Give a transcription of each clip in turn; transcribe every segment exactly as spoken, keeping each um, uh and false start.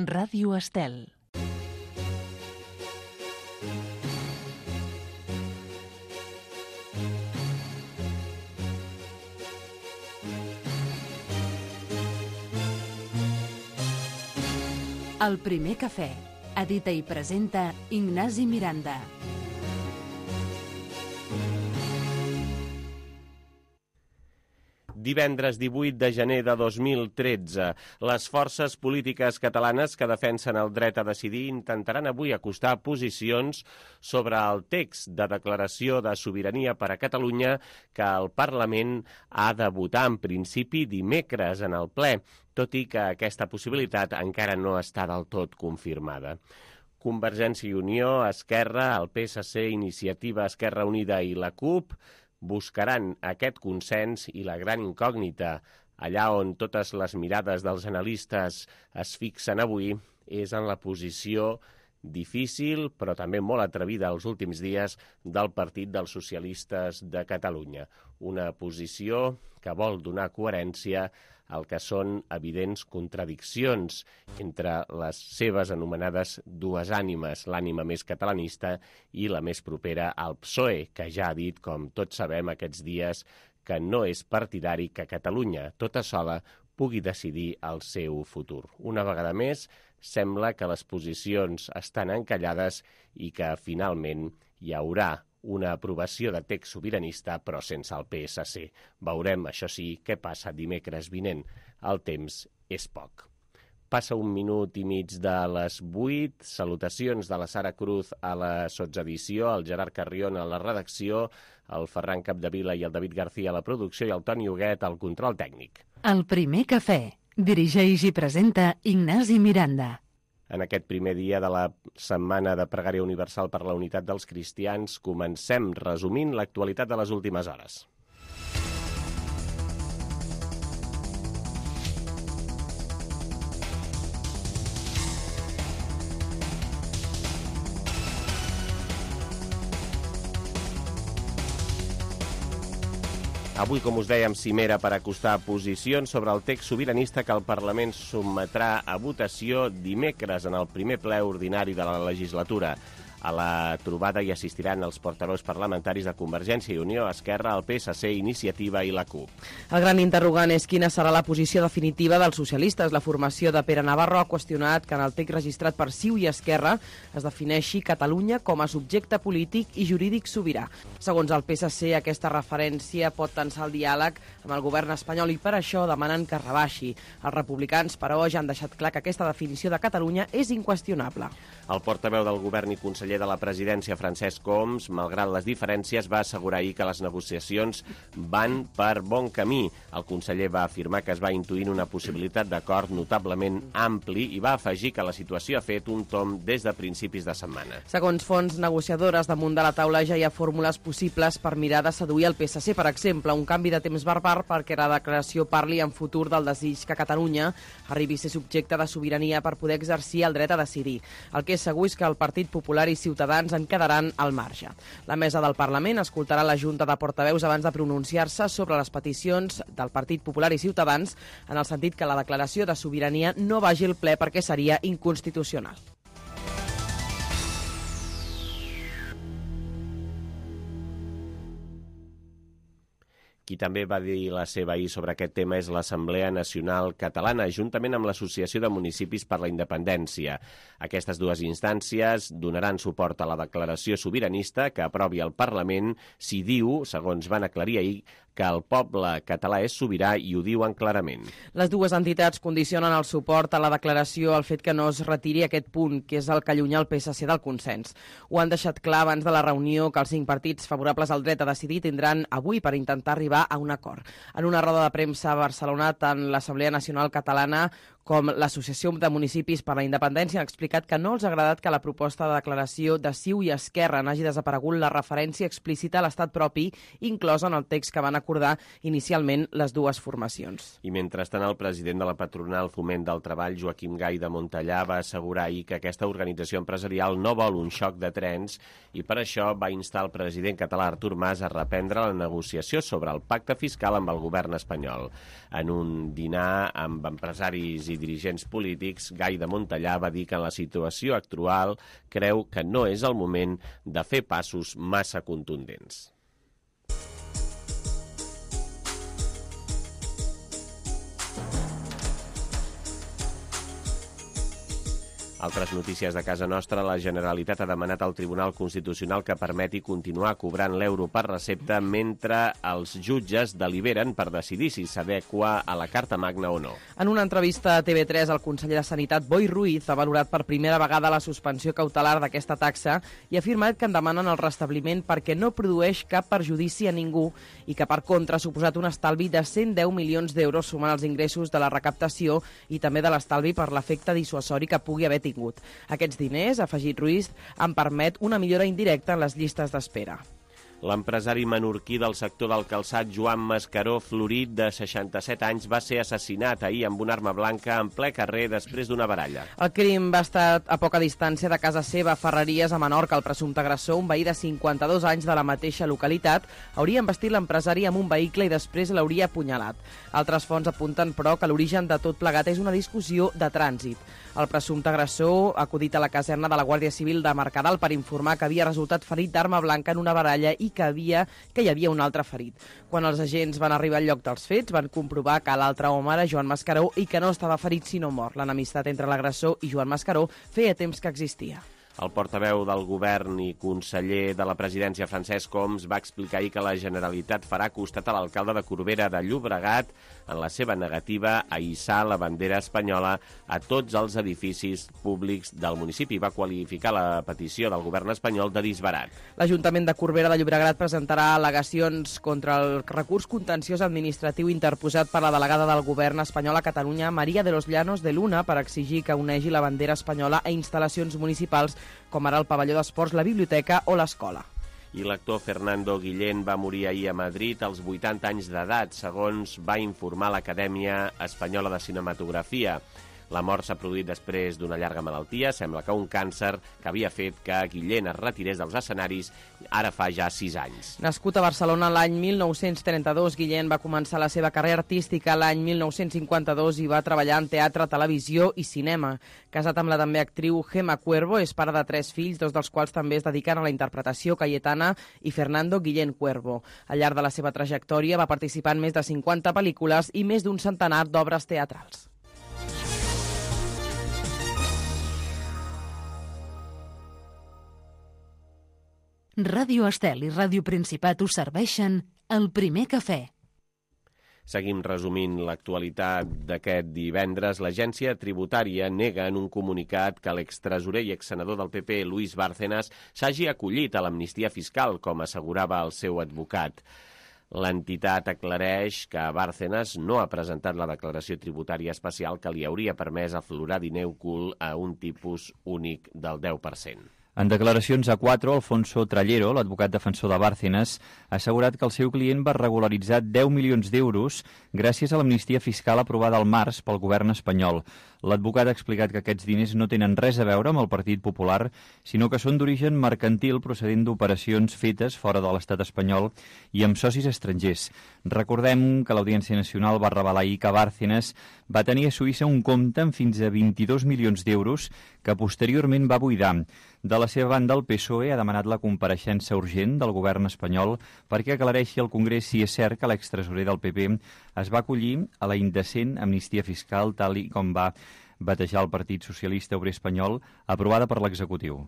Ràdio Estel. El primer cafè. Edita i presenta Ignasi Miranda. Divendres divuit de gener de dos mil tretze, les forces polítiques catalanes que defensen el dret a decidir intentaran avui acostar posicions sobre el text de declaració de sobirania per a Catalunya que el Parlament ha de votar en principi dimecres en el ple, tot i que aquesta possibilitat encara no està del tot confirmada. Convergència i Unió, Esquerra, el P S C, Iniciativa Esquerra Unida i la CUP buscaran aquest consens i la gran incògnita, allà on totes les mirades dels analistes es fixen avui, és en la posició difícil, però també molt atrevida els últims dies del Partit dels Socialistes de Catalunya. Una posició que vol donar coherència al que són evidents contradiccions entre les seves anomenades dues ànimes, l'ànima més catalanista i la més propera al P S O E, que ja ha dit, com tots sabem aquests dies, que no és partidari que Catalunya, tota sola, pugui decidir el seu futur. Una vegada més, sembla que les posicions estan encallades i que finalment hi haurà una aprovació de text sobiranista, però sense el P S C. Veurem, això sí, què passa dimecres vinent. El temps és poc. Passa un minut i mig de les vuit. Salutacions de la Sara Cruz a la sotsedició, el Gerard Carrion a la redacció, el Ferran Capdevila i el David García a la producció i el Toni Huguet al control tècnic. El primer cafè. Dirigeix i presenta Ignasi Miranda. En aquest primer dia de la Setmana de Pregària Universal per la Unitat dels Cristians, comencem resumint l'actualitat de les últimes hores. Avui, com us dèiem, cimera per acostar posicions sobre el text sobiranista que el Parlament sotmetrà a votació dimecres en el primer ple ordinari de la legislatura. A la trobada hi assistiran els portaveus parlamentaris de Convergència i Unió, Esquerra, el P S C, Iniciativa i la CUP. El gran interrogant és quina serà la posició definitiva dels socialistes. La formació de Pere Navarro ha qüestionat que en el text registrat per C I U i Esquerra es defineixi Catalunya com a subjecte polític i jurídic sobirà. Segons el P S C, aquesta referència pot tensar el diàleg amb el govern espanyol i per això demanen que rebaixi. Els republicans, però, ja han deixat clar que aquesta definició de Catalunya és inqüestionable. El portaveu del govern i conseller de la presidència, Francesc Homs, malgrat les diferències, va assegurar ahir que les negociacions van per bon camí. El conseller va afirmar que es va intuint una possibilitat d'acord notablement ampli i va afegir que la situació ha fet un tomb des de principis de setmana. Segons fonts negociadores, damunt de la taula ja hi ha fórmules possibles per mirar de seduir el P S C, per exemple, un canvi de temps barbar perquè la declaració parli en futur del desig que Catalunya arribi a ser subjecte de sobirania per poder exercir el dret a decidir. El que és segur és que el Partit Popular i Ciutadans en quedaran al marge. La mesa del Parlament escoltarà la Junta de Portaveus abans de pronunciar-se sobre les peticions del Partit Popular i Ciutadans en el sentit que la declaració de sobirania no vagi al ple perquè seria inconstitucional. Qui també va dir la seva ahir sobre aquest tema és l'Assemblea Nacional Catalana, juntament amb l'Associació de Municipis per la Independència. Aquestes dues instàncies donaran suport a la declaració sobiranista que aprovi el Parlament si diu, segons van aclarir ahir, que el poble català és sobirà i ho diuen clarament. Les dues entitats condicionen el suport a la declaració al fet que no es retiri aquest punt, que és el que allunya el P S C del consens. Ho han deixat clar abans de la reunió que els cinc partits favorables al dret a decidir tindran avui per intentar arribar a un acord. En una roda de premsa a Barcelona, tant l'Assemblea Nacional Catalana com l'Associació de Municipis per la Independència han explicat que no els ha agradat que la proposta de declaració de C I U i Esquerra n'hagi desaparegut la referència explícita a l'estat propi inclosa en el text que van acordar inicialment les dues formacions. I mentrestant, el president de la patronal Foment del Treball, Joaquim Gai de Montellà, va assegurar ahir que aquesta organització empresarial no vol un xoc de trens i per això va instar el president català Artur Mas a reprendre la negociació sobre el pacte fiscal amb el govern espanyol. En un dinar amb empresaris i i dirigents polítics, Gai de Montellà va dir que en la situació actual creu que no és el moment de fer passos massa contundents. Altres notícies de casa nostra. La Generalitat ha demanat al Tribunal Constitucional que permeti continuar cobrant l'euro per recepta mentre els jutges deliberen per decidir si s'adequa a la Carta Magna o no. En una entrevista a T V tres, el conseller de Sanitat, Boi Ruiz, ha valorat per primera vegada la suspensió cautelar d'aquesta taxa i ha afirmat que en demanen el restabliment perquè no produeix cap perjudici a ningú i que, per contra, ha suposat un estalvi de cent deu milions d'euros sumant els ingressos de la recaptació i també de l'estalvi per l'efecte dissuasori que pugui haver tingut. Aquests diners, ha afegit Ruiz, en permet una millora indirecta en les llistes d'espera. L'empresari menorquí del sector del calçat Joan Mascaró Florit, de seixanta-set anys, va ser assassinat ahir amb una arma blanca en ple carrer després d'una baralla. El crim va estar a poca distància de casa seva, a Ferreries, a Menorca. El presumpte agressor, un veí de cinquanta-dos anys de la mateixa localitat, hauria embestit l'empresari amb un vehicle i després l'hauria apunyalat. Altres fonts apunten, però, que l'origen de tot plegat és una discussió de trànsit. El presumpte agressor ha acudit a la caserna de la Guàrdia Civil de Mercadal per informar que havia resultat ferit d'arma blanca en una baralla i que, havia, que hi havia un altre ferit. Quan els agents van arribar al lloc dels fets, van comprovar que l'altre home era Joan Mascaró i que no estava ferit sinó mort. L'enemistat entre l'agressor i Joan Mascaró feia temps que existia. El portaveu del govern i conseller de la presidència, Francesc Homs, va explicar ahir que la Generalitat farà costat a l'alcalde de Corbera de Llobregat en la seva negativa a hissar la bandera espanyola a tots els edificis públics del municipi. Va qualificar la petició del govern espanyol de disbarat. L'Ajuntament de Corbera de Llobregat presentarà al·legacions contra el recurs contenciós administratiu interposat per la delegada del govern espanyol a Catalunya, María de los Llanos de Luna, per exigir que unegi la bandera espanyola a instal·lacions municipals com ara el pavelló d'esports, la biblioteca o l'escola. I l'actor Fernando Guillén va morir ahir a Madrid als vuitanta anys d'edat, segons va informar l'Acadèmia Espanyola de Cinematografia. La mort s'ha produït després d'una llarga malaltia. Sembla que un càncer que havia fet que Guillén es retirés dels escenaris ara fa ja sis anys. Nascut a Barcelona l'any mil nou-cents trenta-dos, Guillén va començar la seva carrera artística l'any mil nou-cents cinquanta-dos i va treballar en teatre, televisió i cinema. Casat amb la també actriu Gemma Cuervo, és pare de tres fills, dos dels quals també es dediquen a la interpretació, Cayetana i Fernando Guillén Cuervo. Al llarg de la seva trajectòria va participar en més de cinquanta pel·lícules i més d'un centenar d'obres teatrals. Ràdio Estel i Ràdio Principat us serveixen el primer cafè. Seguim resumint l'actualitat d'aquest divendres. L'agència tributària nega en un comunicat que l'extresorer i exsenador del P P, Luis Bárcenas, s'hagi acollit a l'amnistia fiscal, com assegurava el seu advocat. L'entitat aclareix que Bárcenas no ha presentat la declaració tributària especial que li hauria permès aflorar diner ocult a un tipus únic del deu per cent. En declaracions a quatre, Alfonso Trallero, l'advocat defensor de Bárcenas, ha assegurat que el seu client va regularitzar deu milions d'euros gràcies a l'amnistia fiscal aprovada al març pel govern espanyol. L'advocat ha explicat que aquests diners no tenen res a veure amb el Partit Popular, sinó que són d'origen mercantil procedent d'operacions fetes fora de l'estat espanyol i amb socis estrangers. Recordem que l'Audiència Nacional va revelar ahir que Bárcenas va tenir a Suïssa un compte amb fins a vint-i-dos milions d'euros que posteriorment va buidar. De la seva banda, el P S O E ha demanat la compareixença urgent del govern espanyol perquè aclareixi al Congrés si és cert que l'extresorer del P P es va acollir a la indecent amnistia fiscal tal i com va batejar el Partit Socialista Obrer Espanyol, aprovada per l'executiu.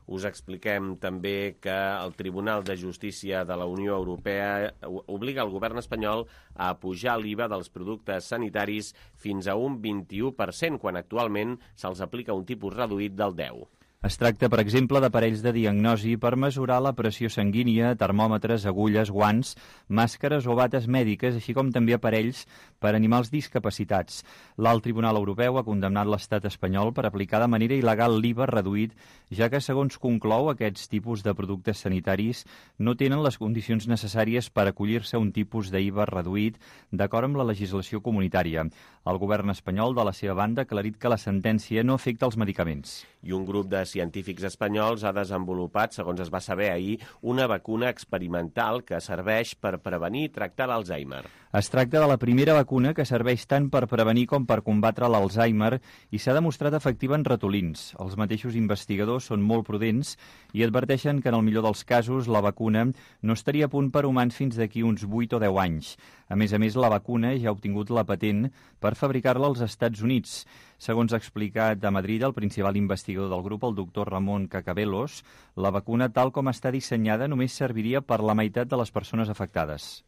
Us expliquem també que el Tribunal de Justícia de la Unió Europea obliga el govern espanyol a pujar l'I V A dels productes sanitaris fins a un vint-i-u per cent, quan actualment se'ls aplica un tipus reduït del deu per cent. Es tracta, per exemple, d'aparells de diagnosi per mesurar la pressió sanguínia, termòmetres, agulles, guants, màscares o bates mèdiques, així com també aparells per a animals discapacitats. L'Alt Tribunal Europeu ha condemnat l'estat espanyol per aplicar de manera il·legal l'I V A reduït, ja que, segons conclou, aquests tipus de productes sanitaris no tenen les condicions necessàries per acollir-se a un tipus d'I V A reduït d'acord amb la legislació comunitària. El govern espanyol, de la seva banda, ha aclarit que la sentència no afecta els medicaments. I un grup de científics espanyols ha desenvolupat, segons es va saber ahir, una vacuna experimental que serveix per prevenir i tractar l'Alzheimer. Es tracta de la primera vacuna que serveix tant per prevenir com per combatre l'Alzheimer i s'ha demostrat efectiva en ratolins. Els mateixos investigadors són molt prudents i adverteixen que en el millor dels casos la vacuna no estaria a punt per humans fins d'aquí uns vuit o deu anys. A més a més, la vacuna ja ha obtingut la patent per fabricar-la als Estats Units. Segons ha explicat a Madrid el principal investigador del grup, el doctor Ramon Cacabelos, la vacuna tal com està dissenyada només serviria per la meitat de les persones afectades.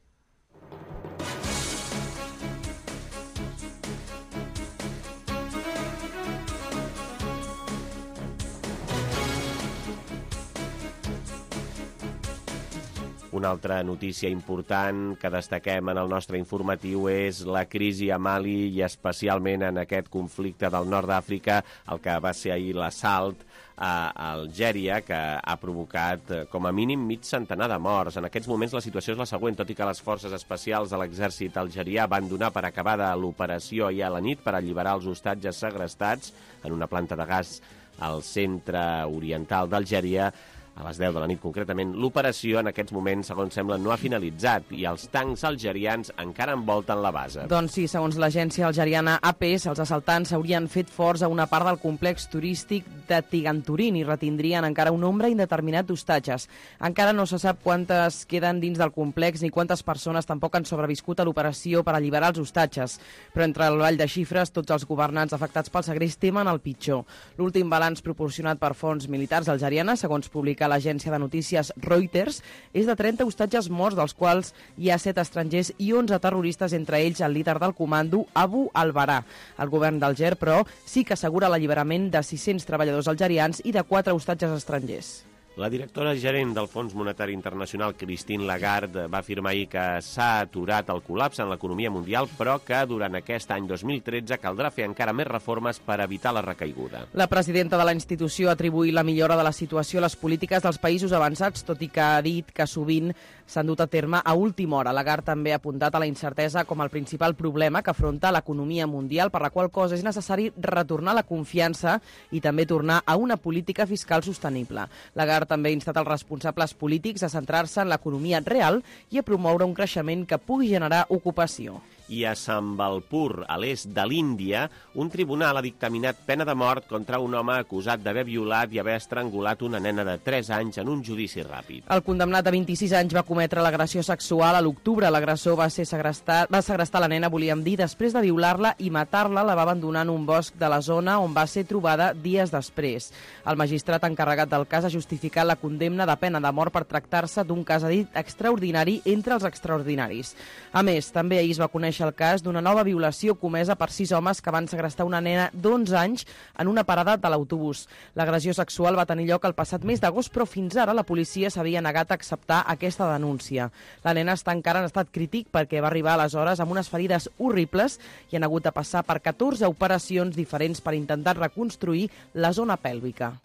Una altra notícia important que destaquem en el nostre informatiu és la crisi a Mali i especialment en aquest conflicte del nord d'Àfrica, el que va ser ahir l'assalt a Algèria, que ha provocat com a mínim mig centenar de morts. En aquests moments la situació és la següent, tot i que les forces especials de l'exèrcit algerià van donar per acabada l'operació ahir a la nit per alliberar els hostatges segrestats en una planta de gas al centre oriental d'Algèria, a les deu de la nit concretament. L'operació en aquests moments, segons sembla, no ha finalitzat i els tancs algerians encara envolten la base. Doncs sí, segons l'agència algeriana A P, els assaltants s'haurien fet forts a una part del complex turístic de Tiganturin i retindrien encara un nombre indeterminat d'hostatges. Encara no se sap quantes queden dins del complex ni quantes persones tampoc han sobreviscut a l'operació per alliberar els hostatges. Però entre el ball de xifres, tots els governants afectats pel segrest temen el pitjor. L'últim balanç proporcionat per fonts militars algerianes, segons publica l'agència de notícies Reuters, és de trenta hostatges morts, dels quals hi ha set estrangers i onze terroristes, entre ells el líder del comando, Abu al-Barà. El govern d'Alger, però, sí que assegura l'alliberament de sis-cents treballadors algerians i de quatre hostatges estrangers. La directora gerent del Fons Monetari Internacional, Christine Lagarde, va afirmar ahir que s'ha aturat el col·lapse en l'economia mundial, però que durant aquest any dos mil tretze caldrà fer encara més reformes per evitar la recaiguda. La presidenta de la institució ha atribuït la millora de la situació a les polítiques dels països avançats, tot i que ha dit que sovint s'han dut a terme a última hora. Lagarde també ha apuntat a la incertesa com el principal problema que afronta l'economia mundial, per la qual cosa és necessari retornar la confiança i també tornar a una política fiscal sostenible. Lagarde també ha instat els responsables polítics a centrar-se en l'economia real i a promoure un creixement que pugui generar ocupació. I a Sambalpur, a l'est de l'Índia, un tribunal ha dictaminat pena de mort contra un home acusat d'haver violat i haver estrangulat una nena de tres anys en un judici ràpid. El condemnat de vint-i-sis anys va cometre l'agressió sexual a l'octubre. L'agressor va ser segrestat, va segrestar la nena, volíem dir, després de violar-la i matar-la, la va abandonar en un bosc de la zona on va ser trobada dies després. El magistrat encarregat del cas ha justificat la condemna de pena de mort per tractar-se d'un cas dit extraordinari entre els extraordinaris. A més, també ahir es va conèixer el cas d'una nova violació comesa per sis homes que van segrestar una nena d'onze anys en una parada de l'autobús. L'agressió sexual va tenir lloc el passat mes d'agost, però fins ara la policia s'havia negat a acceptar aquesta denúncia. La nena està encara en estat crític perquè va arribar aleshores amb unes ferides horribles i han hagut de passar per catorze operacions diferents per intentar reconstruir la zona pèlvica.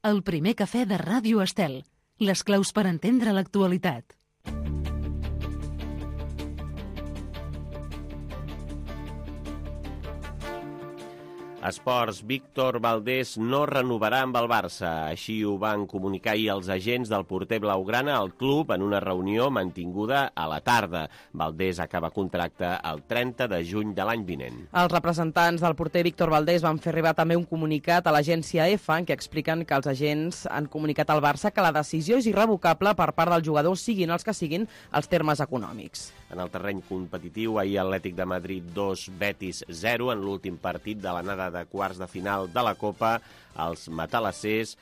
El primer cafè de Ràdio Estel. Les claus per entendre l'actualitat. Esports, Víctor Valdés no renovarà amb el Barça. Així ho van comunicar ahir els agents del porter blaugrana al club en una reunió mantinguda a la tarda. Valdés acaba contracte el trenta de juny de l'any vinent. Els representants del porter Víctor Valdés van fer arribar també un comunicat a l'agència EFA en què expliquen que els agents han comunicat al Barça que la decisió és irrevocable per part del jugador, siguin els que siguin els termes econòmics. En el terreny competitiu, ahir Atlètic de Madrid dos, Betis zero, en l'últim partit de l'anada de quarts de final de la Copa. Els matalassers,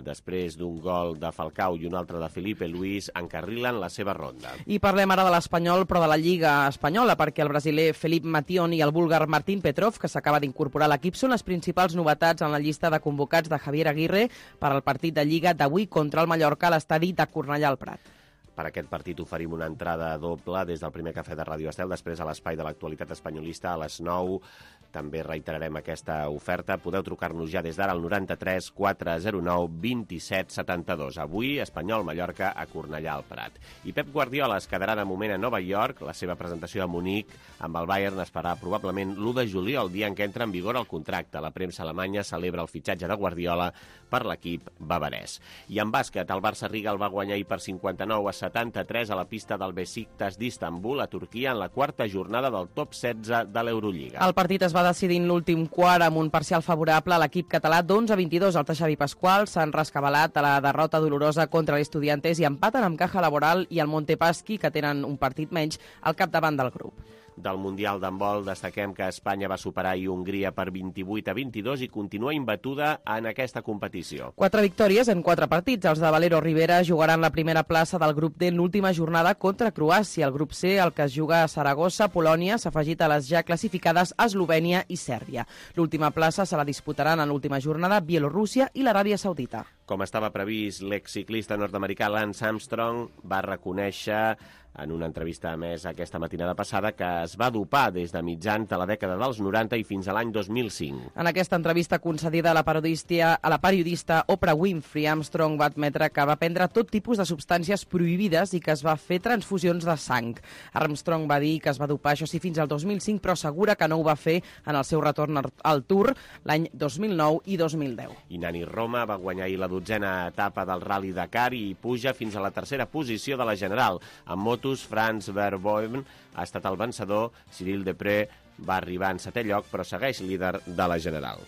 després d'un gol de Falcao i un altre de Felipe Luis, encarrilen la seva ronda. I parlem ara de l'Espanyol, però de la Lliga Espanyola, perquè el brasiler Felip Mation i el búlgar Martín Petrov, que s'acaba d'incorporar a l'equip, són les principals novetats en la llista de convocats de Javier Aguirre per al partit de Lliga d'avui contra el Mallorca a l'estadi de Cornellà al Prat. Per aquest partit oferim una entrada doble des del primer cafè de Ràdio Estel, després a l'espai de l'actualitat espanyolista a les nou. També reiterarem aquesta oferta. Podeu trucar-nos ja des d'ara al noranta-tres quatre zero nou vint-i-set setanta-dos. Avui, Espanyol-Mallorca a Cornellà al Prat. I Pep Guardiola es quedarà de moment a Nova York. La seva presentació a Munic amb el Bayern es farà probablement l'u de juliol, el dia en què entra en vigor el contracte. La premsa alemanya celebra el fitxatge de Guardiola per l'equip bavarès. I en bàsquet, el Barça Riga el va guanyar ahir per cinquanta-nou a setanta-tres a la pista del Besiktas d'Istanbul, a Turquia, en la quarta jornada del top setze de l'Eurolliga. El partit es va decidir en l'últim quart amb un parcial favorable a l'equip català d'onze a vint-i-dos. El Xavi Pascual s'han rescabalat a la derrota dolorosa contra l'Estudiantes i empaten amb Caja Laboral i el Montepaschi, que tenen un partit menys, al capdavant del grup. Del Mundial d'handbol destaquem que Espanya va superar i Hongria per vint-i-vuit a vint-i-dos i continua imbatuda en aquesta competició. Quatre victòries en quatre partits. Els de Valero Rivera jugaran la primera plaça del grup D en l'última jornada contra Croàcia. El grup C, el que es juga a Saragossa, Polònia, s'ha afegit a les ja classificades Eslovènia i Sèrbia. L'última plaça se la disputaran en l'última jornada Bielorússia i l'Aràbia Saudita. Com estava previst, l'exciclista nord-americà Lance Armstrong va reconèixer en una entrevista a més aquesta matinada passada que es va dopar des de mitjans de la dècada dels noranta i fins a l'any dos mil cinc. En aquesta entrevista concedida a la periodista, a la periodista Oprah Winfrey, Armstrong va admetre que va prendre tot tipus de substàncies prohibides i que es va fer transfusions de sang. Armstrong va dir que es va dopar, això sí, fins al dos mil cinc, però assegura que no ho va fer en el seu retorn al Tour l'any dos mil nou i dos mil deu. I Nani Roma va guanyar ahir la dotzena etapa del Rally Dakar i puja fins a la tercera posició de la general. En moto, Franz Verboen ha estat el vencedor. Cyril Depré va arribar en setè lloc, però segueix líder de la general.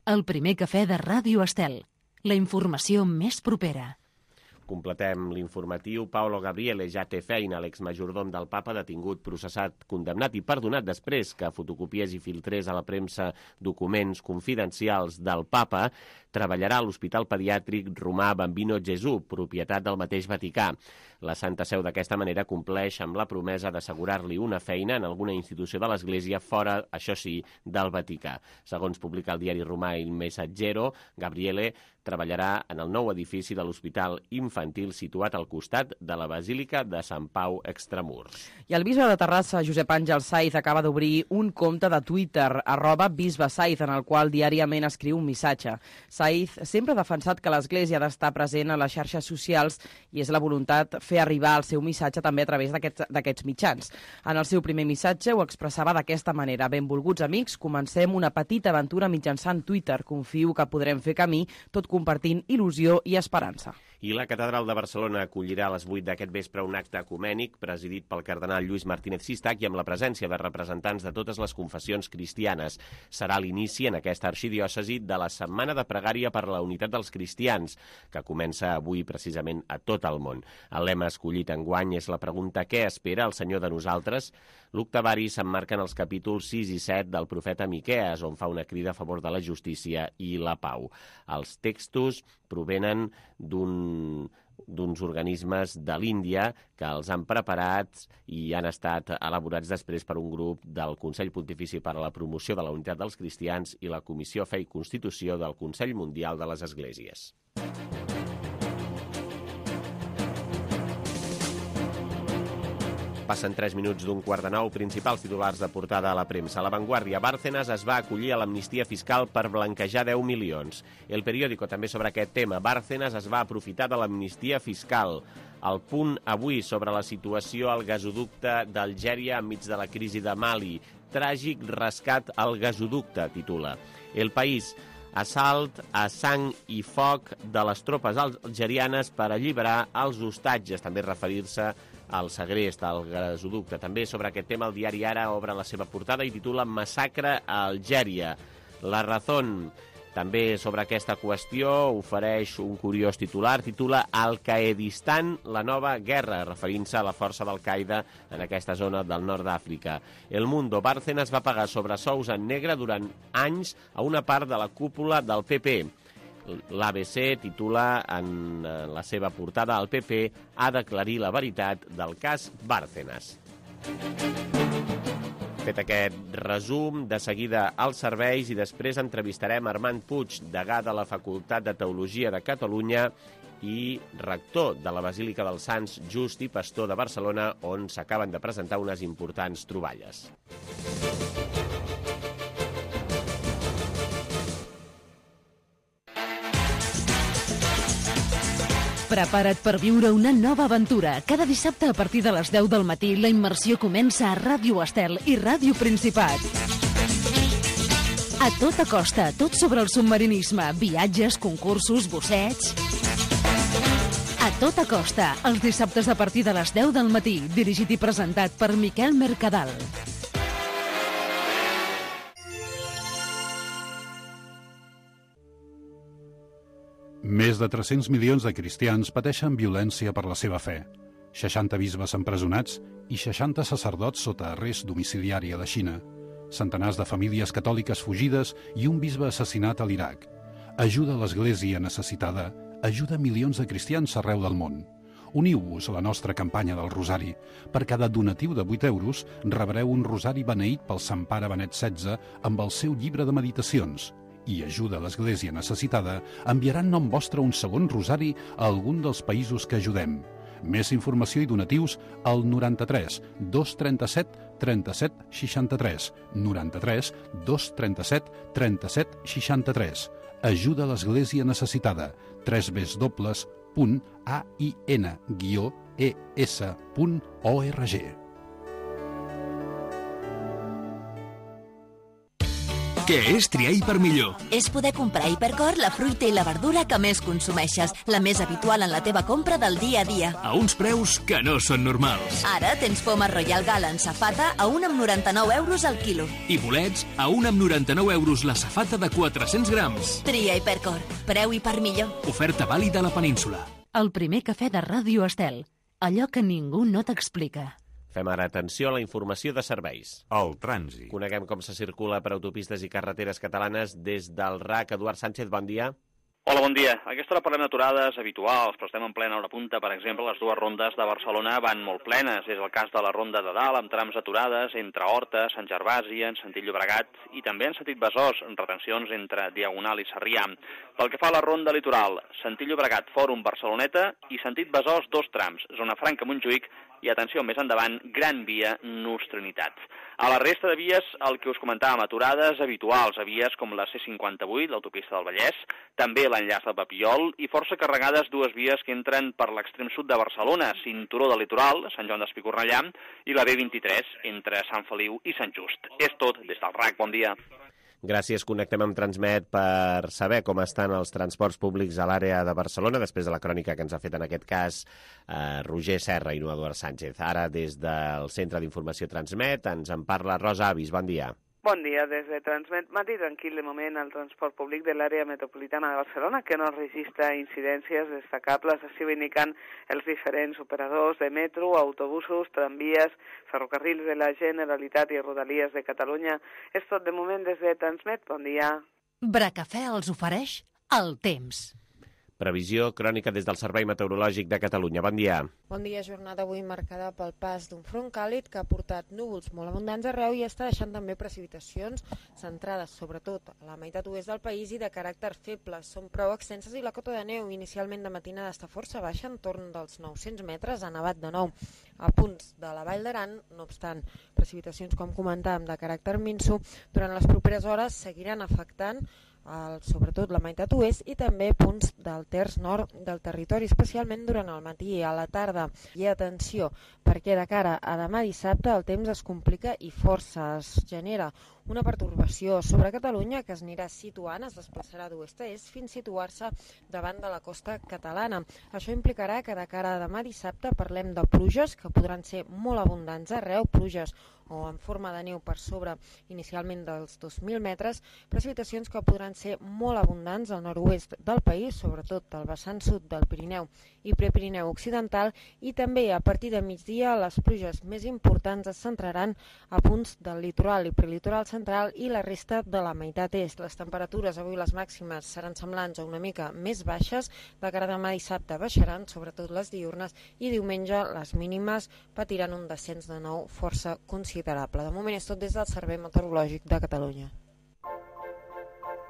El primer cafè de Ràdio Estel. La informació més propera. Completem l'informatiu. Paolo Gabriele ja té feina. L'exmajordom del papa, detingut, processat, condemnat i perdonat després que fotocopiés i filtrés a la premsa documents confidencials del papa, treballarà a l'Hospital Pediàtric Romà Bambino Gesù, propietat del mateix Vaticà. La Santa Seu d'aquesta manera compleix amb la promesa d'assegurar-li una feina en alguna institució de l'Església fora, això sí, del Vaticà. Segons publica el diari romà Il Messaggero, Gabriele treballarà en el nou edifici de l'Hospital Infantil situat al costat de la Basílica de Sant Pau Extramurs. I el bisbe de Terrassa, Josep Àngel Saiz, acaba d'obrir un compte de Twitter, arroba bisbe Saiz, en el qual diàriament escriu un missatge. Saiz sempre ha defensat que l'Església ha d'estar present a les xarxes socials i és la voluntat fer arribar el seu missatge també a través d'aquests mitjans. En el seu primer missatge ho expressava d'aquesta manera: benvolguts amics, comencem una petita aventura mitjançant Twitter. Confio que podrem fer camí, tot compartint il·lusió i esperança. I la Catedral de Barcelona acollirà a les vuit d'aquest vespre un acte ecumènic presidit pel cardenal Lluís Martínez Sistach i amb la presència de representants de totes les confessions cristianes. Serà l'inici en aquesta arxidiòcesi de la Setmana de Pregària per la Unitat dels Cristians, que comença avui precisament a tot el món. El lema escollit enguany és la pregunta: què espera el Senyor de nosaltres? L'octavari s'emmarca en els capítols sis i set del profeta Miquees, on fa una crida a favor de la justícia i la pau. Els textos provenen d'un d'uns organismes de l'Índia que els han preparat i han estat elaborats després per un grup del Consell Pontifici per a la Promoció de la Unitat dels Cristians i la Comissió Fe i Constitució del Consell Mundial de les Esglésies. Passen tres minuts d'un quart de nou. Principals titulars de portada a la premsa. La Vanguardia: Bárcenas es va acollir a l'amnistia fiscal per blanquejar deu milions. El Periódico també sobre aquest tema. Bárcenas es va aprofitar de l'amnistia fiscal. El Punt avui sobre la situació al gasoducte d'Algèria enmig de la crisi de Mali. Tràgic rescat al gasoducte, titula. El País: assalt a sang i foc de les tropes algerianes per alliberar els hostatges, també referir-se al segrest, al gasoducte. També sobre aquest tema el diari Ara obre la seva portada i titula Massacre a Algèria. La Razón també sobre aquesta qüestió ofereix un curiós titular, titula Al-Qaedistan, la nova guerra, referint-se a la força d'Al-Qaeda en aquesta zona del nord d'Àfrica. El Mundo: Bárcenas va pagar sobresous en negre durant anys a una part de la cúpula del P P. L'A B C titula en la seva portada: el P P ha d'aclarir la veritat del cas Bárcenas. Fet aquest resum, de seguida als serveis i després entrevistarem Armand Puig, degà de la Facultat de Teologia de Catalunya i rector de la Basílica dels Sants Just i Pastor de Barcelona, on s'acaben de presentar unes importants troballes. Prepara't per viure una nova aventura. Cada dissabte a partir de les deu del matí la immersió comença a Ràdio Estel i Ràdio Principat. A tota costa, tot sobre el submarinisme, viatges, concursos, bussets... A tota costa, els dissabtes a partir de les deu del matí, dirigit i presentat per Miquel Mercadal. Més de tres-cents milions de cristians pateixen violència per la seva fe. seixanta bisbes empresonats i seixanta sacerdots sota arrest domiciliari a la Xina. Centenars de famílies catòliques fugides i un bisbe assassinat a l'Iraq. Ajuda a l'Església necessitada, ajuda milions de cristians arreu del món. Uniu-vos a la nostra campanya del Rosari. Per cada donatiu de vuit euros rebreu un rosari beneït pel Sant Pare Benet setze amb el seu llibre de meditacions. I ajuda a l'Església necessitada enviarà en nom vostre un segon rosari a algun dels països que ajudem. Més informació i donatius al noranta-tres dos trenta-set trenta-set seixanta-tres, noranta-tres dos trenta-set trenta-set seixanta-tres. Ajuda a l'Església necessitada. tres w punt a i n guió e s punt org. Què és triar Hipermillor? És poder comprar a Hipercor la fruita i la verdura que més consumeixes, la més habitual en la teva compra del dia a dia. A uns preus que no són normals. Ara tens poma Royal Gala en safata a un amb noranta-nou euros al quilo. I bolets a un amb noranta-nou euros la safata de quatre-cents grams. Tria Hipercor. Preu Hipermillor. Oferta vàlida a la península. El primer cafè de Ràdio Estel. Allò que ningú no t'explica. Fem ara atenció a la informació de serveis. El trànsit. Coneguem com se circula per autopistes i carreteres catalanes des del R A C. Eduard Sánchez, bon dia. Hola, bon dia. A aquesta hora parlem d'aturades habituals, però estem en plena hora punta. Per exemple, les dues rondes de Barcelona van molt plenes. És el cas de la ronda de dalt, amb trams aturades entre Horta, Sant Gervasi, en sentit Llobregat, i també en sentit Besòs, amb retencions entre Diagonal i Sarrià. Pel que fa a la ronda litoral, sentit Llobregat, Fòrum, Barceloneta, i sentit Besòs, dos trams, Zona Franca, Montjuïc, i atenció, més endavant, Gran Via, Nus Trinitat. A la resta de vies, el que us comentàvem, aturades habituals a vies com la C cinquanta-vuit, l'autopista del Vallès, també l'enllaç de Papiol, i força carregades dues vies que entren per l'extrem sud de Barcelona, cinturó del litoral, Sant Joan d'Espí-Cornellà, i la B vint-i-tres, entre Sant Feliu i Sant Just. És tot des del R A C. Bon dia. Gràcies, connectem amb Transmet per saber com estan els transports públics a l'àrea de Barcelona, després de la crònica que ens ha fet en aquest cas eh, Roger Serra i no Eduard Sánchez. Ara, des del Centre d'Informació Transmet, ens en parla Rosa Avis. Bon dia. Bon dia, des de Transmet. Matí tranquil de moment al transport públic de l'àrea metropolitana de Barcelona, que no registra incidències destacables, així ho indiquen els diferents operadors de metro, autobusos, tramvies, ferrocarrils de la Generalitat i Rodalies de Catalunya. És tot de moment des de Transmet. Bon dia. Bracafè els ofereix el temps. Previsió crònica des del Servei Meteorològic de Catalunya. Bon dia. Bon dia, jornada avui marcada pel pas d'un front càlid que ha portat núvols molt abundants arreu i està deixant també precipitacions centrades sobretot a la meitat oest del país i de caràcter feble. Són prou extenses i la cota de neu inicialment de matinada està força baixa, entorn dels nou-cents metres, ha nevat de nou a punts de la Vall d'Aran. No obstant, precipitacions, com comentàvem, de caràcter minso, durant les properes hores seguiran afectant El, sobretot la meitat oest i també punts del terç nord del territori, especialment durant el matí i a la tarda. I atenció, perquè de cara a demà dissabte el temps es complica i força. Es genera una pertorbació sobre Catalunya que es anirà situant, es desplaçarà d'oest a est fins a situar-se davant de la costa catalana. Això implicarà que de cara a demà dissabte parlem de pluges que podran ser molt abundants arreu, pluges o en forma de neu per sobre inicialment dels dos mil metres, precipitacions que podran ser molt abundants al nord-oest del país, sobretot al vessant sud del Pirineu i Prepirineu occidental, i també a partir de migdia les pluges més importants es centraran a punts del litoral i prelitoral central i la resta de la meitat est. Les temperatures avui, les màximes, seran semblants o una mica més baixes. De cara a demà dissabte baixaran, sobretot les diürnes, i diumenge les mínimes patiran un descens de nou força considerable. considerable. De moment és tot des del Servei Meteorològic de Catalunya.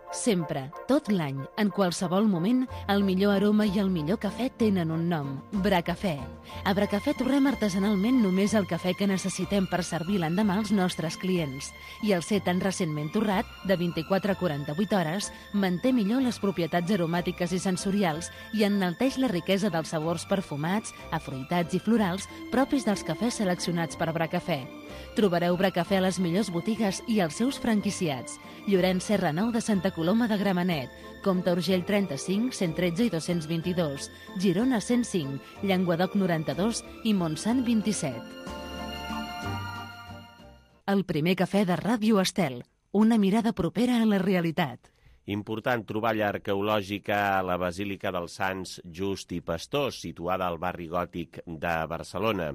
Sempre, tot l'any, en qualsevol moment, el millor aroma i el millor cafè tenen un nom, Bracafè. A Bracafè torrem artesanalment només el cafè que necessitem per servir l'endemà als nostres clients. I el ser tan recentment torrat, de vint-i-quatre a quaranta-vuit hores, manté millor les propietats aromàtiques i sensorials i enalteix la riquesa dels sabors perfumats, afruitats i florals propis dels cafès seleccionats per Bracafè. Trobareu Bracafè a les millors botigues i als seus franquiciats. Llorenç Serra nou de Santa Coloma de Gramenet, Comte Urgell trenta-cinc, cent tretze i dos-cents vint-i-dos, Girona cent cinc, Llenguadoc noranta-dos i Montsant vint-i-set. El primer cafè de Ràdio Estel, una mirada propera a la realitat. Important troballa arqueològica a la Basílica dels Sants Just i Pastor, situada al barri gòtic de Barcelona.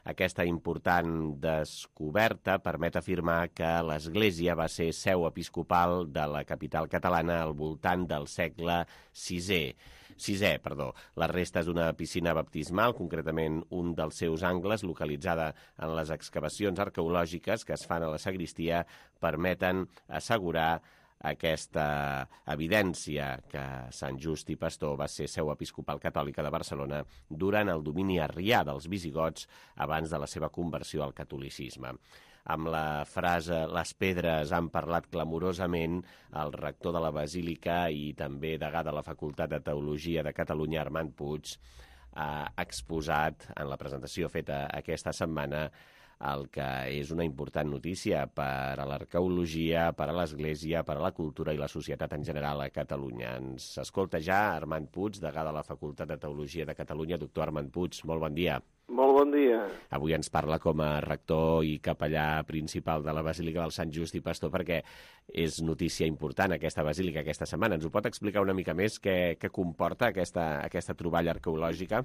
Aquesta important descoberta permet afirmar que l'església va ser seu episcopal de la capital catalana al voltant del segle sisè. Sisè, perdó. Les restes d'una piscina baptismal, concretament un dels seus angles, localitzada en les excavacions arqueològiques que es fan a la sagristia, permeten assegurar aquesta evidència que Sant Just i Pastor va ser seu episcopal catòlica de Barcelona durant el domini arrià dels visigots abans de la seva conversió al catolicisme. Amb la frase «les pedres han parlat clamorosament», el rector de la Basílica i també degà de la Facultat de Teologia de Catalunya, Armand Puig, ha exposat en la presentació feta aquesta setmana el que és una important notícia per a l'arqueologia, per a l'Església, per a la cultura i la societat en general a Catalunya. Ens escolta ja Armand Puig, degà de la Facultat de Teologia de Catalunya. Doctor Armand Puig, molt bon dia. Molt bon dia. Avui ens parla com a rector i capellà principal de la Basílica del Sant Just i Pastor perquè és notícia important aquesta basílica aquesta setmana. Ens ho pot explicar una mica més què, què comporta aquesta, aquesta troballa arqueològica?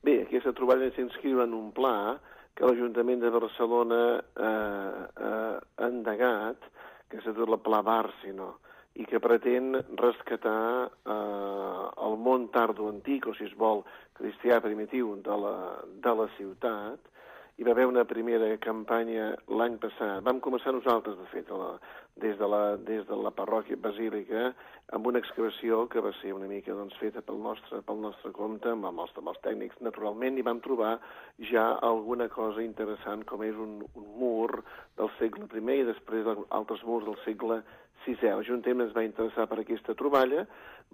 Bé, aquesta troballa s'inscriu en un pla que l'Ajuntament de Barcelona eh, eh, ha endegat, que s'ha dit el Pla Bàrcino, i que pretén rescatar eh, el món tardo antic, o si es vol, cristià primitiu de la, de la ciutat. Hi va haver una primera campanya l'any passat. Vam començar nosaltres, de fet, la, des, de la, des de la parròquia basílica, amb una excavació que va ser una mica doncs, feta pel nostre, pel nostre compte, amb els, amb els tècnics, naturalment, i vam trobar ja alguna cosa interessant, com és un, un mur del segle primer i després altres murs del segle sisè. L'Ajuntament es va interessar per aquesta troballa,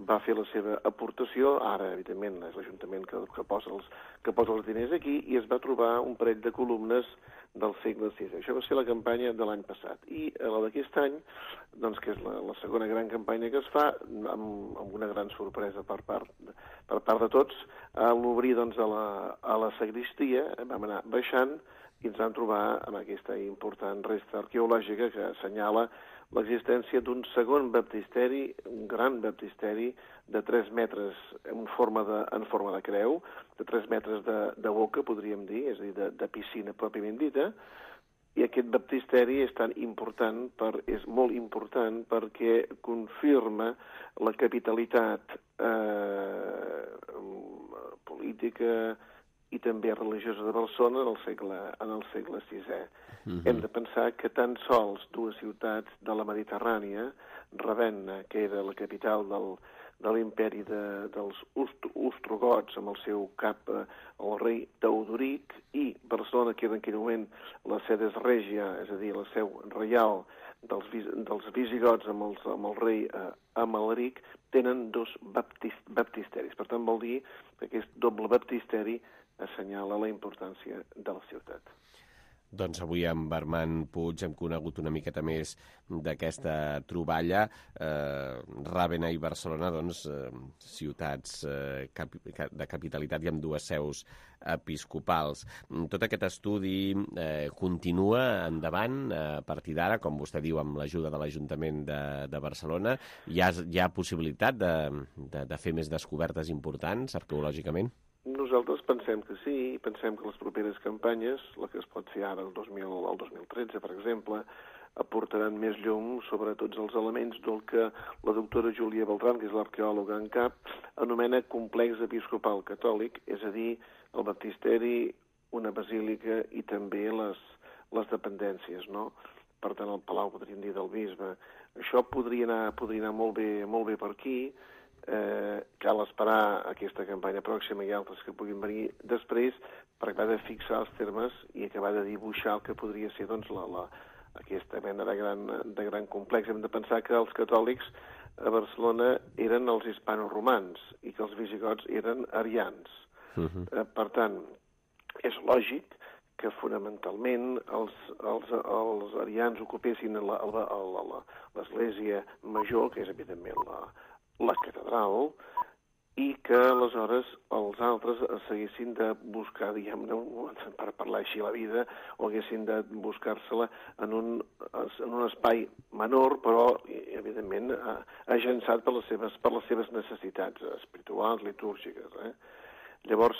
va fer la seva aportació, ara, evidentment, és l'Ajuntament que, que, posa els, que posa els diners aquí, i es va trobar un parell de columnes del segle sisè. Això va ser la campanya de l'any passat. I la d'aquest any, doncs, que és la, la segona gran campanya que es fa, amb, amb una gran sorpresa per part, per part de tots, a l'obrir doncs, a, la, a la sagristia, vam anar baixant i ens vam trobar amb aquesta important resta arqueològica que assenyala l'existència d'un segon baptisteri, un gran baptisteri de tres metres en forma de, en forma de creu, de tres metres de, de boca, podríem dir, és a dir, de, de piscina pròpiament dita, i aquest baptisteri és tan important, per, és molt important perquè confirma la capitalitat eh, política i també religiosa de Barcelona en el segle, en el segle sisè. Uh-huh. Hem de pensar que tan sols dues ciutats de la Mediterrània, Ravenna, que era la capital del, de l'imperi de, dels ostrogots, amb el seu cap, eh, el rei Teodoric, i Barcelona, que era en aquell moment la sedes regia, és a dir, la seu reial dels, dels visigots amb, els, amb el rei eh, Amalric, tenen dos baptist, baptisteris. Per tant, vol dir que aquest doble baptisteri assenyala la importància de la ciutat. Doncs avui amb Armand Puig hem conegut una miqueta més d'aquesta troballa. Eh, Ràvenna i Barcelona, doncs, eh, ciutats eh, cap, de capitalitat i amb dues seus episcopals. Tot aquest estudi eh, continua endavant a partir d'ara, com vostè diu, amb l'ajuda de l'Ajuntament de, de Barcelona. Hi ha, hi ha possibilitat de, de, de fer més descobertes importants arqueològicament? Nosaltres pensem que sí, pensem que les properes campanyes, la que es pot fer ara el dos mil, el dos mil tretze, per exemple, aportaran més llum sobre tots els elements del que la doctora Júlia Beltran, que és l'arqueòloga en cap, anomena complex episcopal catòlic, és a dir, el baptisteri, una basílica i també les, les dependències, no? Per tant, el Palau, podríem dir, del bisbe. Això podria anar, podria anar molt bé, molt bé per aquí. Eh, cal esperar aquesta campanya pròxima i altres que puguin venir després per acabar de fixar els termes i acabar de dibuixar el que podria ser doncs, la, la, aquesta mena de gran, de gran complex. Hem de pensar que els catòlics a Barcelona eren els hispanoromans i que els visigots eren arians. Uh-huh. Eh, per tant, és lògic que fonamentalment els, els, els arians ocupessin l'església major, que és evidentment la, la catedral, i que aleshores els altres s'haguessin de buscar, diguem-ne, per parlar així la vida, o haguessin de buscar-se-la en, un, en un espai menor, però evidentment agençat per les seves, per les seves necessitats espirituals, litúrgiques. Eh? Llavors,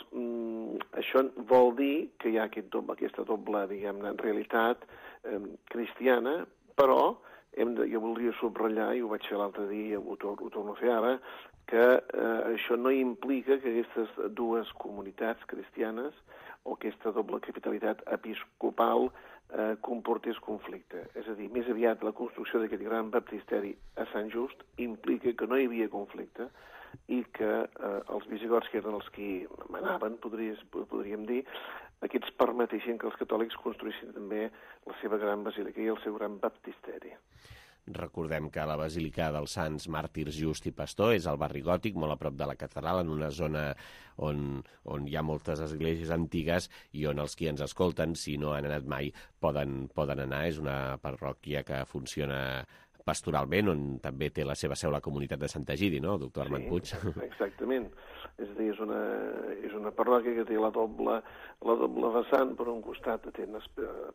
això vol dir que hi ha aquest doble, aquesta doble, diguem-ne, realitat eh, cristiana, però hem de, jo voldria subratllar, i ho vaig fer l'altre dia, ho, tor ho torno a fer ara, que eh, això no implica que aquestes dues comunitats cristianes o aquesta doble capitalitat episcopal eh, comportés conflicte. És a dir, més aviat la construcció d'aquest gran baptisteri a Sant Just implica que no hi havia conflicte i que eh, els visigots, que eren els que manaven, podries, podríem dir, aquests permetessin que els catòlics construïssin també la seva gran basílica i el seu gran baptisteri. Recordem que la Basílica dels Sants Màrtirs Just i Pastor és al barri gòtic, molt a prop de la catedral, en una zona on, on hi ha moltes esglésies antigues i on els qui ens escolten, si no han anat mai, poden, poden anar. És una parròquia que funciona pastoralment, on també té la seva seu la comunitat de Sant Egidi, no, doctor Armand Puig? Sí, exactament. És a dir, és una, és una parròquia que té la doble, la doble vessant, per un costat atén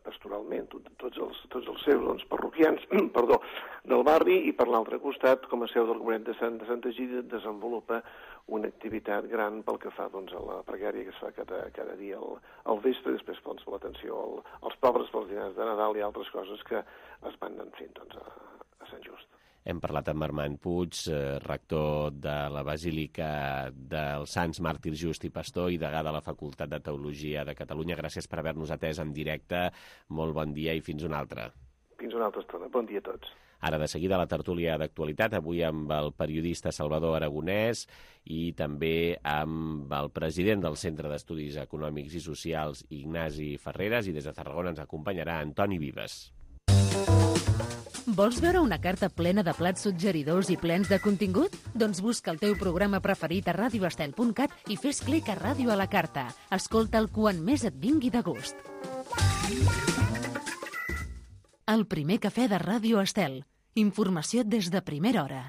pastoralment tot, tots, els, tots els seus doncs, parroquians perdó, del barri, i per l'altre costat, com a seu del comunitat de Sant, de Sant Egidi, desenvolupa una activitat gran pel que fa doncs, a la pregària que es fa cada, cada dia al, al vespre, després doncs, l'atenció al, als pobres pels dinars de Nadal i altres coses que es van anar fent doncs, a, a Sant Just. Hem parlat amb Armand Puig, eh, rector de la Basílica dels Sants Màrtirs Just i Pastor i degà de la Facultat de Teologia de Catalunya. Gràcies per haver-nos atès en directe. Molt bon dia i fins una altra. Fins una altra estona. Bon dia a tots. Ara, de seguida, la tertúlia d'actualitat, avui amb el periodista Salvador Aragonès i també amb el president del Centre d'Estudis Econòmics i Socials, Ignasi Ferreres, i des de Tarragona ens acompanyarà Antoni Vives. Vols veure una carta plena de plats suggeridors i plens de contingut? Doncs busca el teu programa preferit a radio estel punt cat i fes clic a Ràdio a la Carta. Escolta'l quan més et vingui de gust. El primer cafè de Ràdio Estel. Informació des de primera hora.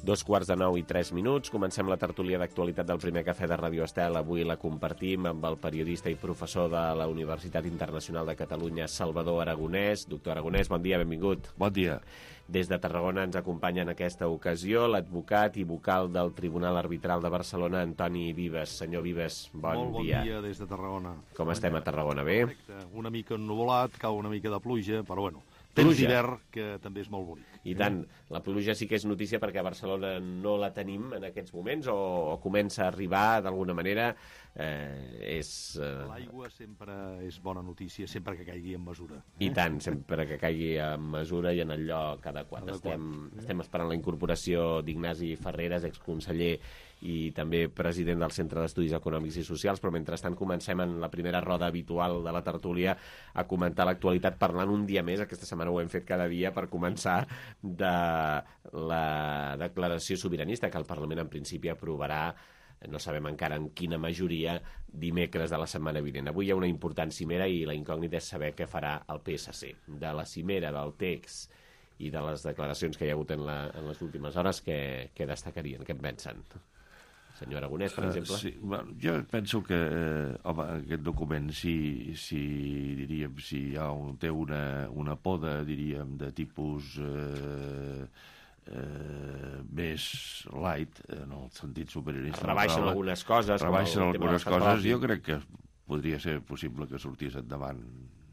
Dos quarts de nou i tres minuts. Comencem la tertúlia d'actualitat del primer cafè de Ràdio Estel. Avui la compartim amb el periodista i professor de la Universitat Internacional de Catalunya, Salvador Aragonès. Doctor Aragonès, bon dia, benvingut. Bon dia. Des de Tarragona ens acompanya en aquesta ocasió l'advocat i vocal del Tribunal Arbitral de Barcelona, Antoni Vives. Senyor Vives, bon, Molt bon dia. Bon dia des de Tarragona. Com bon estem dia. A Tarragona, bé? Correcte. Una mica ennuvolat, cau una mica de pluja, però bueno, temps d'hivern, que també és molt bonic. I tant, la pluja sí que és notícia perquè a Barcelona no la tenim en aquests moments o, o comença a arribar d'alguna manera. Eh, és... Eh... L'aigua sempre és bona notícia, sempre que caigui en mesura. Eh? I tant, sempre que caigui en mesura i en el lloc adequat. adequat. Estem, estem esperant la incorporació d'Ignasi Ferreres, exconseller i també president del Centre d'Estudis Econòmics i Socials, però mentrestant comencem en la primera roda habitual de la tertúlia a comentar l'actualitat parlant un dia més, aquesta setmana ho hem fet cada dia, per començar de la declaració sobiranista que el Parlament en principi aprovarà, no sabem encara en quina majoria, dimecres de la setmana vinent. Avui hi ha una important cimera i la incògnita és saber què farà el P S C. De la cimera del text i de les declaracions que hi ha hagut en, la, en les últimes hores, què, què destacarien, què en pensen? Senyor Aragonès, per exemple. Uh, sí, bueno, jo penso que eh, home, aquest document, si, si, diríem, si hi ha un, té una, una poda, diríem, de tipus eh, eh, més light, en el sentit superiorista. Rebaixen algunes coses. Rebaixen algunes coses. Jo crec que podria ser possible que sortís endavant,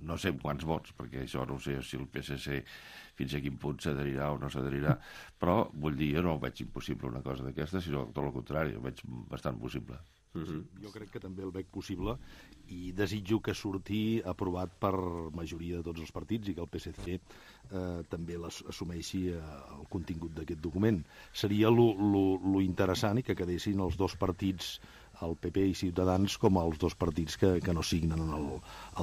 no sé quants vots, perquè això no sé si el P S C fins a quin punt s'adherirà o no s'adherirà, però vull dir, jo no veig impossible una cosa d'aquesta, sinó tot el contrari, ho veig bastant possible. Uh-huh. Jo crec que també el veig possible i desitjo que surti aprovat per majoria de tots els partits i que el P S C eh, també assumeixi eh, el contingut d'aquest document. Seria lo, lo, lo interessant i que quedessin els dos partits, el P P i Ciutadans, com els dos partits que, que no signen el,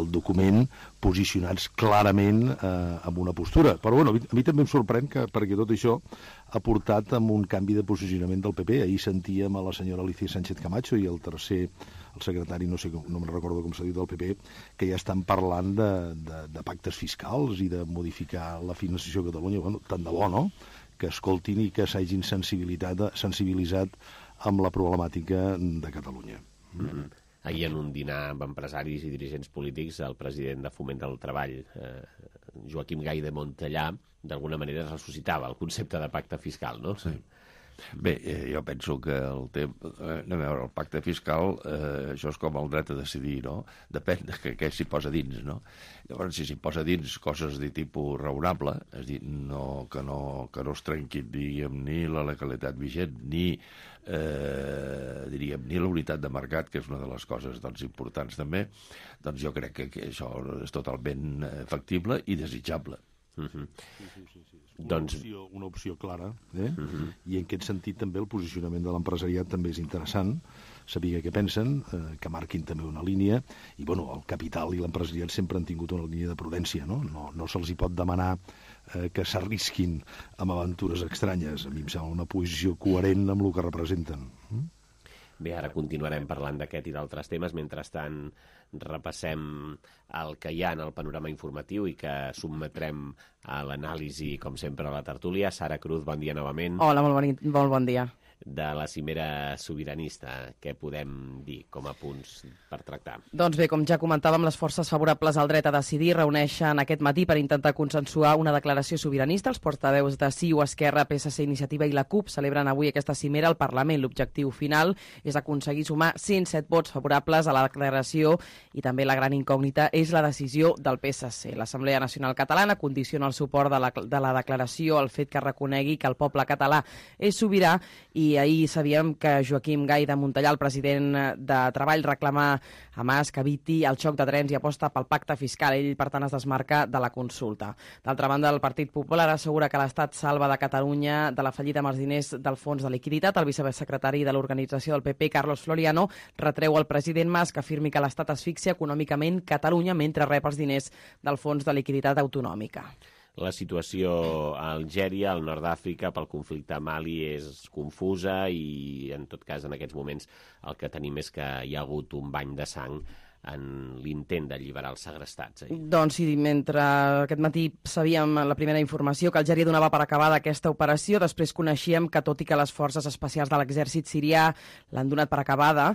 el document, posicionats clarament eh, amb una postura. Però bueno, a mi, a mi també em sorprèn que, perquè tot això ha portat amb un canvi de posicionament del P P. Ahir sentíem a la senyora Alicia Sánchez Camacho i el tercer, el secretari, no sé, no me'n recordo com s'ha dit, del P P, que ja estan parlant de, de, de pactes fiscals i de modificar la financiació de Catalunya. Bueno, tant de bo, no?, que escoltin i que s'hagin sensibilitzat amb la problemàtica de Catalunya. Mm-hmm. Ahir en un dinar amb empresaris i dirigents polítics, el president de Foment del Treball, eh, Joaquim Gay de Montellà, d'alguna manera ressuscitava el concepte de pacte fiscal, no? Sí. Bé, eh, jo penso que el tema... Eh, a veure, el pacte fiscal, eh, això és com el dret a decidir, no? Depèn de què, què s'hi posa dins, no? Llavors, si s'hi posa dins coses de tipus raonable, és a dir, no, que, no, que no es trenquin, diguem, ni la legalitat vigent, ni, eh, diríem, ni la unitat de mercat, que és una de les coses doncs, importants també, doncs jo crec que, que això és totalment factible i desitjable. Uh-huh. Sí, sí, sí, sí. Una, doncs... opció, una opció clara, eh? Uh-huh. I en aquest sentit també el posicionament de l'empresariat també és interessant, saber què pensen, eh, que marquin també una línia, i bueno, el capital i l'empresariat sempre han tingut una línia de prudència, no? No, no se'ls hi pot demanar eh, que s'arrisquin amb aventures estranyes. A mi em sembla una posició coherent amb el que representen. Mm? Bé, ara continuarem parlant d'aquest i d'altres temes. Mentrestant, repassem el que hi ha en el panorama informatiu i que sotmetrem a l'anàlisi, com sempre, a la tertúlia. Sara Cruz, bon dia novament. Hola, molt bon, molt bon dia. De la cimera sobiranista, què podem dir com a punts per tractar? Doncs bé, com ja comentàvem, les forces favorables al dret a decidir reuneixen aquest matí per intentar consensuar una declaració sobiranista. Els portaveus de C I U, Esquerra, P S C, Iniciativa i la CUP celebren avui aquesta cimera al Parlament. L'objectiu final és aconseguir sumar cent set vots favorables a la declaració i també la gran incògnita és la decisió del P S C. L'Assemblea Nacional Catalana condiciona el suport de la, de la declaració al fet que reconegui que el poble català és sobirà i ahir sabíem que Joaquim Gay de Montellà, el president de Treball, reclama a Mas que eviti el xoc de trens i aposta pel pacte fiscal. Ell, per tant, es desmarca de la consulta. D'altra banda, el Partit Popular assegura que l'Estat salva de Catalunya de la fallida amb els diners del Fons de Liquiditat. El vicesecretari de l'organització del P P, Carlos Floriano, retreu al president Mas que afirmi que l'Estat asfixia econòmicament Catalunya mentre rep els diners del Fons de Liquiditat Autonòmica. La situació a Algèria, al nord d'Àfrica, pel conflicte a Mali és confusa i, en tot cas, en aquests moments el que tenim és que hi ha hagut un bany de sang en l'intent d'alliberar els segrestats. Eh? Doncs sí, mentre aquest matí sabíem la primera informació que Algèria donava per acabada aquesta operació, després coneixíem que, tot i que les forces especials de l'exèrcit sirià l'han donat per acabada,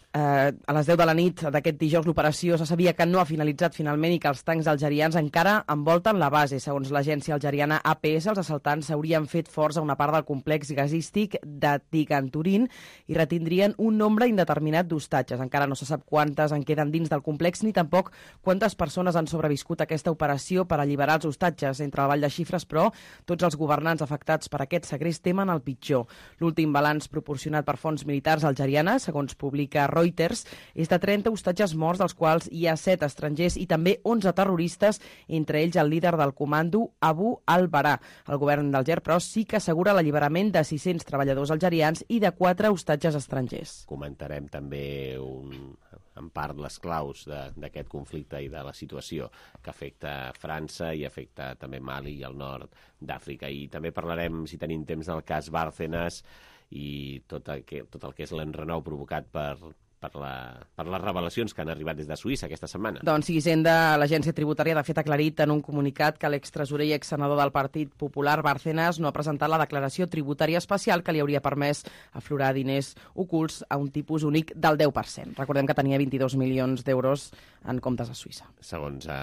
Eh, a les deu de la nit d'aquest dijous l'operació se sabia que no ha finalitzat finalment i que els tancs algerians encara envolten la base. Segons l'agència algeriana A P S, els assaltants s'haurien fet forts a una part del complex gasístic de Tiganturin i retindrien un nombre indeterminat d'hostatges. Encara no se sap quantes en queden dins del complex ni tampoc quantes persones han sobreviscut a aquesta operació per alliberar els hostatges. Entre el ball de xifres, però, tots els governants afectats per aquest segrest temen el pitjor. L'últim balanç proporcionat per fonts militars algerianes, segons publica Reuters, és de trenta hostatges morts, dels quals hi ha set estrangers i també onze terroristes, entre ells el líder del comando Abu al-Bara. El govern d'Alger, però, sí que assegura l'alliberament de sis-cents treballadors algerians i de quatre hostatges estrangers. Comentarem també un, en part les claus d'aquest conflicte i de la situació que afecta França i afecta també Mali i el nord d'Àfrica. I també parlarem, si tenim temps, del cas Bárcenas i tot el que, tot el que és l'enrenou provocat per per, la, per les revelacions que han arribat des de Suïssa aquesta setmana. Doncs sí, Hisenda, l'agència tributària de fet ha aclarit en un comunicat que l'extresorer i exsenador del Partit Popular, Bárcenas, no ha presentat la declaració tributària especial que li hauria permès aflorar diners ocults a un tipus únic del deu per cent. Recordem que tenia vint-i-dos milions d'euros en comptes a Suïssa. Segons eh,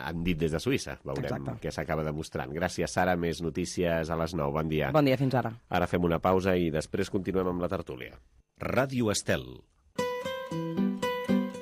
han dit des de Suïssa. Veurem Exacte. què s'acaba demostrant. Gràcies, Sara. Més notícies a les nou. Bon dia. Bon dia, fins ara. Ara fem una pausa i després continuem amb la tertúlia. Ràdio Estel.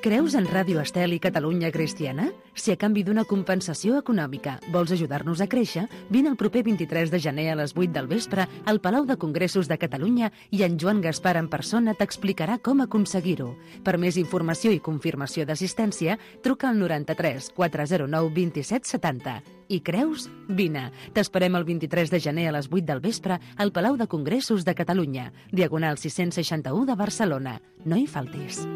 Creus en Ràdio Estel i Catalunya Cristiana? Si a canvi d'una compensació econòmica vols ajudar-nos a créixer, vine el proper vint-i-tres de gener a les vuit del vespre al Palau de Congressos de Catalunya i en Joan Gaspar en persona t'explicarà com aconseguir-ho. Per més informació i confirmació d'assistència, truca al noranta-tres quatre zero nou vint-i-set setanta. I creus? Vine. T'esperem el vint-i-tres de gener a les vuit del vespre al Palau de Congressos de Catalunya, diagonal sis-cents seixanta-u de Barcelona. No hi faltis.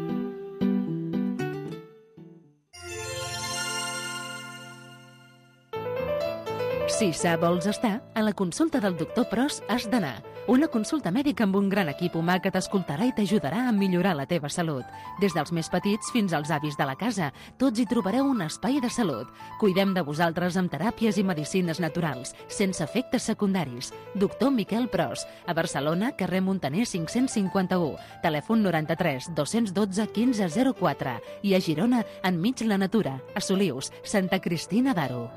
Si sa vols estar, a la consulta del doctor Pros has d'anar. Una consulta mèdica amb un gran equip humà que t'escoltarà i t'ajudarà a millorar la teva salut. Des dels més petits fins als avis de la casa, tots hi trobareu un espai de salut. Cuidem de vosaltres amb teràpies i medicines naturals, sense efectes secundaris. Doctor Miquel Pros, a Barcelona, carrer Montaner cinc-cents cinquanta-u, telèfon noranta-tres dos-cents dotze quinze zero quatre i a Girona, enmig la natura, a Solius, Santa Cristina d'Aro.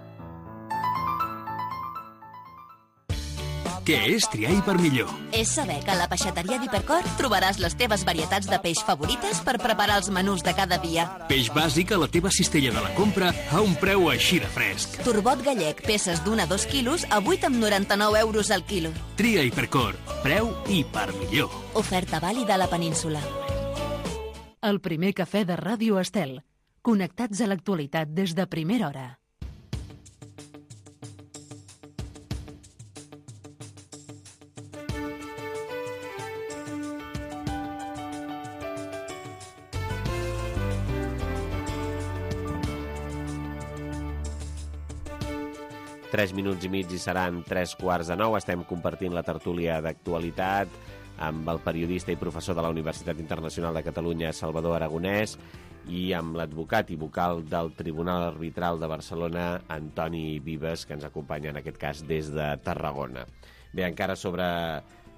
Què és triar per millor? És saber que a la peixateria d'Hipercor trobaràs les teves varietats de peix favorites per preparar els menús de cada dia. Peix bàsic a la teva cistella de la compra a un preu així de fresc. Turbot gallec, peces d'un a dos quilos a vuit coma noranta-nou euros al quilo. Tria Hipercor, preu i per millor. Oferta vàlida a la península. El primer cafè de Ràdio Estel. Connectats a l'actualitat des de primera hora. Tres minuts i mig i seran tres quarts de nou. Estem compartint la tertúlia d'actualitat amb el periodista i professor de la Universitat Internacional de Catalunya, Salvador Aragonès, i amb l'advocat i vocal del Tribunal Arbitral de Barcelona, Antoni Vives, que ens acompanya en aquest cas des de Tarragona. Bé, encara sobre,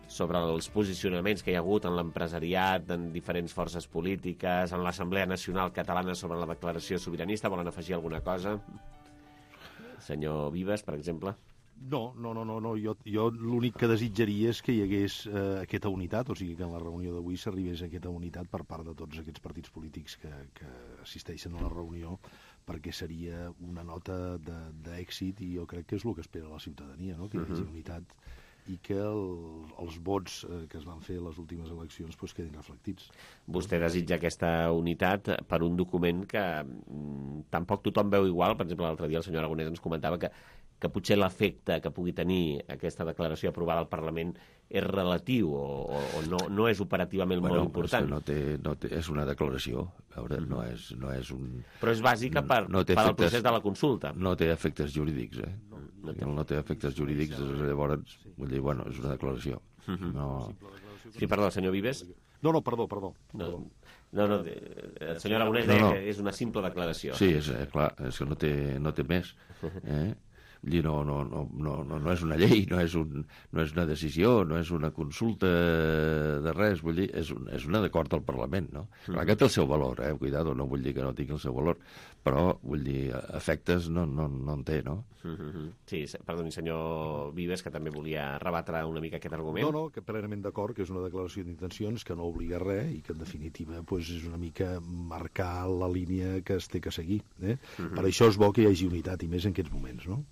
sobre els posicionaments que hi ha hagut en l'empresariat, en diferents forces polítiques, en l'Assemblea Nacional Catalana sobre la declaració sobiranista, volen afegir alguna cosa? Senyor Vives, per exemple? No, no, no, no, no. Jo, jo l'únic que desitjaria és que hi hagués eh, aquesta unitat, o sigui que en la reunió d'avui s'arribés a aquesta unitat per part de tots aquests partits polítics que, que assisteixen a la reunió, perquè seria una nota d'èxit i jo crec que és el que espera la ciutadania, no? Que hi hagi uh-huh. unitat i que el, els vots eh, que es van fer a les últimes eleccions pues, quedin reflectits. Vostè desitja aquesta unitat per un document que mm, tampoc tothom veu igual. Per exemple, l'altre dia el senyor Aragonès ens comentava que, que potser l'efecte que pugui tenir aquesta declaració aprovada al Parlament és relatiu o, o, o no, no és operativament bueno, molt important. No té, no té, és una declaració, a veure, no és, no és un... Però és bàsica per, no, no per efectes, el procés de la consulta. No té efectes jurídics, eh? No, no, té. no té efectes jurídics, llavors, vull dir, bueno, és una declaració. Uh-huh. No... Sí, perdó, senyor Vives. No, no, perdó, perdó. No, no, no el senyor Aragonès deia no, no. que és una simple declaració. Sí, és, eh, clar, és que no té, no té més, eh? No, no, no, no, no és una llei, no és, un, no és una decisió, no és una consulta de res, vull dir, és, un, és un acord del Parlament, no? Clar que té el seu valor, eh? Cuidado, no vull dir que no tingui el seu valor, però, vull dir, efectes no, no, no en té, no? Sí, perdoni, senyor Vives, que també volia rebatre una mica aquest argument. No, no, que plenament d'acord, que és una declaració d'intencions que no obliga a res i que, en definitiva, pues, és una mica marcar la línia que es té que seguir, eh? Uh-huh. Per això és bo que hi hagi unitat, i més en aquests moments, no?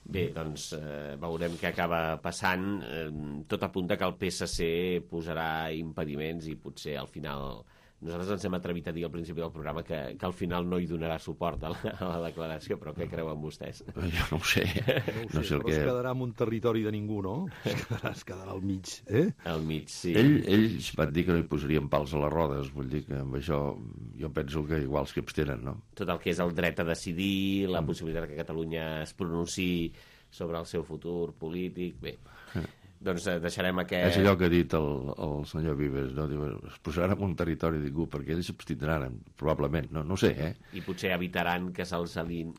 Bé, doncs eh, veurem què acaba passant. Eh, tot apunta que el P S C posarà impediments i potser al final... Nosaltres ens hem atrevit a dir al principi del programa que, que al final no hi donarà suport a la, a la declaració, però què creuen vostès? Jo no ho sé. No ho sé, no sé però que... es quedarà en un territori de ningú, no? Es quedarà, es quedarà al mig, eh? Al mig, sí. Ell, ells van dir que no hi posarien pals a les rodes, vull dir que amb això jo penso que igual que abstenen, no? Tot el que és el dret a decidir, la mm. possibilitat que Catalunya es pronunciï sobre el seu futur polític, bé... doncs deixarem aquest... És allò que ha dit el, el senyor Vives, no? Diu, es posaran en un territori de ningú, perquè ells s'abstindran, probablement, no, no ho sé, eh? I potser evitaran que se'ls alin...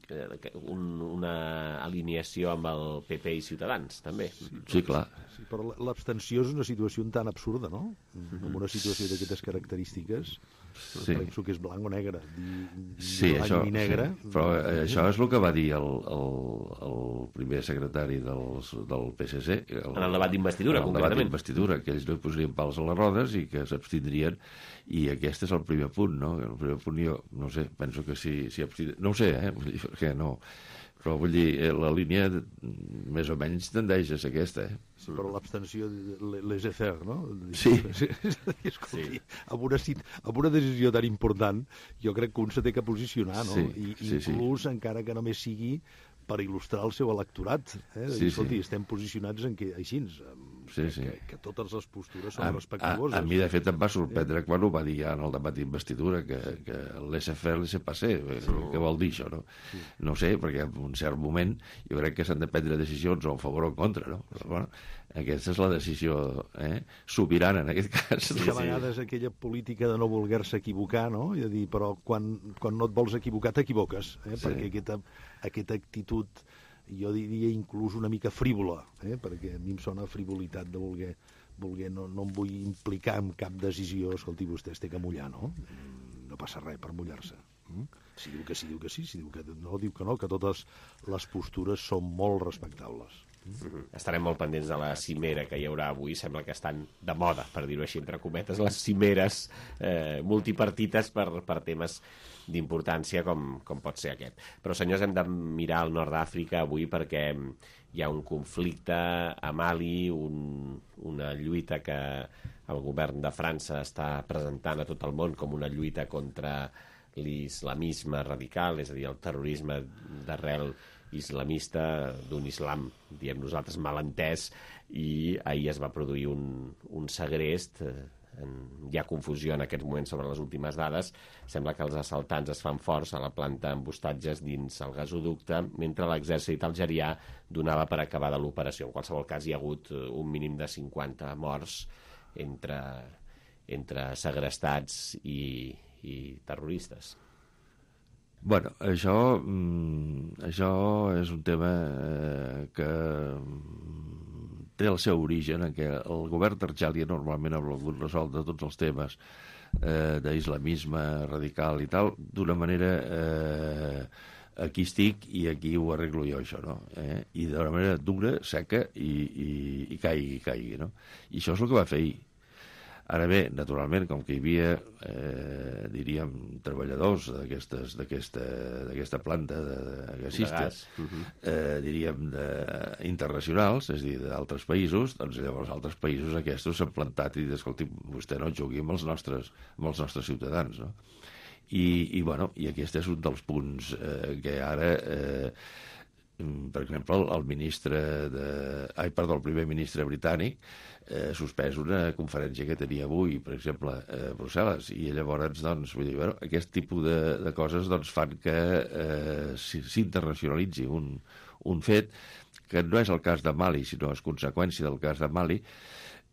un, una alineació amb el P P i Ciutadans, també. Sí, sí clar. Sí, però l'abstenció és una situació tan absurda, no? En una situació d'aquestes característiques... Sí. Penso que és blanc o negre, ni, ni sí, blanc això, ni negre. Sí. Però eh, això és el que va dir el, el, el primer secretari del, del P S C. El, en el debat d'investidura, concretament. En el debat d'investidura, que ells no posarien pals a les rodes i que s'abstindrien, i aquest és el primer punt, no? El primer punt jo, no sé, penso que si, si abstindrien... No ho sé, eh? Perquè no... Però vull dir, la línia més o menys tendeix a ser aquesta, eh? Sí, però l'abstenció laissez-faire, no? Sí. Escolti, sí. Amb, una, amb una decisió tan important, jo crec que un se té que posicionar, no? Sí, I sí, inclús, sí. encara que només sigui per il·lustrar el seu electorat. Eh? Sí, escolti, sí. estem posicionats en que, així, sí, sí. Que, que totes les postures són a, respectuoses. A, a mi, de fet, em va sorprendre eh? quan ho va dir ja en el debat d'investidura, que, que el laissez-faire, laissez-passer, sí. Què vol dir això, no? Sí. No sé, perquè en un cert moment jo crec que s'han de prendre decisions o en favor o en contra, no? Però, bueno, aquesta és la decisió eh? sobirana, en aquest cas. Sí, a vegades aquella política de no voler-se equivocar, no? I de dir, però quan, quan no et vols equivocar, t'equivoques, eh? Sí. Perquè aquesta, aquesta actitud, jo diria inclús una mica frívola, eh? Perquè a mi em sona frivolitat de voler, voler no, no em vull implicar en cap decisió. Escolti, vostè es té que mullar, no? No passa res per mullar-se. Mm? Si diu que sí, diu que sí, si diu que no, diu que no, que totes les postures són molt respectables. Mm-hmm. Estarem molt pendents de la cimera que hi haurà avui. Sembla que estan de moda, per dir-ho així, entre cometes, les cimeres eh, multipartites per, per temes d'importància com, com pot ser aquest. Però, senyors, hem de mirar al nord d'Àfrica avui perquè hi ha un conflicte a Mali, un, una lluita que el govern de França està presentant a tot el món com una lluita contra l'islamisme radical, és a dir, el terrorisme d'arrel islamista, d'un islam, diem nosaltres, malentès, i ahir es va produir un, un segrest. Hi ha confusió en aquest moment sobre les últimes dades. Sembla que els assaltants es fan forts a la planta amb hostatges dins el gasoducte, mentre l'exèrcit algerià donava per acabada l'operació. En qualsevol cas, hi ha hagut un mínim de cinquanta morts entre, entre segrestats i, i terroristes. Bueno, això, mm, això és un tema eh, que té el seu origen en què el govern d'Argèlia normalment ha volgut resoldre tots els temes eh, d'islamisme radical i tal d'una manera eh, aquí estic i aquí ho arreglo jo, això, no? Eh? I d'una manera dura, seca i, i, i caigui, caigui, no? I això és el que va fer ahir. Ara bé, naturalment, com que hi havia, eh, diríem, treballadors d'aquesta planta de, de gasista, de gas. Uh-huh. eh, diríem, de, internacionals, és a dir, d'altres països, doncs llavors altres països aquests s'han plantat i dit, escolti, vostè no jugui amb els nostres, amb els nostres ciutadans, no? I, i, bueno, i aquest és un dels punts eh, que ara... Eh, per exemple, el, el ministre de... Ai, perdó, el primer ministre britànic eh, suspès una conferència que tenia avui, per exemple, a Brussel·les, i llavors, doncs, vull dir, bueno, aquest tipus de, de coses doncs, fan que eh, s'internacionalitzi un, un fet que no és el cas de Mali, sinó és conseqüència del cas de Mali.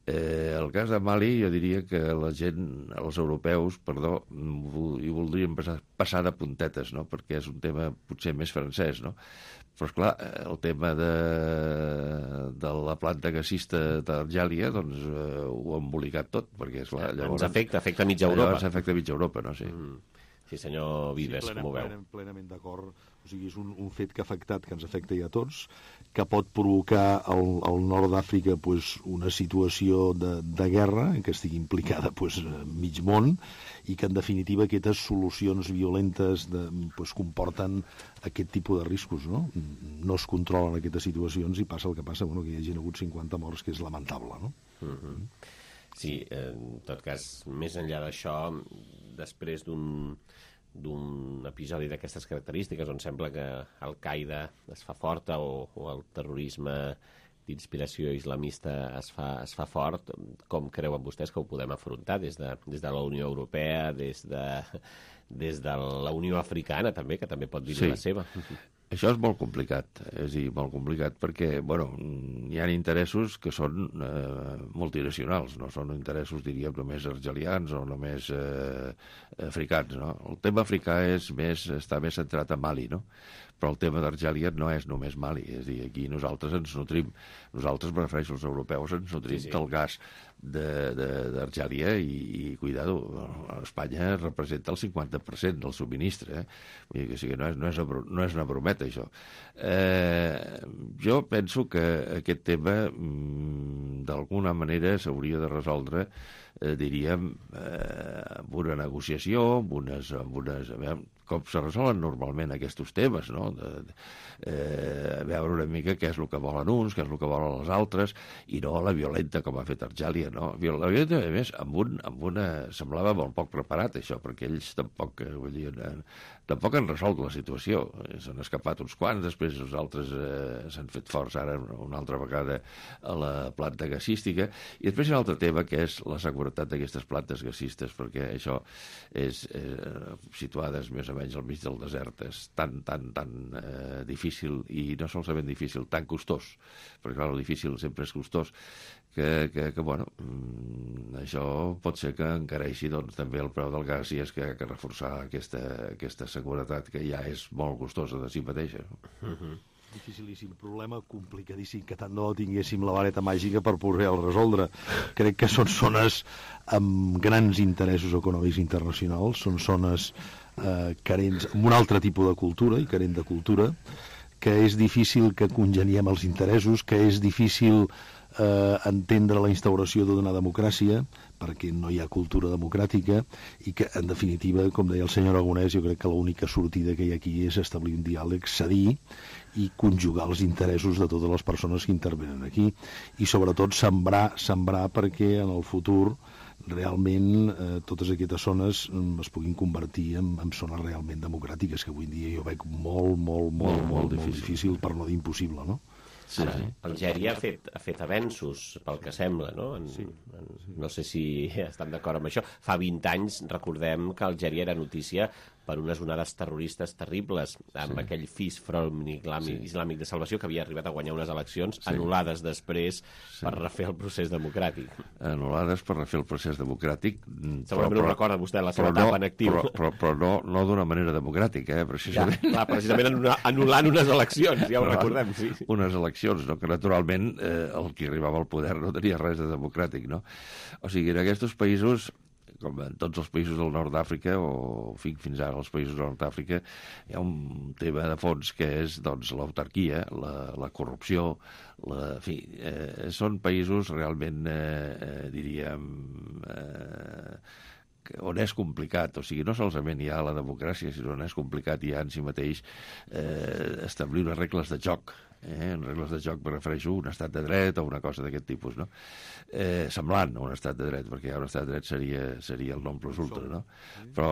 Eh, el cas de Mali, jo diria que la gent, els europeus, perdó, hi voldrien passar, passar de puntetes, no? Perquè és un tema potser més francès, no? Però, esclar, el tema de, de la planta gasista d'Argèlia, doncs, eh, ho ha embolicat tot, perquè, esclar, llavors... Ens afecta, afecta mitja Europa. Llavors afecta mitja Europa, no? Sí. Mm. Sí, senyor Vives, sí, plena, com ho veu? Plenament, plenament d'acord. O sigui, és un, un fet que ha afectat, que ens afecta ja a tots, que pot provocar al, al nord d'Àfrica pues, una situació de, de guerra en què estigui implicada pues, mig món i que, en definitiva, aquestes solucions violentes de, pues, comporten aquest tipus de riscos, no? No es controlen aquestes situacions i passa el que passa, bueno, que hi hagi hagut cinquanta morts, que és lamentable, no? Mm-hmm. Sí, en tot cas, més enllà d'això, després d'un d'un episodi d'aquestes característiques on sembla que Al-Qaeda es fa forta o, o el terrorisme d'inspiració islamista es fa, es fa fort, com creuen vostès que ho podem afrontar des de, des de la Unió Europea, des de, des de la Unió Africana també, que també pot dir sí. la seva? Això és molt complicat, és a dir, molt complicat perquè, bueno, hi ha interessos que són eh, multinacionals, no són interessos, diríem, només argelians o només eh, africans, no? El tema africà és més, està més centrat en Mali, no? Però el tema d'Argèlia no és només Mali, és a dir, aquí nosaltres ens nutrim, nosaltres, me refereixo als europeus, ens nutrim sí, sí. del gas d'Argèlia i, i, cuidado, Espanya representa el cinquanta per cent del subministre, eh? Vull dir que sí que no és, no és, una, no és una brometa, això. Eh, jo penso que aquest tema, d'alguna manera, s'hauria de resoldre, eh, diríem, eh, amb una negociació, amb unes... Amb unes a veure, com se resolen normalment aquests temes, no? De, de, eh, veure una mica què és el que volen uns, què és el que volen els altres, i no la violenta com ha fet Argèlia, no? La violenta, a més, amb, un, amb una... semblava molt poc preparat, això, perquè ells tampoc, vull dir, tampoc han resolt la situació. S'han escapat uns quants, després els altres eh, s'han fet forts ara una altra vegada a la planta gasística, i després hi ha un altre tema, que és la seguretat d'aquestes plantes gasistes, perquè això és eh, situades més o menys al mig del desert, és tan, tan, tan eh, difícil, i no solament difícil, tan costós, perquè clar, el difícil sempre és costós, que, que, que bueno, això pot ser que encareixi doncs, també el preu del gas, i és que ha que reforçar aquesta, aquesta seguretat que ja és molt costosa de si mateixa. Uh-huh. Dificilíssim problema, complicadíssim, que tant no tinguéssim la vareta màgica per poder-el resoldre. Crec que són zones amb grans interessos econòmics internacionals, són zones eh, carents, amb un altre tipus de cultura i carent de cultura, que és difícil que congeniem els interessos, que és difícil eh, entendre la instauració d'una democràcia, perquè no hi ha cultura democràtica, i que, en definitiva, com deia el senyor Aragonès, jo crec que l'única sortida que hi ha aquí és establir un diàleg, cedir i conjugar els interessos de totes les persones que intervenen aquí, i sobretot sembrar, sembrar perquè en el futur realment eh, totes aquestes zones es puguin convertir en, en zones realment democràtiques, que avui en dia jo veig molt, molt, molt, molt, molt, molt difícil, per no dir impossible, no? Sí, Ara, sí. Algèria ha fet, ha fet avenços, pel que sembla, no? En, sí. en, no sé si estan d'acord amb això. Fa vint anys, recordem que Algèria era notícia per unes onades terroristes terribles, amb sí. aquell Fis Front Islàmic, sí. Islàmic de Salvació, que havia arribat a guanyar unes eleccions, sí. anul·lades després sí. per refer el procés democràtic. Anul·lades per refer el procés democràtic. Segurament ho recorda vostè, la seva etapa en actiu. Però, però, però no, no d'una manera democràtica, eh? Precisament. Ja, clar, precisament anul·lant unes eleccions, ja ho no, recordem. Sí. Unes eleccions, no? Que naturalment eh, el que arribava al poder no tenia res de democràtic, no? O sigui, en aquests països, com en tots els països del nord d'Àfrica, o fins ara els països del nord d'Àfrica, hi ha un tema de fons que és doncs, l'autarquia, la, la corrupció, la, en fi, eh, són països realment, eh, eh, diríem, eh, on és complicat, o sigui, no solament hi ha la democràcia, sinó on és complicat ja en si mateix eh, establir unes regles de joc. Eh, en regles de joc me refereixo a un estat de dret o una cosa d'aquest tipus, no? Eh, semblant a un estat de dret, perquè ja un estat de dret seria, seria el non plus ultra, no? Però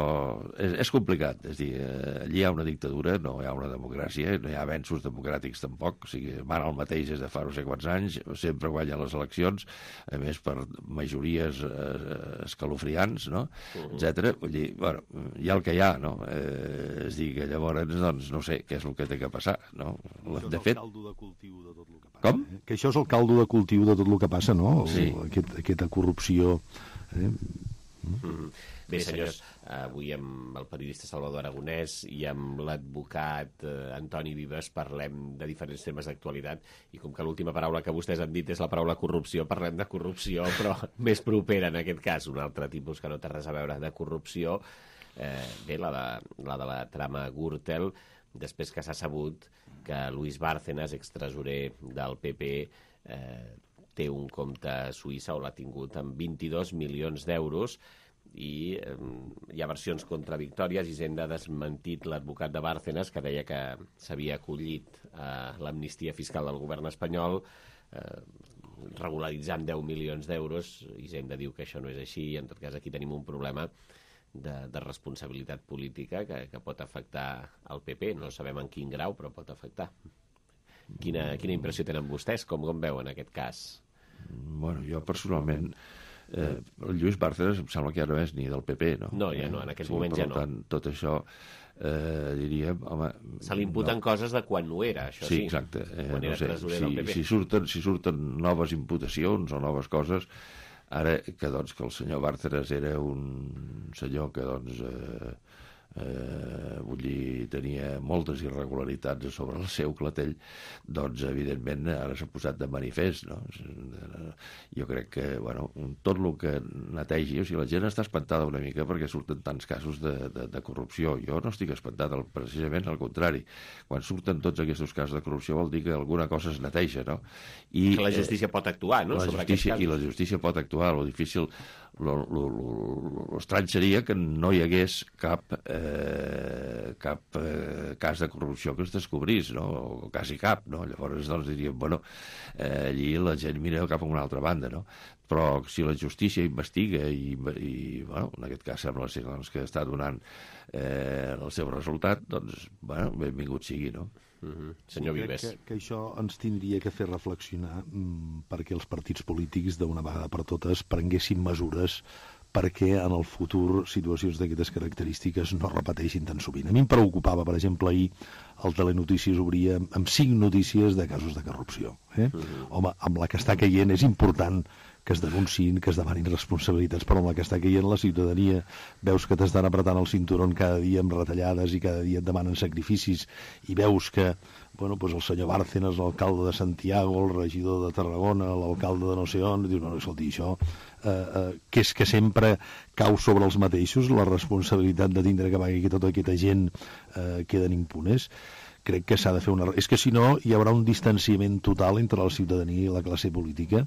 és, és complicat, és a dir, eh, allí hi ha una dictadura, no hi ha una democràcia, no hi ha avenços democràtics tampoc, o sigui, van el mateix des de fa no sé quants anys, sempre guanyen les eleccions, a més per majories eh, escalofriants, no? Uh-huh. etcètera. Vull dir, bueno, hi ha el que hi ha, no? Eh, és a dir, que llavors, doncs, no sé què és el que té que passar, no? De fet, de cultiu de tot el que passa. Com? Eh? Que això és el caldo de cultiu de tot el que passa, no? Sí. Aquest, aquesta corrupció. Eh? Mm-hmm. Bé, senyors, avui amb el periodista Salvador Aragonès i amb l'advocat eh, Antoni Vives parlem de diferents temes d'actualitat, i com que l'última paraula que vostès han dit és la paraula corrupció, parlem de corrupció, però més propera en aquest cas, un altre tipus que no té res a veure de corrupció. Eh, bé, la de, la de la trama Gürtel, després que s'ha sabut que Luis Bárcenas, extresorer del P P, eh, té un compte a Suïssa, o l'ha tingut, amb vint-i-dos milions d'euros, i eh, hi ha versions contradictòries. Hisenda ha desmentit l'advocat de Bárcenas, que deia que s'havia acollit a l'amnistia fiscal del govern espanyol, eh, regularitzant deu milions d'euros. Hisenda diu que això no és així, i en tot cas aquí tenim un problema De, de responsabilitat política que, que pot afectar el P P. No sabem en quin grau, però pot afectar. Quina, quina impressió tenen vostès? Com, com veuen aquest cas? Bueno, jo personalment Eh, el Lluís Bárcenas em sembla que ja no és ni del P P, no? No, ja no, en aquest sí, moment ja no. Per tant, tot això, eh, diríem... Home, se li imputen no. coses de quan no era, això sí. Sí, exacte. Eh, quan no era sé, tresorer si, del P P. Si surten, si surten noves imputacions o noves coses, ara que, doncs, que el senyor Bárcenas era un senyor que, doncs... Eh, Eh, vull dir, tenia moltes irregularitats sobre el seu clatell, doncs evidentment ara s'ha posat de manifest, no? Jo crec que, bueno, tot el que netegi, o sigui, la gent està espantada una mica perquè surten tants casos de, de, de corrupció. Jo no estic espantat, precisament al contrari. Quan surten tots aquests casos de corrupció vol dir que alguna cosa es neteja, no? I, que la justícia eh, pot actuar, no? La sobre justícia, aquests casos. I la justícia pot actuar. Lo difícil, l'estrany seria que no hi hagués cap eh, cap eh, cas de corrupció que es descobrís, no? O quasi cap, no? Llavors, doncs, diríem, bueno, eh, allí la gent mira cap a una altra banda, no? Però si la justícia investiga i, i bueno, en aquest cas sembla ser doncs, que està donant eh, el seu resultat, doncs, bueno, benvingut sigui, no? Uh-huh. Senyor sí, Vives. Que, que això ens tindria que fer reflexionar mm, perquè els partits polítics d'una vegada per totes prenguessin mesures perquè en el futur situacions d'aquestes característiques no repeteixin tan sovint. A mi em preocupava, per exemple, ahir el Telenotícies obria amb cinc notícies de casos de corrupció. Eh? Uh-huh. Home, amb la que està caient és important que es denunciïn, que es demanin responsabilitats, però amb la que està caient la ciutadania veus que t'estan apretant el cinturón cada dia amb retallades i cada dia et demanen sacrificis i veus que bueno, pues el senyor Bárcenas, l'alcalde de Santiago, el regidor de Tarragona, l'alcalde de no sé on, dius, bueno, escolti, això eh, eh, que és que sempre cau sobre els mateixos la responsabilitat de tindre que pagar que tota aquesta gent eh, queden impunes. Crec que s'ha de fer una... És que si no hi haurà un distanciament total entre la ciutadania i la classe política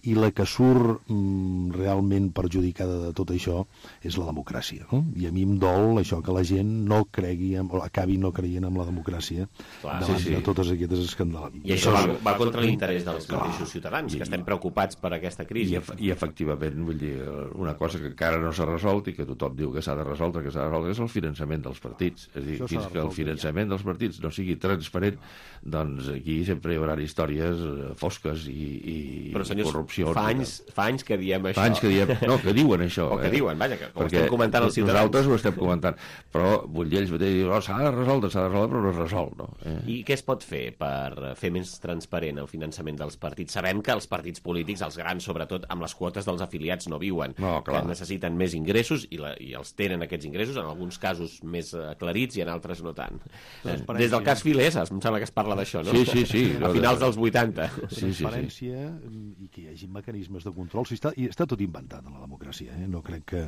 i la que surt mm, realment perjudicada de tot això és la democràcia, no? I a mi em dol això que la gent no cregui en, o acabi no creient en la democràcia. Clar, davant sí, sí. de totes aquestes escandals. I això va, va contra l'interès dels mateixos ciutadans, que estem preocupats per aquesta crisi. I, i efectivament, vull dir, una cosa que encara no s'ha resolt i que tothom diu que s'ha de resoldre, que s'ha de resoldre, és el finançament dels partits. És a dir, fins que el finançament dels partits no sigui transparent, doncs aquí sempre hi haurà històries fosques i, i, però, senyors, i corrupció. Fa anys, fa anys que diem això. Fa anys que diem, no, que diuen això. O que eh? diuen, vaja, que ho perquè estem comentant els ciutadans. Nosaltres ho estem comentant, però vull dir, ells mateixos diuen, oh, s'ha de resoldre, s'ha de resoldre, però no es resol. No? Eh? I què es pot fer per fer més transparent el finançament dels partits? Sabem que els partits polítics, els grans sobretot, amb les quotes dels afiliats no viuen, no, que necessiten més ingressos i, la, i els tenen aquests ingressos, en alguns casos més aclarits i en altres no tant. Eh, des del cas Fileses, em sembla que es parla d'això, no? Sí, sí, sí. A finals dels vuitanta. Sí, transparència sí, sí. I que hi hagi mecanismes de control. Si està, i està tot inventat en la democràcia, eh? No crec que,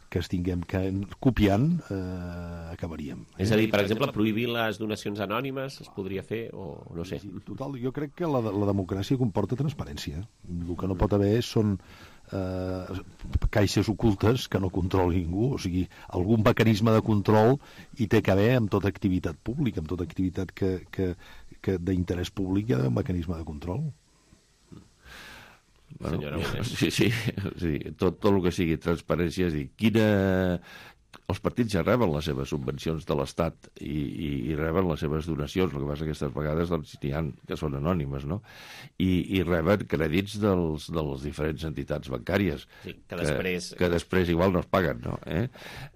que estiguem que, copiant, eh, acabaríem. Eh? És a dir, per exemple, prohibir les donacions anònimes es podria fer, o no sé. Sí, total, jo crec que la, la democràcia comporta transparència. El que no pot haver són eh, caixes ocultes que no controli ningú, o sigui, algun mecanisme de control hi té que haver amb tota activitat pública, amb tota activitat que, que, que d'interès públic hi ha un mecanisme de control. Bueno, sí, sí, sí, tot, tot el que sigui transparència, és a dir, quina... Els partits ja reben les seves subvencions de l'Estat i, i, i reben les seves donacions, el que passa que aquestes vegades doncs, n'hi ha que són anònimes, no? I, i reben crèdits dels, de les diferents entitats bancàries, sí, que, després... que, que després igual no es paguen, no? Eh?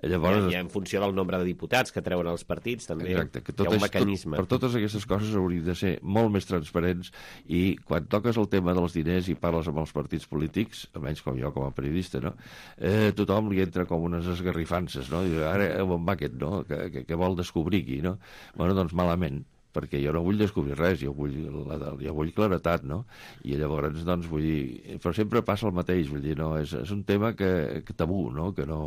Llavors... I, I en funció del nombre de diputats que treuen els partits, també exacte, que tot hi ha un és, mecanisme. Tot, per totes aquestes coses haurien de ser molt més transparents i quan toques el tema dels diners i parles amb els partits polítics, almenys com jo com a periodista, no? eh, tothom li entra com unes esgarrifances, no? Diu, ara on va aquest, no? Que, que, que vol descobrir aquí, no? Bueno, doncs malament, perquè jo no vull descobrir res, jo vull, la, jo vull claretat, no? I llavors, doncs, vull dir... Però sempre passa el mateix, vull dir, no? És, és un tema que, que tabú, no? Que no...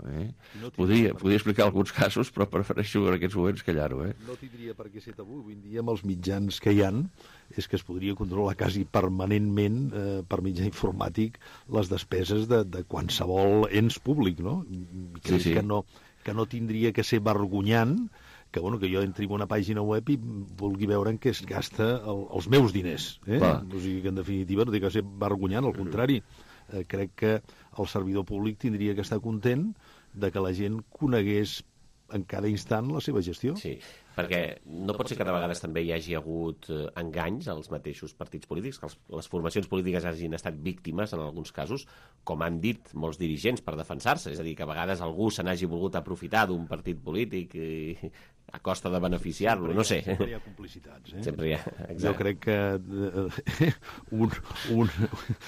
Eh? no podria, podria explicar alguns casos, però prefereixo en aquests moments callar-ho, eh? No tindria per què ser tabú. Avui en dia, amb els mitjans que hi han, és que es podria controlar quasi permanentment, eh, per mitjà informàtic, les despeses de, de qualsevol ens públic, no? I crec sí, sí. Que, no, que no tindria que ser vergonyant que, bueno, que jo entri en una pàgina web i vulgui veure en què es gasta el, els meus diners. Eh? O sigui que, en definitiva, no té que ser vergonyant, al contrari. Eh, crec que el servidor públic tindria que estar content de que la gent conegués en cada instant la seva gestió. Sí. Perquè no pot ser que de vegades també hi hagi hagut enganys als mateixos partits polítics, que les formacions polítiques hagin estat víctimes, en alguns casos, com han dit molts dirigents per defensar-se. És a dir, que a vegades algú se n'hagi volgut aprofitar d'un partit polític i a costa de beneficiar-lo, no sé. Sempre hi ha complicitats, eh? Sempre hi ha, exacte. Jo crec que eh, un, un,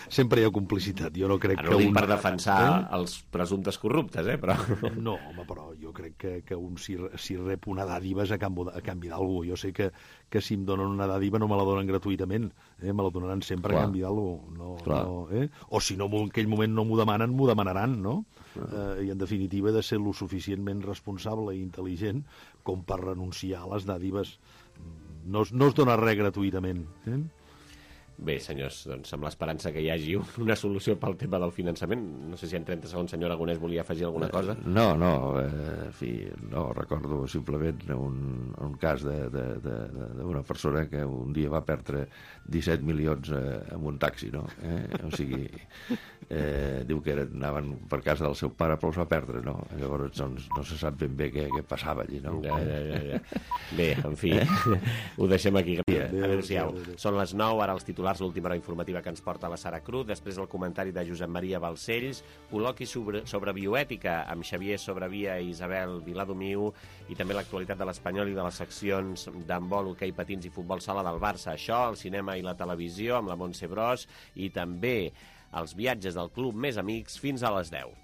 sempre hi ha complicitat. Jo no crec Ara que no dic un... per defensar eh? els presumptes corruptes, eh? Però... No, home, però jo crec que, que un si, si rep una dàdiva és a canvi, a canvi d'algú. Jo sé que, que si em donen una dàdiva no me la donen gratuïtament, eh? Me la donaran sempre Clar. a canvi d'algú. No, no, eh? O si no, en aquell moment no m'ho demanen, m'ho demanaran, no? Eh, I en definitiva he de ser lo suficientment responsable i intel·ligent com per renunciar a les dàdives. No, no es dona res gratuïtament. Eh? Bé, senyors, doncs amb l'esperança que hi hagi una solució pel tema del finançament. No sé si en trenta segons, senyor Aragonès, volia afegir alguna cosa. No, no, eh, en fi, no, recordo simplement un, un cas d'una persona que un dia va perdre disset milions eh, amb un taxi, no? Eh? O sigui, eh, diu que anaven per casa del seu pare, però els va perdre, no? Llavors, doncs, no se sap ben bé què, què passava allí, no? Ja, ja, ja, ja. Bé, en fi, eh? ho deixem aquí. Adéu-siau. Són les nou, ara els titulars, l'última hora informativa que ens porta la Sara Cruz, després el comentari de Josep Maria Balcells, col·loqui sobre, sobre bioètica amb Xavier Sobrevia i Isabel Viladomiu, i també l'actualitat de l'Espanyol i de les seccions d'handbol, hoquei patins i futbol sala del Barça. Això, el cinema i la televisió amb la Montse Bros, i també els viatges del Club Més Amics fins a les deu.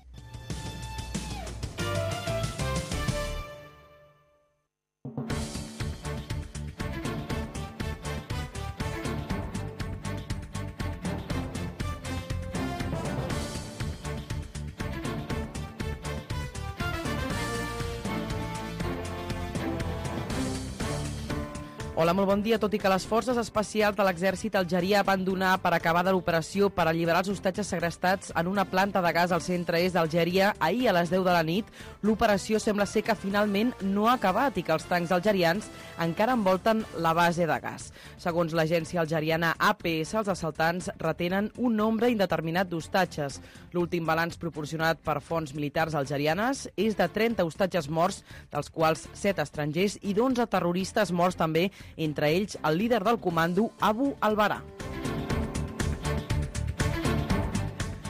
Hola, molt bon dia. Tot i que les forces especials de l'exèrcit algerià van donar per acabada l'operació per alliberar els hostatges segrestats en una planta de gas al centre-est d'Algèria ahir a les deu de la nit, l'operació sembla ser que finalment no ha acabat i que els tancs algerians encara envolten la base de gas. Segons l'agència algeriana A P S, els assaltants retenen un nombre indeterminat d'hostatges. L'últim balanç proporcionat per fonts militars algerianes és de trenta hostatges morts, dels quals set estrangers i d'onze terroristes morts també, entre ells el líder del comando, Abu Albarà.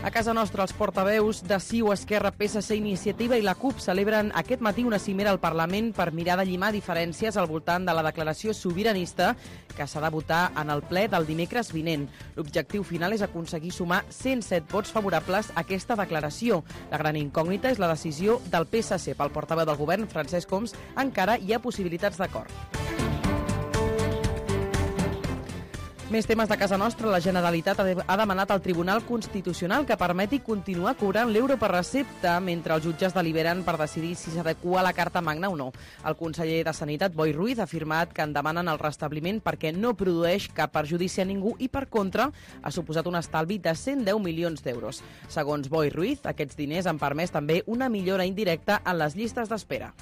A casa nostra, els portaveus de C I U, Esquerra, P S C, Iniciativa i la CUP celebren aquest matí una cimera al Parlament per mirar de llimar diferències al voltant de la declaració sobiranista que s'ha de votar en el ple del dimecres vinent. L'objectiu final és aconseguir sumar cent set vots favorables a aquesta declaració. La gran incògnita és la decisió del P S C. Pel portaveu del govern, Francesc Homs, encara hi ha possibilitats d'acord. Més temes de casa nostra. La Generalitat ha demanat al Tribunal Constitucional que permeti continuar cobrant l'euro per recepta mentre els jutges deliberen per decidir si s'adequa a la Carta Magna o no. El conseller de Sanitat, Boi Ruiz, ha afirmat que en demanen el restabliment perquè no produeix cap perjudici a ningú i, per contra, ha suposat un estalvi de cent deu milions d'euros. Segons Boi Ruiz, aquests diners han permès també una millora indirecta en les llistes d'espera.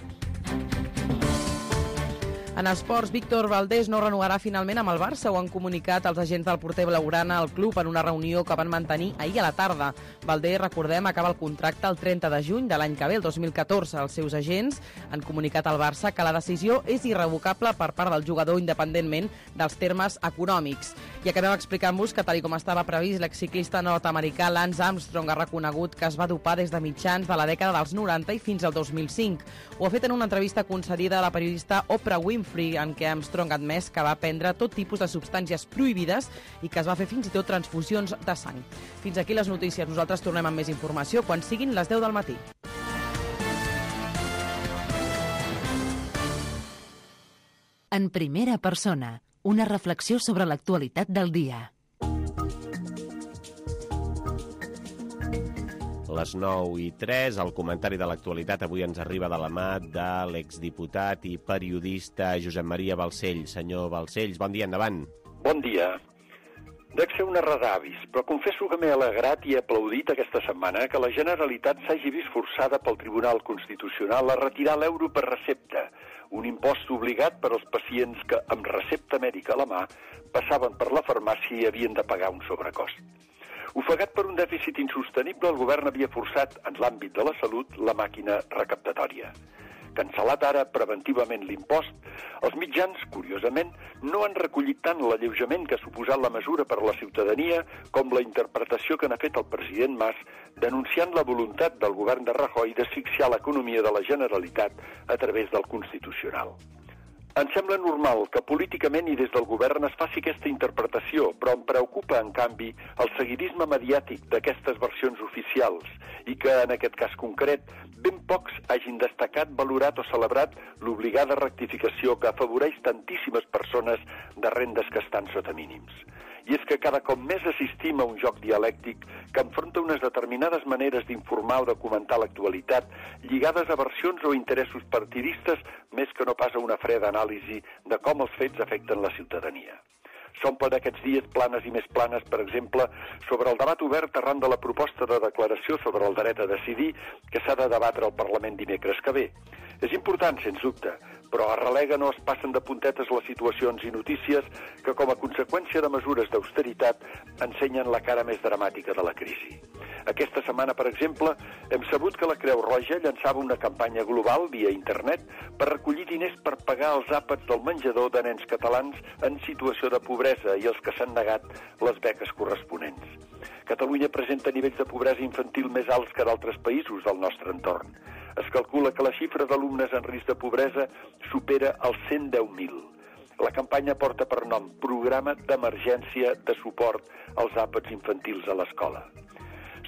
En esports, Víctor Valdés no renovarà finalment amb el Barça. Ho han comunicat els agents del porter blaugrana al club en una reunió que van mantenir ahir a la tarda. Valdés, recordem, acaba el contracte el trenta de juny de l'any que ve, el dos mil catorze. Els seus agents han comunicat al Barça que la decisió és irrevocable per part del jugador independentment dels termes econòmics. I acabem explicant-vos que, tal com estava previst, l'exciclista nord-americà Lance Armstrong ha reconegut que es va dopar des de mitjans de la dècada dels noranta i fins al dos mil cinc. Ho ha fet en una entrevista concedida a la periodista Oprah Winfrey, en què Armstrong ha admès que va prendre tot tipus de substàncies prohibides i que es va fer fins i tot transfusions de sang. Fins aquí les notícies. Nosaltres tornem amb més informació quan siguin les deu del matí. En primera persona, una reflexió sobre l'actualitat del dia. Les nou i tres, el comentari de l'actualitat avui ens arriba de la mà de l'exdiputat i periodista Josep Maria Balcells. Senyor Balcells, bon dia, endavant. Bon dia. Dec ser una resavis, però confesso que m'he alegrat i aplaudit aquesta setmana que la Generalitat s'hagi vist forçada pel Tribunal Constitucional a retirar l'euro per recepta, un impost obligat per als pacients que, amb recepta mèdica a la mà, passaven per la farmàcia i havien de pagar un sobrecost. Ofegat per un dèficit insostenible, el govern havia forçat, en l'àmbit de la salut, la màquina recaptatòria. Cancel·lat ara preventivament l'impost, els mitjans, curiosament, no han recollit tant l'alleujament que ha suposat la mesura per a la ciutadania com la interpretació que n'ha fet el president Mas, denunciant la voluntat del govern de Rajoy d'asfixiar l'economia de la Generalitat a través del Constitucional. Em sembla normal que políticament i des del govern es faci aquesta interpretació, però em preocupa, en canvi, el seguidisme mediàtic d'aquestes versions oficials i que, en aquest cas concret, ben pocs hagin destacat, valorat o celebrat l'obligada rectificació que afavoreix tantíssimes persones de rendes que estan sota mínims. I és que cada cop més assistim a un joc dialèctic que enfronta unes determinades maneres d'informar o de comentar l'actualitat lligades a versions o interessos partidistes més que no pas a una freda anàlisi de com els fets afecten la ciutadania. S'omplen aquests dies planes i més planes, per exemple, sobre el debat obert arran de la proposta de declaració sobre el dret a decidir que s'ha de debatre al Parlament dimecres que ve. És important, sens dubte, però a relega no es passen de puntetes les situacions i notícies que, com a conseqüència de mesures d'austeritat, ensenyen la cara més dramàtica de la crisi. Aquesta setmana, per exemple, hem sabut que la Creu Roja llançava una campanya global via internet per recollir diners per pagar els àpats del menjador de nens catalans en situació de pobresa i els que s'han negat les beques corresponents. Catalunya presenta nivells de pobresa infantil més alts que d'altres països del nostre entorn. Es calcula que la xifra d'alumnes en risc de pobresa supera els cent deu mil. La campanya porta per nom Programa d'Emergència de Suport als Àpats Infantils a l'Escola.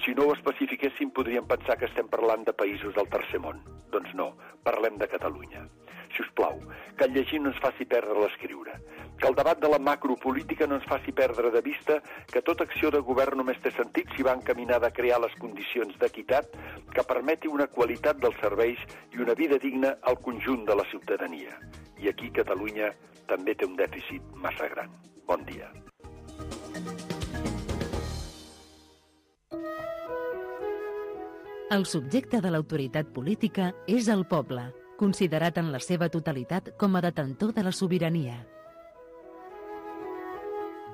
Si no ho especifiquéssim, podríem pensar que estem parlant de països del tercer món. Doncs no, parlem de Catalunya. Si us plau, que el llegir no ens faci perdre l'escriure. Que el debat de la macropolítica no ens faci perdre de vista que tota acció de govern només té sentit si va encaminada a crear les condicions d'equitat que permeti una qualitat dels serveis i una vida digna al conjunt de la ciutadania. I aquí Catalunya també té un dèficit massa gran. Bon dia. El subjecte de l'autoritat política és el poble, considerat en la seva totalitat com a detentor de la sobirania.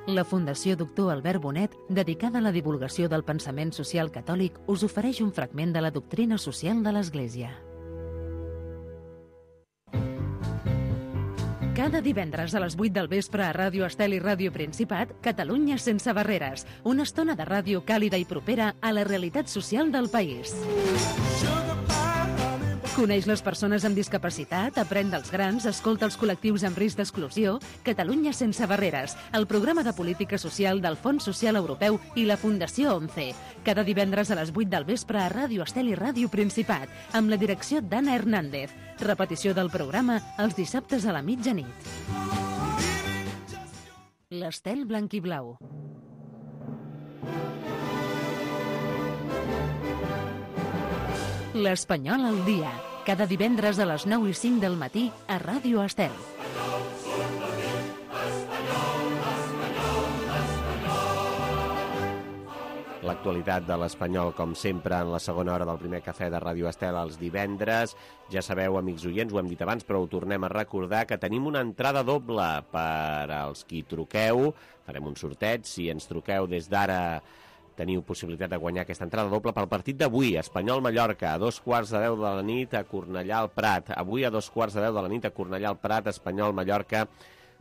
La Fundació Doctor Albert Bonet, dedicada a la divulgació del pensament social catòlic, us ofereix un fragment de la doctrina social de l'Església. Cada divendres a les vuit del vespre a Ràdio Estel i Ràdio Principat, Catalunya sense barreres, una estona de ràdio càlida i propera a la realitat social del país. Coneix les persones amb discapacitat, aprèn dels grans, escolta els col·lectius amb risc d'exclusió. Catalunya sense barreres, el programa de política social del Fons Social Europeu i la Fundació ONCE. Cada divendres a les vuit del vespre a Ràdio Estel i Ràdio Principat, amb la direcció d'Anna Hernández. Repetició del programa els dissabtes a la mitjanit. L'Estel blanc-i-blau. L'Espanyol al dia, cada divendres a les nou i cinc del matí a Ràdio Estel. L'actualitat de l'Espanyol, com sempre, en la segona hora del primer cafè de Ràdio Estel els divendres. Ja sabeu, amics oients, ho hem dit abans, però ho tornem a recordar, que tenim una entrada doble per als qui truqueu. Farem un sorteig. Si ens truqueu des d'ara, teniu possibilitat de guanyar aquesta entrada doble pel partit d'avui, Espanyol-Mallorca, a dos quarts de deu de la nit a Cornellà al Prat. Avui a dos quarts de deu de la nit a Cornellà al Prat, Espanyol-Mallorca,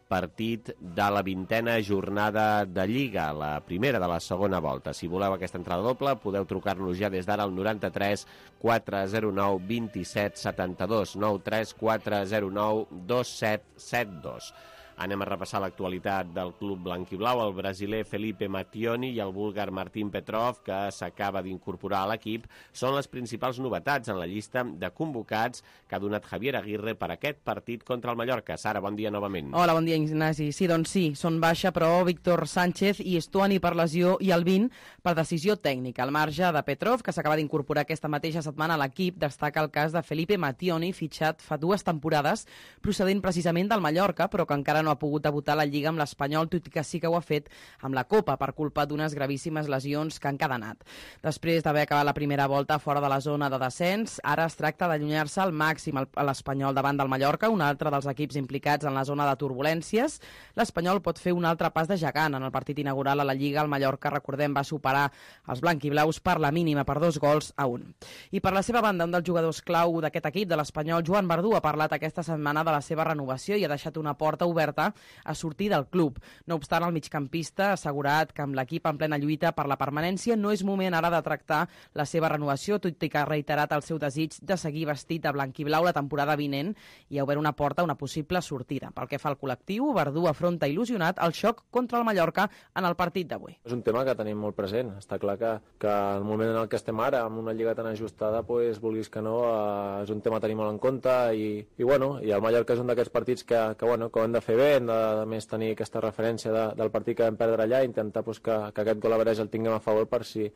partit de la vintena jornada de Lliga, la primera de la segona volta. Si voleu aquesta entrada doble, podeu trucar-nos ja des d'ara al noranta-tres quatre zero nou dos set set dos, nou tres quatre zero nou dos set set dos. Anem a repassar l'actualitat del club blanc-i-blau. El brasiler Felipe Mattioni i el búlgar Martín Petrov, que s'acaba d'incorporar a l'equip, són les principals novetats en la llista de convocats que ha donat Javier Aguirre per aquest partit contra el Mallorca. Sara, bon dia novament. Hola, bon dia, Ignasi. Sí, doncs sí, són baixa, però Víctor Sánchez i Estuani per lesió i Albín per decisió tècnica. Al marge de Petrov, que s'acaba d'incorporar aquesta mateixa setmana a l'equip, destaca el cas de Felipe Mattioni, fitxat fa dues temporades, procedent precisament del Mallorca, però que encara no no ha pogut debutar a la Lliga amb l'Espanyol, tot i que sí que ho ha fet amb la Copa per culpa d'unes gravíssimes lesions que han cadenat. Després d'haver acabat la primera volta fora de la zona de descens, ara es tracta d'allunyar-se al màxim a l'Espanyol davant del Mallorca, un altre dels equips implicats en la zona de turbulències. L'Espanyol pot fer un altre pas de gegant. En el partit inaugural a la Lliga, el Mallorca, recordem, va superar els blanquiblaus per la mínima, per dos gols a un. I per la seva banda, un dels jugadors clau d'aquest equip, de l'Espanyol, Joan Verdú, ha parlat aquesta setmana de la seva renovació i ha deixat una porta oberta a sortir del club. No obstant, el migcampista ha assegurat que amb l'equip en plena lluita per la permanència no és moment ara de tractar la seva renovació, tot i que ha reiterat el seu desig de seguir vestit de blanquiblau la temporada vinent i ha obert una porta a una possible sortida. Pel que fa al col·lectiu, Verdú afronta il·lusionat el xoc contra el Mallorca en el partit d'avui. És un tema que tenim molt present. Està clar que, que el moment en el que estem ara, amb una lliga tan ajustada, pues, vulguis que no, eh, és un tema a tenir molt en compte i, i, bueno, i el Mallorca és un d'aquests partits que, que, bueno, que ho hem de fer bé, hem de, de més tenir aquesta referència de, del partit que vam perdre allà i intentar pues, que, que aquest gol average el tinguem a favor per si,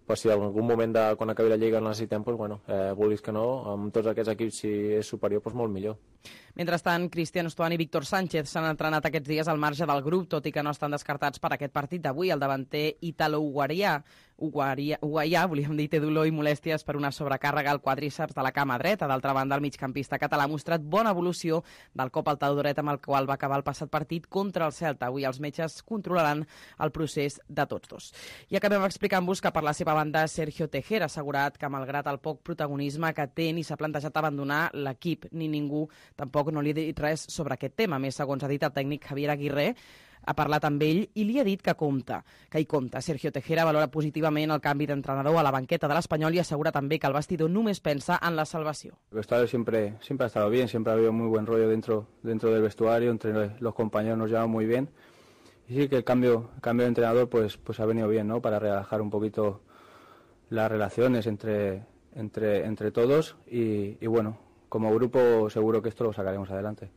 per si en algun moment de, quan acabi la lliga el necessitem, pues, bueno, eh, vulguis que no, amb tots aquests equips si és superior, pues, molt millor. Mentrestant, Cristian Estuani i Víctor Sánchez s'han entrenat aquests dies al marge del grup, tot i que no estan descartats per aquest partit d'avui. El davanter italo-uguaià, uguaià, volíem dir, té dolor i molèsties per una sobrecàrrega al quadríceps de la cama dreta. D'altra banda, el migcampista català ha mostrat bona evolució del cop al taló dret amb el qual va acabar el passat partit contra el Celta. Avui els metges controlaran el procés de tots dos. I acabem explicant-vos que per la seva banda Sergio Tejera ha assegurat que malgrat el poc protagonisme que té ni s'ha plantejat abandonar l'equip, ni ningú tampoc no li ha dit res sobre aquest tema. A més, segons ha dit el tècnic Javier Aguirre, ha parlat amb ell i li ha dit que compta, que hi compta. Sergio Tejera valora positivament el canvi d'entrenador a la banqueta de l'Espanyol i assegura també que el vestidor només pensa en la salvació. El vestuario siempre, siempre ha estado bien, siempre ha habido muy buen rollo dentro, dentro del vestuario, entre los compañeros nos llevamos muy bien. Y sí que el cambio, el cambio de entrenador pues, pues ha venido bien, ¿no? Para relajar un poquito las relaciones entre, entre, entre todos y, y bueno, como grupo seguro que esto lo sacaremos adelante.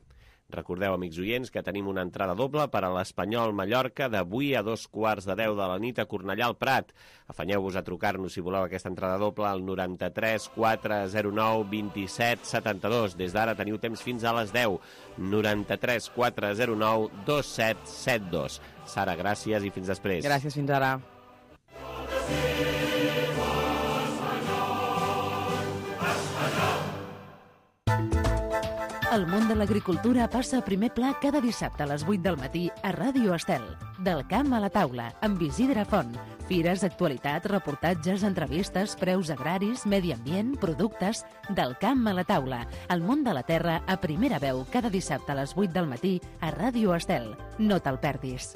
Recordeu, amics oients, que tenim una entrada doble per a l'Espanyol Mallorca d'avui a dos quarts de deu de la nit a Cornellà al Prat. Afanyeu-vos a trucar-nos si voleu aquesta entrada doble al noranta-tres quatre zero nou vint-i-set setanta-dos. Des d'ara teniu temps fins a les deu. noranta-tres quatre zero nou vint set setanta dos. Sara, gràcies i fins després. Gràcies, fins ara. El món de l'agricultura passa a primer pla cada dissabte a les vuit del matí a Ràdio Estel. Del camp a la taula, amb Isidre Font. Fires, actualitat, reportatges, entrevistes, preus agraris, medi ambient, productes... Del camp a la taula. El món de la terra a primera veu cada dissabte a les vuit del matí a Ràdio Estel. No te'l perdis.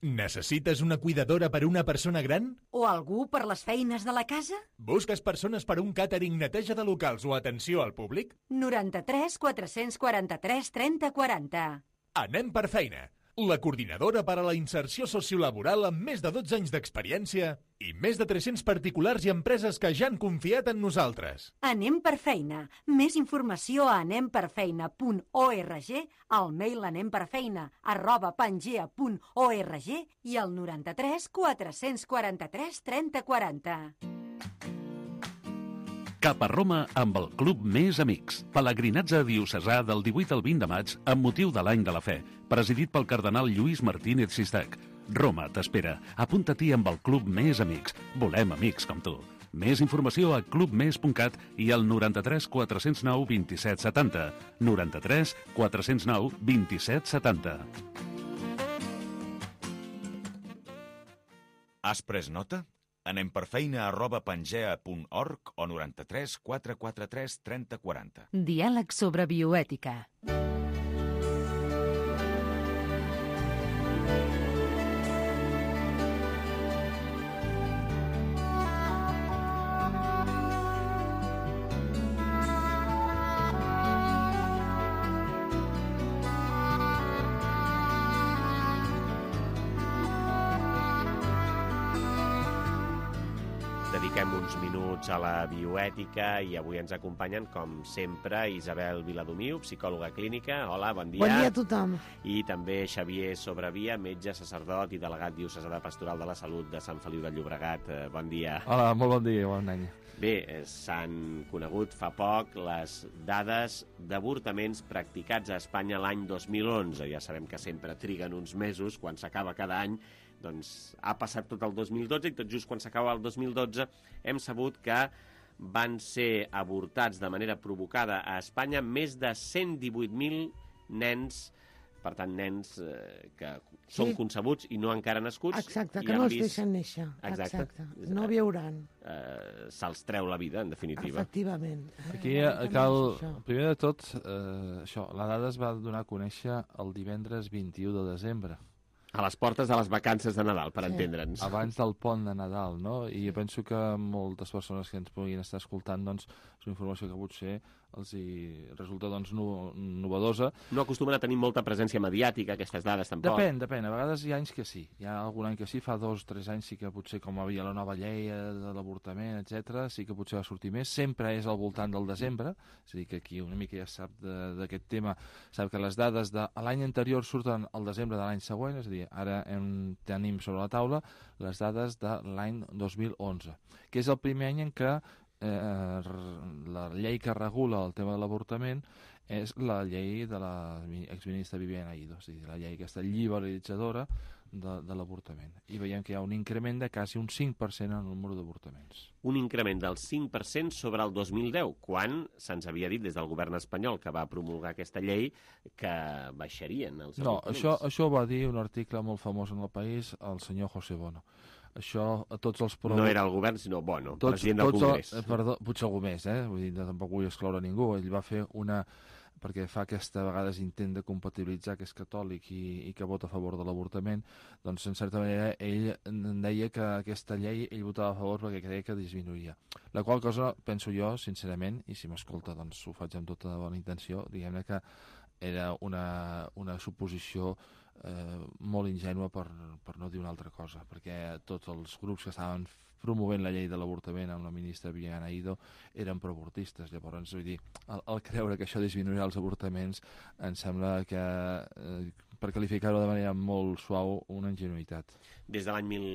Necessites una cuidadora per a una persona gran? O algú per les feines de la casa? Busques persones per a un càtering, neteja de locals o atenció al públic? noranta-tres quatre-cents quaranta-tres trenta quaranta. Anem per feina. La coordinadora per a la inserció sociolaboral amb més de dotze anys d'experiència i més de tres-cents particulars i empreses que ja han confiat en nosaltres. Anem per feina. Més informació a anem per feina punt org, al mail anemperfeina arroba pangea punt org i al noranta-tres quatre-cents quaranta-tres trenta quaranta. Cap a Roma amb el Club Més Amics. Pelegrinatge diocesà del divuit al vint de maig amb motiu de l'Any de la Fe, presidit pel cardenal Lluís Martínez Sistac. Roma t'espera. Apunta-t'hi amb el Club Més Amics. Volem amics com tu. Més informació a club més punt cat i al noranta-tres quatre zero nou vint-i-set setanta. noranta-tres quatre zero nou vint-i-set setanta. Has pres nota? Anem per feina arroba pangea punt org o noranta-tres quatre quaranta-tres trenta quaranta. Diàleg sobre bioètica. Dediquem uns minuts a la bioètica i avui ens acompanyen, com sempre, Isabel Viladomiu, psicòloga clínica. Hola, bon dia. Bon dia a tothom. I també Xavier Sobrevia, metge, sacerdot i delegat diocesà de Pastoral de la Salut de Sant Feliu de Llobregat. Bon dia. Hola, molt bon dia, bon any. Bé, s'han conegut fa poc les dades d'avortaments practicats a Espanya l'any dos mil onze. Ja sabem que sempre triguen uns mesos, quan s'acaba cada any, doncs ha passat tot el dos mil dotze i tot just quan s'acaba el dos mil dotze hem sabut que van ser avortats de manera provocada a Espanya més de cent divuit mil nens, per tant, nens eh, que sí. són concebuts i no encara nascuts. Exacte, que no els vist... deixen néixer. Exacte. Exacte. No viuran. Eh, Se'ls treu la vida, en definitiva. Efectivament. Aquí eh, cal, primer de tot, eh, això, la dada es va donar a conèixer el divendres vint-i-u de desembre. A les portes de les vacances de Nadal, per sí. entendre'ns. Abans del pont de Nadal, no? I penso que moltes persones que ens puguin estar escoltant, doncs, és una informació que potser els hi resulta, doncs, no, novedosa. No acostumen a tenir molta presència mediàtica, aquestes dades, tampoc. Depèn, depèn. A vegades hi ha anys que sí. Hi ha algun any que sí, fa dos o tres anys sí que potser, com havia la nova llei de l'avortament, etcètera, sí que potser va sortir més. Sempre és al voltant del desembre, és a dir, que aquí una mica ja sap d'aquest tema, sap que les dades de l'any anterior surten al desembre de l'any següent, és a dir, ara hem, tenim sobre la taula les dades de l'any dos mil onze, que és el primer any en què eh, la llei que regula el tema de l'avortament és la llei de la exministra Viviane Aido, és a dir, la llei aquesta liberalitzadora de, de l'avortament. I veiem que hi ha un increment de quasi un cinc per cent en el número d'avortaments. Un increment del cinc per cent sobre el dos mil deu, quan se'ns havia dit des del govern espanyol que va promulgar aquesta llei que baixarien els no, avortaments. Això, això ho va dir un article molt famós en el País, el senyor José Bono. Això, a tots els... Pro... No era el govern, sinó Bono, tots, president del Congrés. El, perdó, potser algú més, eh? Vull dir, tampoc vull excloure ningú. Ell va fer una... perquè fa aquesta vegades intent de compatibilitzar que és catòlic i, i que vota a favor de l'avortament, doncs en certa manera ell deia que aquesta llei ell votava a favor perquè creia que disminuïa. La qual cosa, penso jo, sincerament, i si m'escolta doncs ho faig amb tota bona intenció, diguem-ne que era una, una suposició eh, molt ingènua per, per no dir una altra cosa, perquè tots els grups que estaven promovent la llei de l'avortament amb la ministra Viviane Aido eren proavortistes. Llavors, vull dir, el, el creure que això disminuirà els avortaments em sembla que, eh, per qualificar-ho de manera molt suau, una ingenuïtat. Des de l'any mil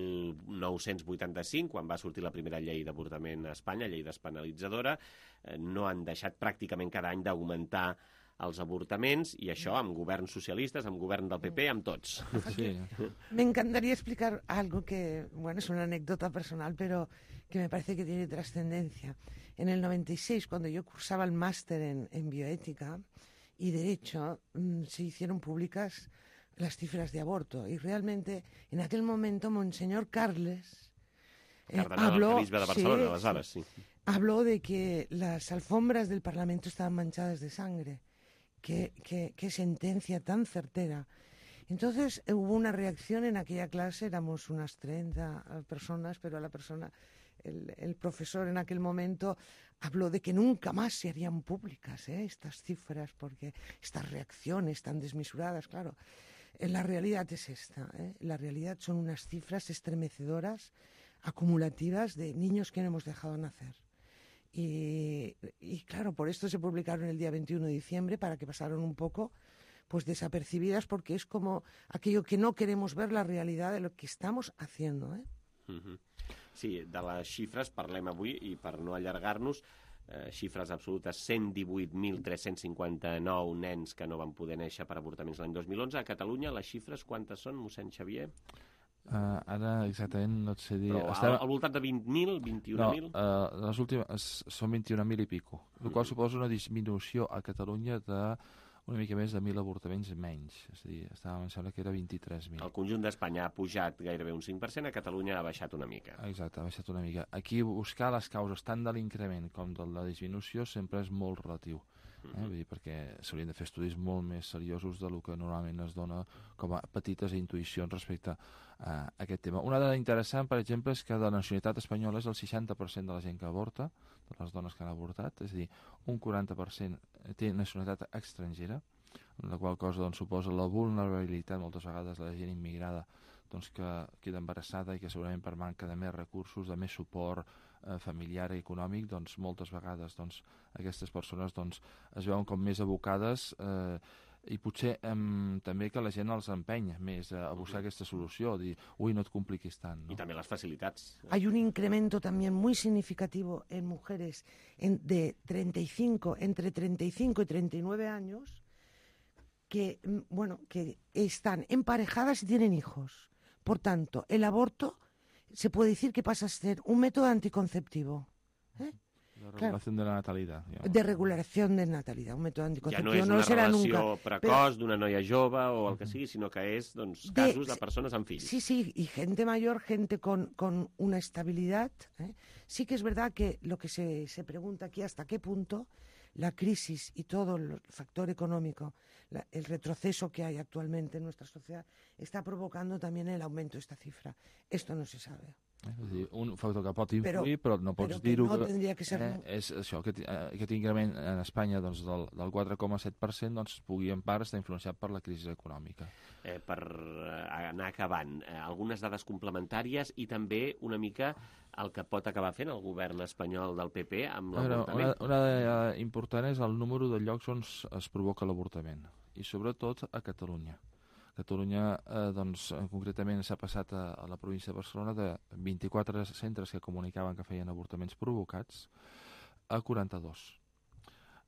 nou-cents vuitanta-cinc, quan va sortir la primera llei d'avortament a Espanya, llei despenalitzadora, eh, no han deixat pràcticament cada any d'augmentar els avortaments, i això amb governs socialistes, amb govern del P P, amb tots. Sí. Me encantaría explicar algo que, bueno, es una anécdota personal, pero que me parece que tiene trascendencia. En el noventa y seis, cuando yo cursaba el máster en, en bioética y derecho, mmm, se hicieron públicas las cifras de aborto, y realmente en aquel momento Monseñor Carles eh, habló, de Barcelona, sí, aleshores, sí. habló de que las alfombras del Parlamento estaban manchadas de sangre. Qué, qué, qué sentencia tan certera. Entonces eh, hubo una reacción en aquella clase, éramos unas treinta personas, pero la persona, el, el profesor en aquel momento habló de que nunca más se harían públicas ¿eh? estas cifras, porque estas reacciones tan desmesuradas, claro. Eh, la realidad es esta, ¿eh? La realidad son unas cifras estremecedoras, acumulativas, de niños que no hemos dejado nacer. Y, y claro, por esto se publicaron el día veintiuno de diciembre, para que pasaron un poco pues desapercibidas, porque es como aquello que no queremos ver, la realidad de lo que estamos haciendo. ¿eh? Uh-huh. Sí, de les xifres parlem avui, i per no allargar-nos, eh, xifres absolutes, cent divuit mil tres-cents cinquanta-nou nens que no van poder néixer per avortaments l'any dos mil onze. A Catalunya les xifres quantes són, mossèn Xavier? Uh, ara exactament no et sé dir... Però Estem... al, al voltant de vint mil, vint-i-un mil? No, uh, les últimes són vint-i-un mil i pico, el mm. qual suposa una disminució a Catalunya de una mica més de mil avortaments menys. És a dir, estàvem, em sembla que era vint-i-tres mil. El conjunt d'Espanya ha pujat gairebé un cinc per cent, a Catalunya ha baixat una mica. Exacte, ha baixat una mica. Aquí buscar les causes tant de l'increment com de la disminució sempre és molt relatiu. Eh? Vull dir, perquè s'haurien de fer estudis molt més seriosos del que normalment es dona com a petites intuïcions respecte a aquest tema. Una dada interessant, per exemple, és que de la nacionalitat espanyola és el seixanta per cent de la gent que avorta, de les dones que han avortat, és a dir, un quaranta per cent té nacionalitat estrangera, la qual cosa doncs, suposa la vulnerabilitat moltes vegades de la gent immigrada doncs, que queda embarassada i que segurament per manca de més recursos, de més suport eh, familiar i econòmic, doncs moltes vegades doncs, aquestes persones doncs, es veuen com més abocades eh, i potser eh, també que la gent els empeny més a buscar aquesta solució, dir, ui, no et compliquis tant. ¿no? I també les facilitats. Hay un incremento también muy significativo en mujeres en, de treinta y cinco, entre treinta y cinco y treinta y nueve años que, bueno, que están emparejadas y tienen hijos. Por tanto, el aborto se puede decir que pasa a ser un método anticonceptivo. ¿eh? De regulació de la natalitat. Ja. De regulació de natalitat, un mètode anticonceptiu. Ja no és una no serà relació nunca, precoç d'una noia jove o el que sigui, sinó que és doncs, casos de, de persones amb fills. Sí, sí, y gente mayor, gente con, con una estabilidad. ¿eh? Sí que es verdad que lo que se, se pregunta aquí, hasta qué punto la crisis y todo el factor económico, la, el retroceso que hay actualmente en nuestra sociedad, está provocando también el aumento de esta cifra. Esto no se sabe. Eh, és dir, un factor que pot influir, però, però no pots però dir-ho. No tindria que ser... Eh, és això, aquest, aquest increment en Espanya doncs, del, del quatre coma set per cent doncs, pugui en part estar influenciat per la crisi econòmica. Eh, per anar acabant, eh, algunes dades complementàries i també una mica el que pot acabar fent el govern espanyol del P P amb l'avortament. Una, una de, important és el número de llocs on es provoca l'avortament, i sobretot a Catalunya. Catalunya, eh, doncs, concretament s'ha passat a, a la província de Barcelona de vint-i-quatre centres que comunicaven que feien avortaments provocats a quaranta-dos.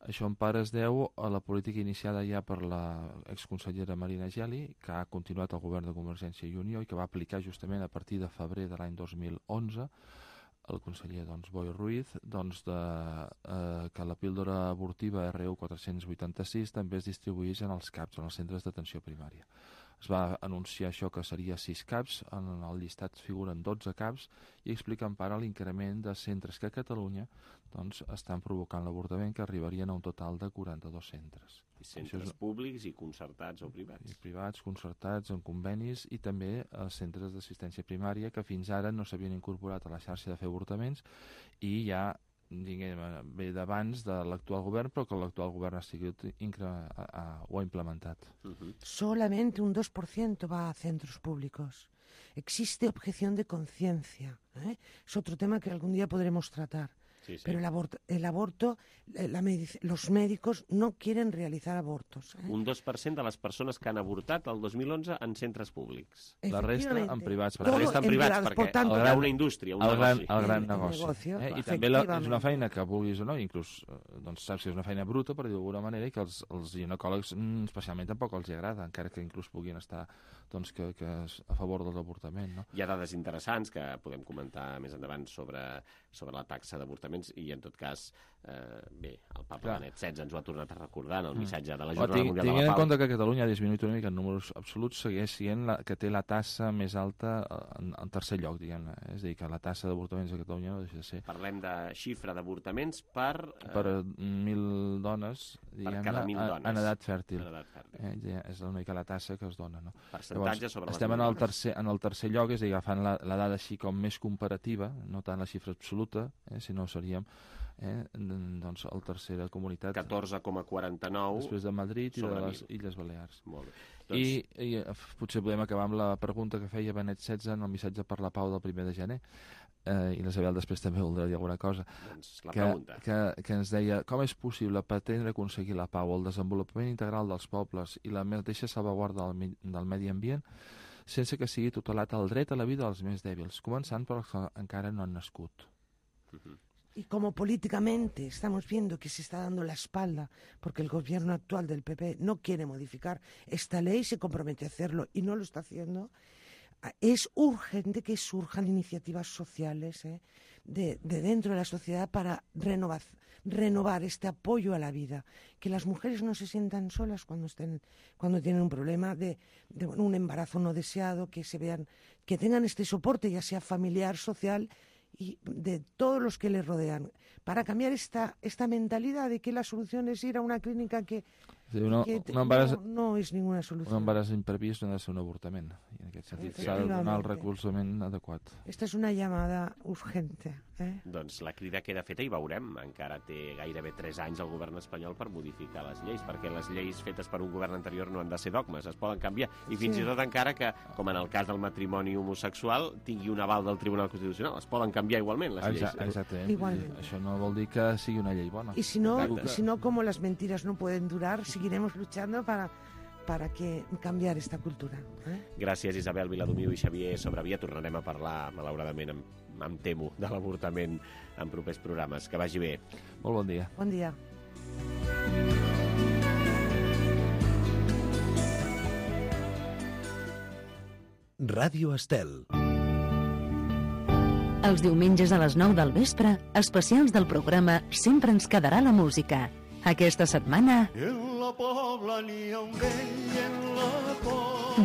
Això en part es deu a la política iniciada ja per la exconsellera Marina Geli, que ha continuat el govern de Convergència i Unió i que va aplicar justament a partir de febrer de l'any dos mil onze el conseller doncs, Boi Ruiz, doncs, de, eh, que la píldora abortiva R U quatre-cents vuitanta-sis també es distribuís en els CAPs, en els centres d'atenció primària. Es va anunciar això que seria sis CAPs, en el llistat figuren dotze CAPs i explica en part l'increment de centres que a Catalunya doncs, estan provocant l'avortament, que arribarien a un total de quaranta-dos centres. I centres és... públics i concertats o privats. I privats, concertats, en convenis, i també els centres d'assistència primària que fins ara no s'havien incorporat a la xarxa de fer avortaments i ja diguem, ve d'abans de l'actual govern, però que l'actual govern ha sigut incre... a, a, ho ha implementat. Uh-huh. Solamente un dos por ciento va a centros públicos. Existe objeción de conciencia. ¿eh? Es otro tema que algún día podremos tratar. Sí, sí. Pero el aborto, el aborto la medic- los médicos no quieren realizar abortos. ¿eh? Un dos per cent de les persones que han avortat el dos mil onze en centres públics. La resta en privats. La resta en privats, en perquè tanto, hi ha una indústria, un el gran, negoci. El gran el, negoci. El negocio, eh? I també la, és una feina que vulguis o no, inclús doncs, saps que és una feina bruta, per dir d'alguna manera, i que els, els ginecòlegs mm, especialment tampoc els agrada, encara que inclús puguin estar doncs, que, que a favor de l'avortament. No? Hi ha dades interessants que podem comentar més endavant sobre, sobre la taxa d'avortaments i, en tot cas, eh, bé, el papa Clar. Benet setze ens ho ha tornat a recordar en el missatge de la Jornada tinc, Mundial de la Pau. Tinguent en compte que Catalunya ha disminuït una mica en números absoluts, segueix sent la, que té la tassa més alta en, en tercer lloc, diguem-ne. És a dir, que la tassa d'avortaments a Catalunya no deixa de ser... Parlem de xifra d'avortaments per... Eh, per mil dones, diguem-ne, en, en edat fèrtil. En edat fèrtil. Eh, ja és una mica la tassa que es dona, no? Percentatge sobre les estem en el, tercer, en el tercer lloc, és a dir, agafant la, la dada així com més comparativa, no tant la xifra absoluta, eh, sinó seríem eh, doncs el tercera comunitat. catorze coma quaranta-nou. Després de Madrid i de les Illes Balears. Molt bé. Doncs... I, I potser podem acabar amb la pregunta que feia Benet setze en el missatge per la pau del primer de gener. Eh, i la Isabel després també voldrà dir alguna cosa. Doncs la que, pregunta. Que, que ens deia, com és possible pretendre aconseguir la pau, el desenvolupament integral dels pobles i la mateixa salvaguarda del, del medi ambient sense que sigui tutelat el dret a la vida dels més dèbils, començant per els que encara no han nascut. Uh-huh. Y como políticamente estamos viendo que se está dando la espalda porque el gobierno actual del P P no quiere modificar esta ley, se compromete a hacerlo y no lo está haciendo, es urgente que surjan iniciativas sociales ¿eh? de, de dentro de la sociedad para renovar, renovar este apoyo a la vida, que las mujeres no se sientan solas cuando estén, cuando tienen un problema de, de bueno, un embarazo no deseado, que se vean, que tengan este soporte, ya sea familiar, social, y de todos los que les rodean, para cambiar esta, esta mentalidad de que la solución es ir a una clínica que, sí, uno, que te, un embaràs, no, no és ninguna solució. Un embaràs imprevist no ha de ser un avortament, i en aquest sentit s'ha de donar el recolzament adequat. Esta es una llamada urgente Eh? Doncs la crida queda feta i veurem. Encara té gairebé tres anys el govern espanyol per modificar les lleis, perquè les lleis fetes per un govern anterior no han de ser dogmes, es poden canviar. I fins Sí. i tot encara que, com en el cas del matrimoni homosexual, tingui un aval del Tribunal Constitucional. Es poden canviar igualment les lleis. Exacte, exactament. Igualment. Això no vol dir que sigui una llei bona. Y si no, Exacte. si no, como las mentiras no pueden durar, seguiremos luchando para, para que cambiar esta cultura. ¿eh? Gràcies, Isabel Viladomiu i Xavier Sobrevia. Tornarem a parlar, malauradament, em, em temo, de l'avortament en propers programes. Que vagi bé. Molt bon dia. Bon dia. Ràdio Estel. Els diumenges a les nou del vespre, especials del programa Sempre ens quedarà la música. Aquesta setmana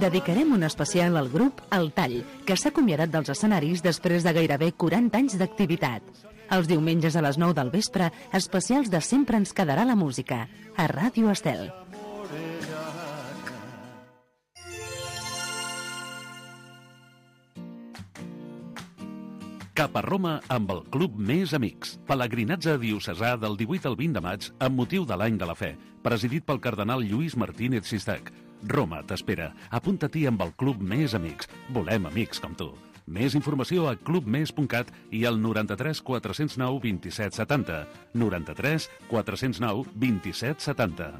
dedicarem un especial al grup El Tall, que s'ha acomiadat dels escenaris després de gairebé quaranta anys d'activitat. Els diumenges a les nou del vespre, especials de Sempre ens quedarà la música, a Ràdio Estel. Cap a Roma amb el Club Més Amics. Pelegrinatge diocesà del divuit al vint de maig amb motiu de l'Any de la Fe, presidit pel cardenal Lluís Martínez Sistac. Roma t'espera. Apunta-t'hi amb el Club Més Amics. Volem amics com tu. Més informació a club més punt cat i al noranta-tres quatre cents nou vint-i-set setanta. noranta-tres quatre cents nou vint-i-set setanta.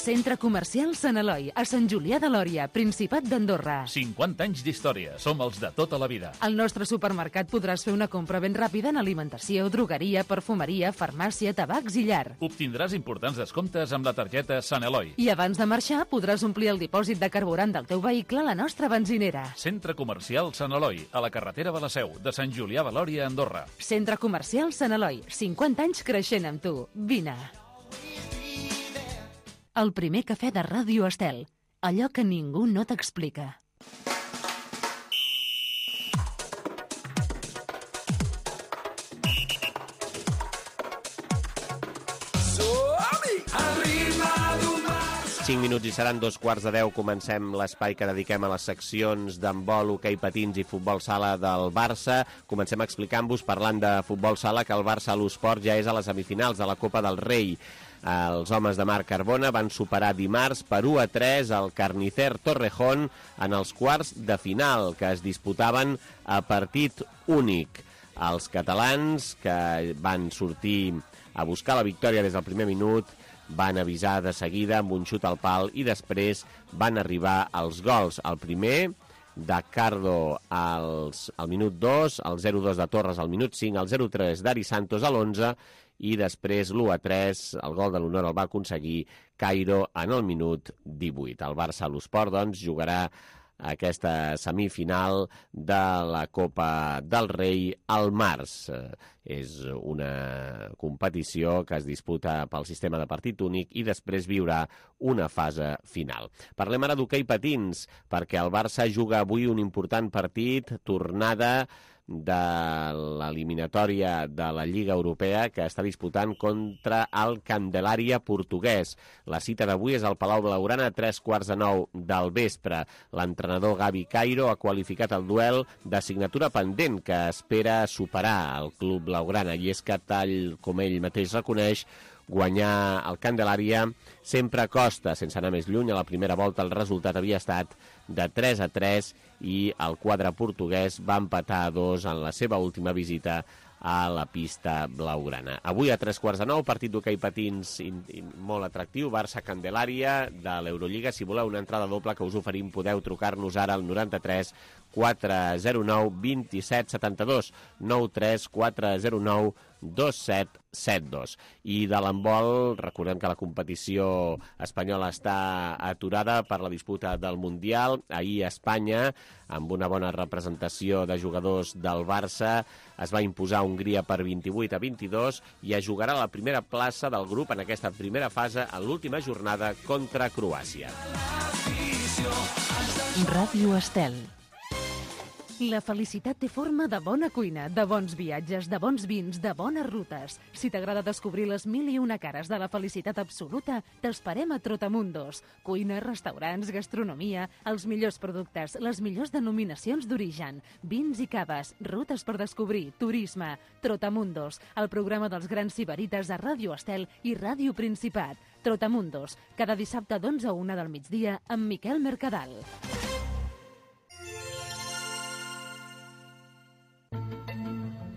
Centre Comercial Sant Eloi, a Sant Julià de Lòria, Principat d'Andorra. cinquanta anys d'història. Som els de tota la vida. Al nostre supermercat podràs fer una compra ben ràpida en alimentació, drogueria, perfumeria, farmàcia, tabacs i llar. Obtindràs importants descomptes amb la targeta Sant Eloi. I abans de marxar podràs omplir el dipòsit de carburant del teu vehicle a la nostra benzinera. Centre Comercial Sant Eloi, a la carretera de la Seu, de Sant Julià de Lòria, Andorra. Centre Comercial Sant Eloi, cinquanta anys creixent amb tu. Vine. El primer cafè de Ràdio Estel. Allò que ningú no t'explica. cinc minuts i seran dos quarts de deu. Comencem l'espai que dediquem a les seccions d'handbol, hoquei patins i futbol sala del Barça. Comencem explicant-vos, parlant de futbol sala, que el Barça a l'Esport ja és a les semifinals de la Copa del Rei. Els homes de Marc Carbona van superar dimarts per u a tres el Carnicer Torrejón en els quarts de final, que es disputaven a partit únic. Els catalans, que van sortir a buscar la victòria des del primer minut, van avisar de seguida amb un xut al pal i després van arribar els gols. El primer de Cardo als, al minut dos, el zero dos de Torres al minut cinc, el zero tres d'Ari Santos a l'onze i després l'u a tres, el gol de l'honor el va aconseguir Cairo en el minut divuit. El Barça a l'Esport, doncs, jugarà aquesta semifinal de la Copa del Rei al març. És una competició que es disputa pel sistema de partit únic i després viurà una fase final. Parlem ara d'hoquei patins, perquè el Barça juga avui un important partit, tornada de l'eliminatòria de la Lliga Europea que està disputant contra el Candelaria portuguès. La cita d'avui és al Palau Blaugrana a tres quarts de nou del vespre. L'entrenador Gavi Cairo ha qualificat el duel de signatura pendent que espera superar el club blaugrana, i és que, tal com ell mateix reconeix, guanyar el Candelaria sempre costa. Sense anar més lluny, a la primera volta el resultat havia estat de tres a tres i el quadre portuguès va empatar a dos en la seva última visita a la pista blaugrana. Avui a tres quarts de nou, partit d'hoquei patins in, in, molt atractiu, Barça-Candelària de l'Eurolliga. Si voleu una entrada doble que us oferim, podeu trucar-nos ara al noranta-tres quatre zero nou dos set set dos, nou tres quatre zero nou dos set set dos. I de l'handbol, recordem que la competició espanyola està aturada per la disputa del Mundial. Ahir a Espanya, amb una bona representació de jugadors del Barça, es va imposar Hongria per vint-i-vuit a vint-i-dos i es jugarà la primera plaça del grup en aquesta primera fase en l'última jornada contra Croàcia. Ràdio Estel. La felicitat té forma de bona cuina, de bons viatges, de bons vins, de bones rutes. Si t'agrada descobrir les mil i una cares de la felicitat absoluta, t'esperem a Trotamundos. Cuina, restaurants, gastronomia, els millors productes, les millors denominacions d'origen, vins i caves, rutes per descobrir, turisme. Trotamundos, el programa dels grans sibarites a Ràdio Estel i Ràdio Principat. Trotamundos, cada dissabte d'onze a una del migdia amb Miquel Mercadal.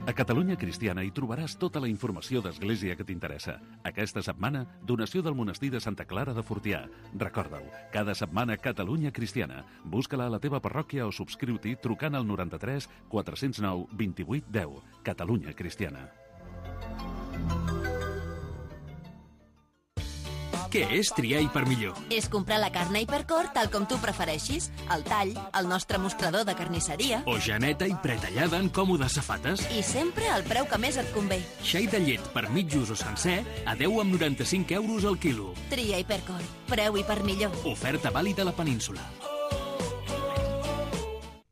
A Catalunya Cristiana hi trobaràs tota la informació d'Església que t'interessa. Aquesta setmana, donació del monestir de Santa Clara de Fortià. Recorda-ho, cada setmana Catalunya Cristiana. Busca-la a la teva parròquia o subscriu-t'hi trucant al noranta-tres quatre-cents nou vint-i-vuit deu. Catalunya Cristiana. Què és triar Hipermillor? És comprar la carn a Hipercor tal com tu prefereixis, el tall, el nostre mostrador de carnisseria... O geneta i pretallada en còmodes safates. I sempre al preu que més et convé. Xai de llet per mitjos o sencer a deu coma noranta-cinc euros al quilo. Tria Hipercor, preu Hipermillor. Oferta vàlida a la península.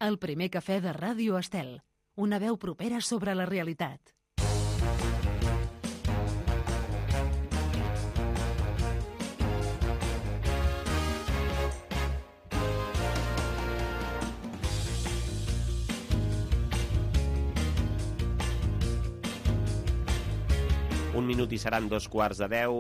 El primer cafè de Ràdio Estel. Una veu propera sobre la realitat. Un minut i seran dos quarts de deu.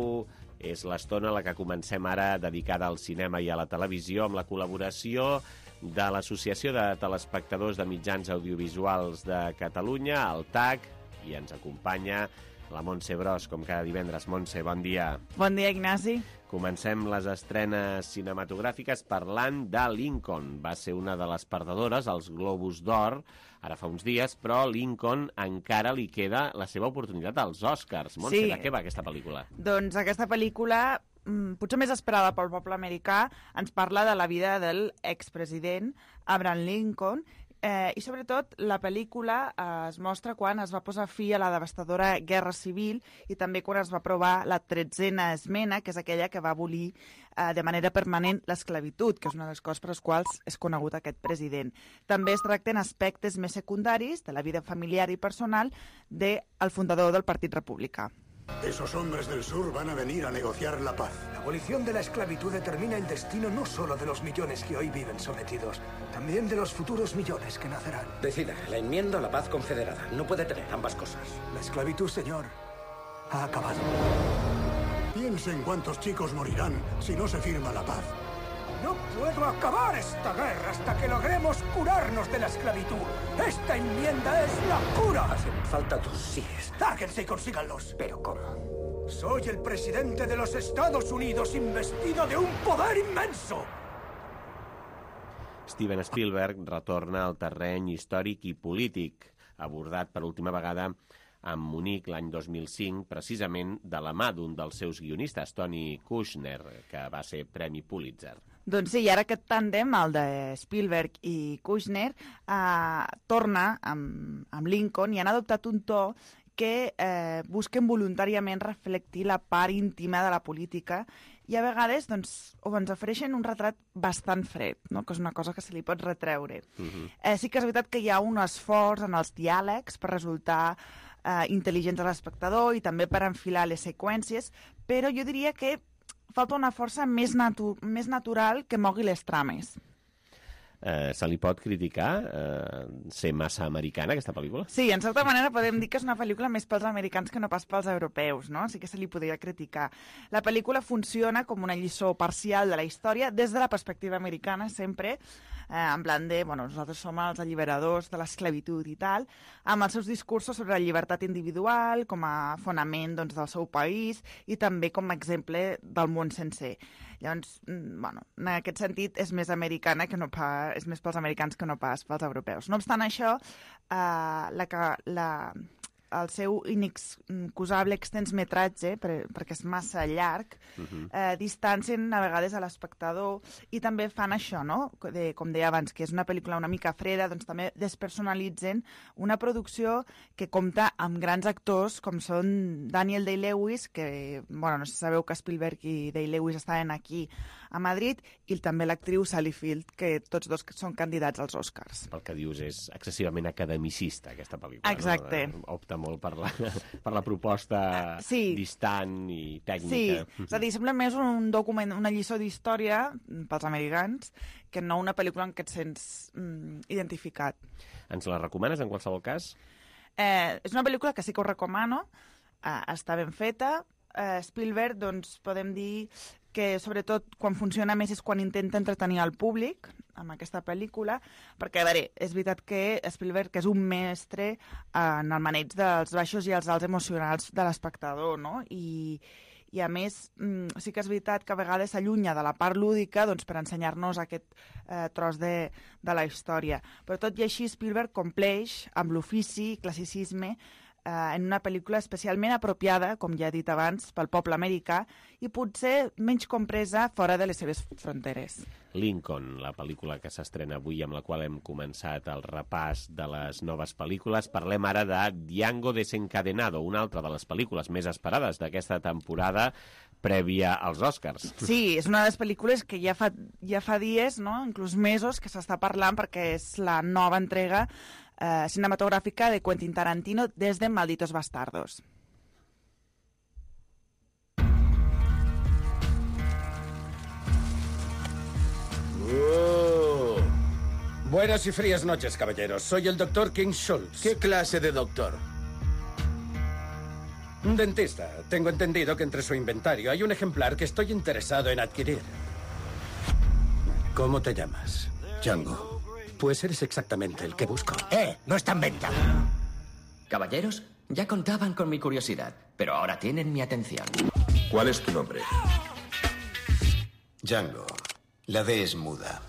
És l'estona a la que comencem ara, dedicada al cinema i a la televisió, amb la col·laboració de l'Associació de Telespectadors de Mitjans Audiovisuals de Catalunya, el T A C, i ens acompanya la Montse Bros, com cada divendres. Montse, bon dia. Bon dia, Ignasi. Comencem les estrenes cinematogràfiques parlant de Lincoln. Va ser una de les perdedores, als Globus d'Or, ara fa uns dies, però Lincoln encara li queda la seva oportunitat als Oscars. Montse, Sí. de què va aquesta pel·lícula? Doncs aquesta pel·lícula, mm, potser més esperada pel poble americà, ens parla de la vida del expresident Abraham Lincoln, eh, i sobretot la pel·lícula eh, es mostra quan es va posar fi a la devastadora Guerra Civil i també quan es va aprovar la tretzena esmena, que és aquella que va abolir eh, de manera permanent l'esclavitud, que és una de les coses per les quals és conegut aquest president. També es tracten aspectes més secundaris de la vida familiar i personal del fundador del Partit Republicà. Esos hombres del sur van a venir a negociar la paz. La abolición de la esclavitud determina el destino no solo de los millones que hoy viven sometidos, también de los futuros millones que nacerán. Decida, la enmienda a la paz confederada. No puede tener ambas cosas. La esclavitud, señor, ha acabado. Piense en cuántos chicos morirán si no se firma la paz. No puedo acabar esta guerra hasta que logremos curarnos de la esclavitud. Esta enmienda es la cura. Hacen falta tus síes. Lárguense y consíganlos. ¿Pero cómo? Soy el presidente de los Estados Unidos investido de un poder inmenso. Steven Spielberg retorna al terreny històric i polític, abordat per última vegada a Munic l'any dos mil cinc, precisament de la mà d'un dels seus guionistes, Tony Kushner, que va ser Premi Pulitzer. Doncs sí, i ara aquest tàndem, el de Spielberg i Kushner, eh, torna amb, amb Lincoln i han adoptat un to que eh, busquen voluntàriament reflectir la part íntima de la política i a vegades doncs, o ens ofereixen un retrat bastant fred, no? Que és una cosa que se li pot retreure. Uh-huh. Eh, sí que és veritat que hi ha un esforç en els diàlegs per resultar eh, intel·ligents a l'espectador i també per enfilar les seqüències, però jo diria que falta una força més, natu més natural que mogui les trames. Eh, se li pot criticar eh, ser massa americana, aquesta pel·lícula? Sí, en certa manera podem dir que és una pel·lícula més pels americans que no pas pels europeus, no? Sí que se li podria criticar. La pel·lícula funciona com una lliçó parcial de la història des de la perspectiva americana, sempre, eh, en plan de, bueno, nosaltres som els alliberadors de l'esclavitud i tal, amb els seus discursos sobre la llibertat individual, com a fonament doncs, del seu país i també com a exemple del món sencer. Llavors, bueno, en aquest sentit és més americana que no pas, és més pels americans que no pas pels europeus. No obstant això, eh, la, la, el seu inexcusable extens metratge, per, perquè és massa llarg, uh-huh. eh, distancien a vegades a l'espectador i també fan això, no? De, com deia abans, que és una pel·lícula una mica freda, doncs també despersonalitzen una producció que compta amb grans actors com són Daniel Day-Lewis, que, bueno, no sé si sabeu que Spielberg i Day-Lewis estaven aquí a Madrid, i també l'actriu Sally Field, que tots dos són candidats als Oscars. El que dius és excessivament academicista, aquesta pel·lícula. Exacte. No? Opta molt per la, per la proposta sí. distant i tècnica. Sí, és a dir, sembla més un document, una lliçó d'història pels americans que no una pel·lícula en què et sents mm, identificat. Ens la recomanes, en qualsevol cas? Eh, és una pel·lícula que sí que ho recomano, eh, està ben feta. Eh, Spielberg, doncs, podem dir que sobretot quan funciona més és quan intenta entretenir el públic amb aquesta pel·lícula, perquè, a veure, és veritat que Spielberg és un mestre en el maneig dels baixos i els alts emocionals de l'espectador, no? I, i a més, sí que és veritat que a vegades s'allunya de la part lúdica doncs, per ensenyar-nos aquest eh, tros de, de la història. Però tot i així, Spielberg compleix amb l'ofici i classicisme eh, en una pel·lícula especialment apropiada, com ja he dit abans, pel poble americà i potser menys compresa fora de les seves fronteres. Lincoln, la pel·lícula que s'estrena avui, amb la qual hem començat el repàs de les noves pel·lícules. Parlem ara de Django Desencadenado, una altra de les pel·lícules més esperades d'aquesta temporada prèvia als Oscars. Sí, és una de les pel·lícules que ja fa, ja fa dies, no? Inclús mesos, que s'està parlant perquè és la nova entrega eh, cinematogràfica de Quentin Tarantino des de Malditos Bastardos. Oh. Buenas y frías noches, caballeros. Soy el doctor King Schultz. ¿Qué clase de doctor? Un dentista. Tengo entendido que entre su inventario hay un ejemplar que estoy interesado en adquirir. ¿Cómo te llamas? Django. Pues eres exactamente el que busco. ¡Eh! No está en venta. Caballeros, ya contaban con mi curiosidad, pero ahora tienen mi atención. ¿Cuál es tu nombre? Django. La D és muda.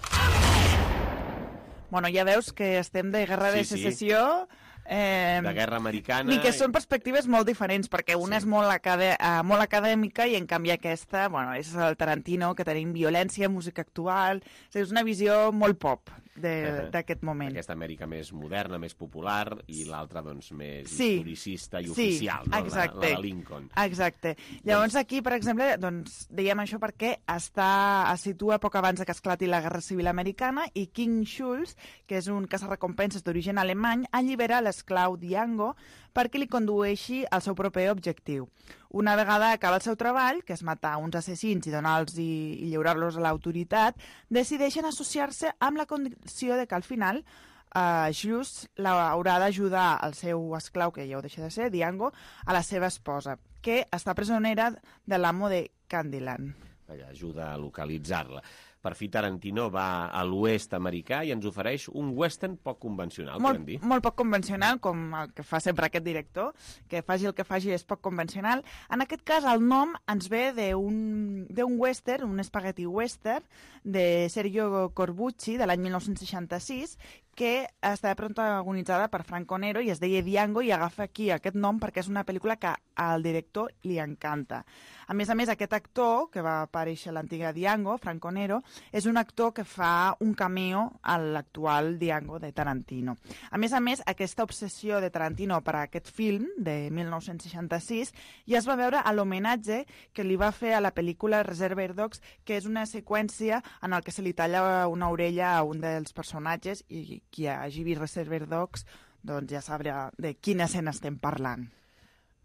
Bueno, ja veus que estem de guerra de Sí, sí. secessió... Eh, De guerra americana... Ni que són perspectives molt diferents, perquè una sí. és molt, acade uh, molt acadèmica i, en canvi, aquesta, bueno, és el Tarantino, que tenim violència, música actual... O sigui, és una visió molt pop d'aquest uh-huh. moment. Aquesta Amèrica més moderna, més popular, i l'altra, doncs, més sí. historicista i sí. oficial, no? Exacte. La, la de Lincoln. Exacte. Llavors, aquí, per exemple, doncs, dèiem això perquè està, es situa poc abans que esclati la Guerra Civil Americana i King Schultz, que és un caçarrecompenses d'origen alemany, allibera l'esclau Django perquè li condueixi al seu proper objectiu. Una vegada acaba el seu treball, que és matar uns assassins i donar-los i, i lliurar-los a l'autoritat, decideixen associar-se amb la condició de que al final uh, Schultz haurà d'ajudar el seu esclau, que ja ho deixa de ser, Django, a la seva esposa, que està presonera de l'amo de Candyland. Allà ajuda a localitzar-la. Per fi, Tarantino va a l'oest americà i ens ofereix un western poc convencional, molt, podem dir. Molt poc convencional, com el que fa sempre aquest director, que faci el que faci és poc convencional. En aquest cas, el nom ens ve d'un western, un spaghetti western, de Sergio Corbucci, de l'any mil nou-cents seixanta-sis, que està protagonitzada per Franco Nero i es deia Django, i agafa aquí aquest nom perquè és una pel·lícula que al director li encanta. A més a més, aquest actor, que va aparèixer a l'antiga Django, Franco Nero, és un actor que fa un cameo a l'actual Django de Tarantino. A més a més, aquesta obsessió de Tarantino per a aquest film de mil nou-cents seixanta-sis ja es va veure a l'homenatge que li va fer a la pel·lícula Reservoir Dogs, que és una seqüència en el que se li talla una orella a un dels personatges, i qui hagi vist Reservoir Dogs doncs ja sabrà de quina escena estem parlant.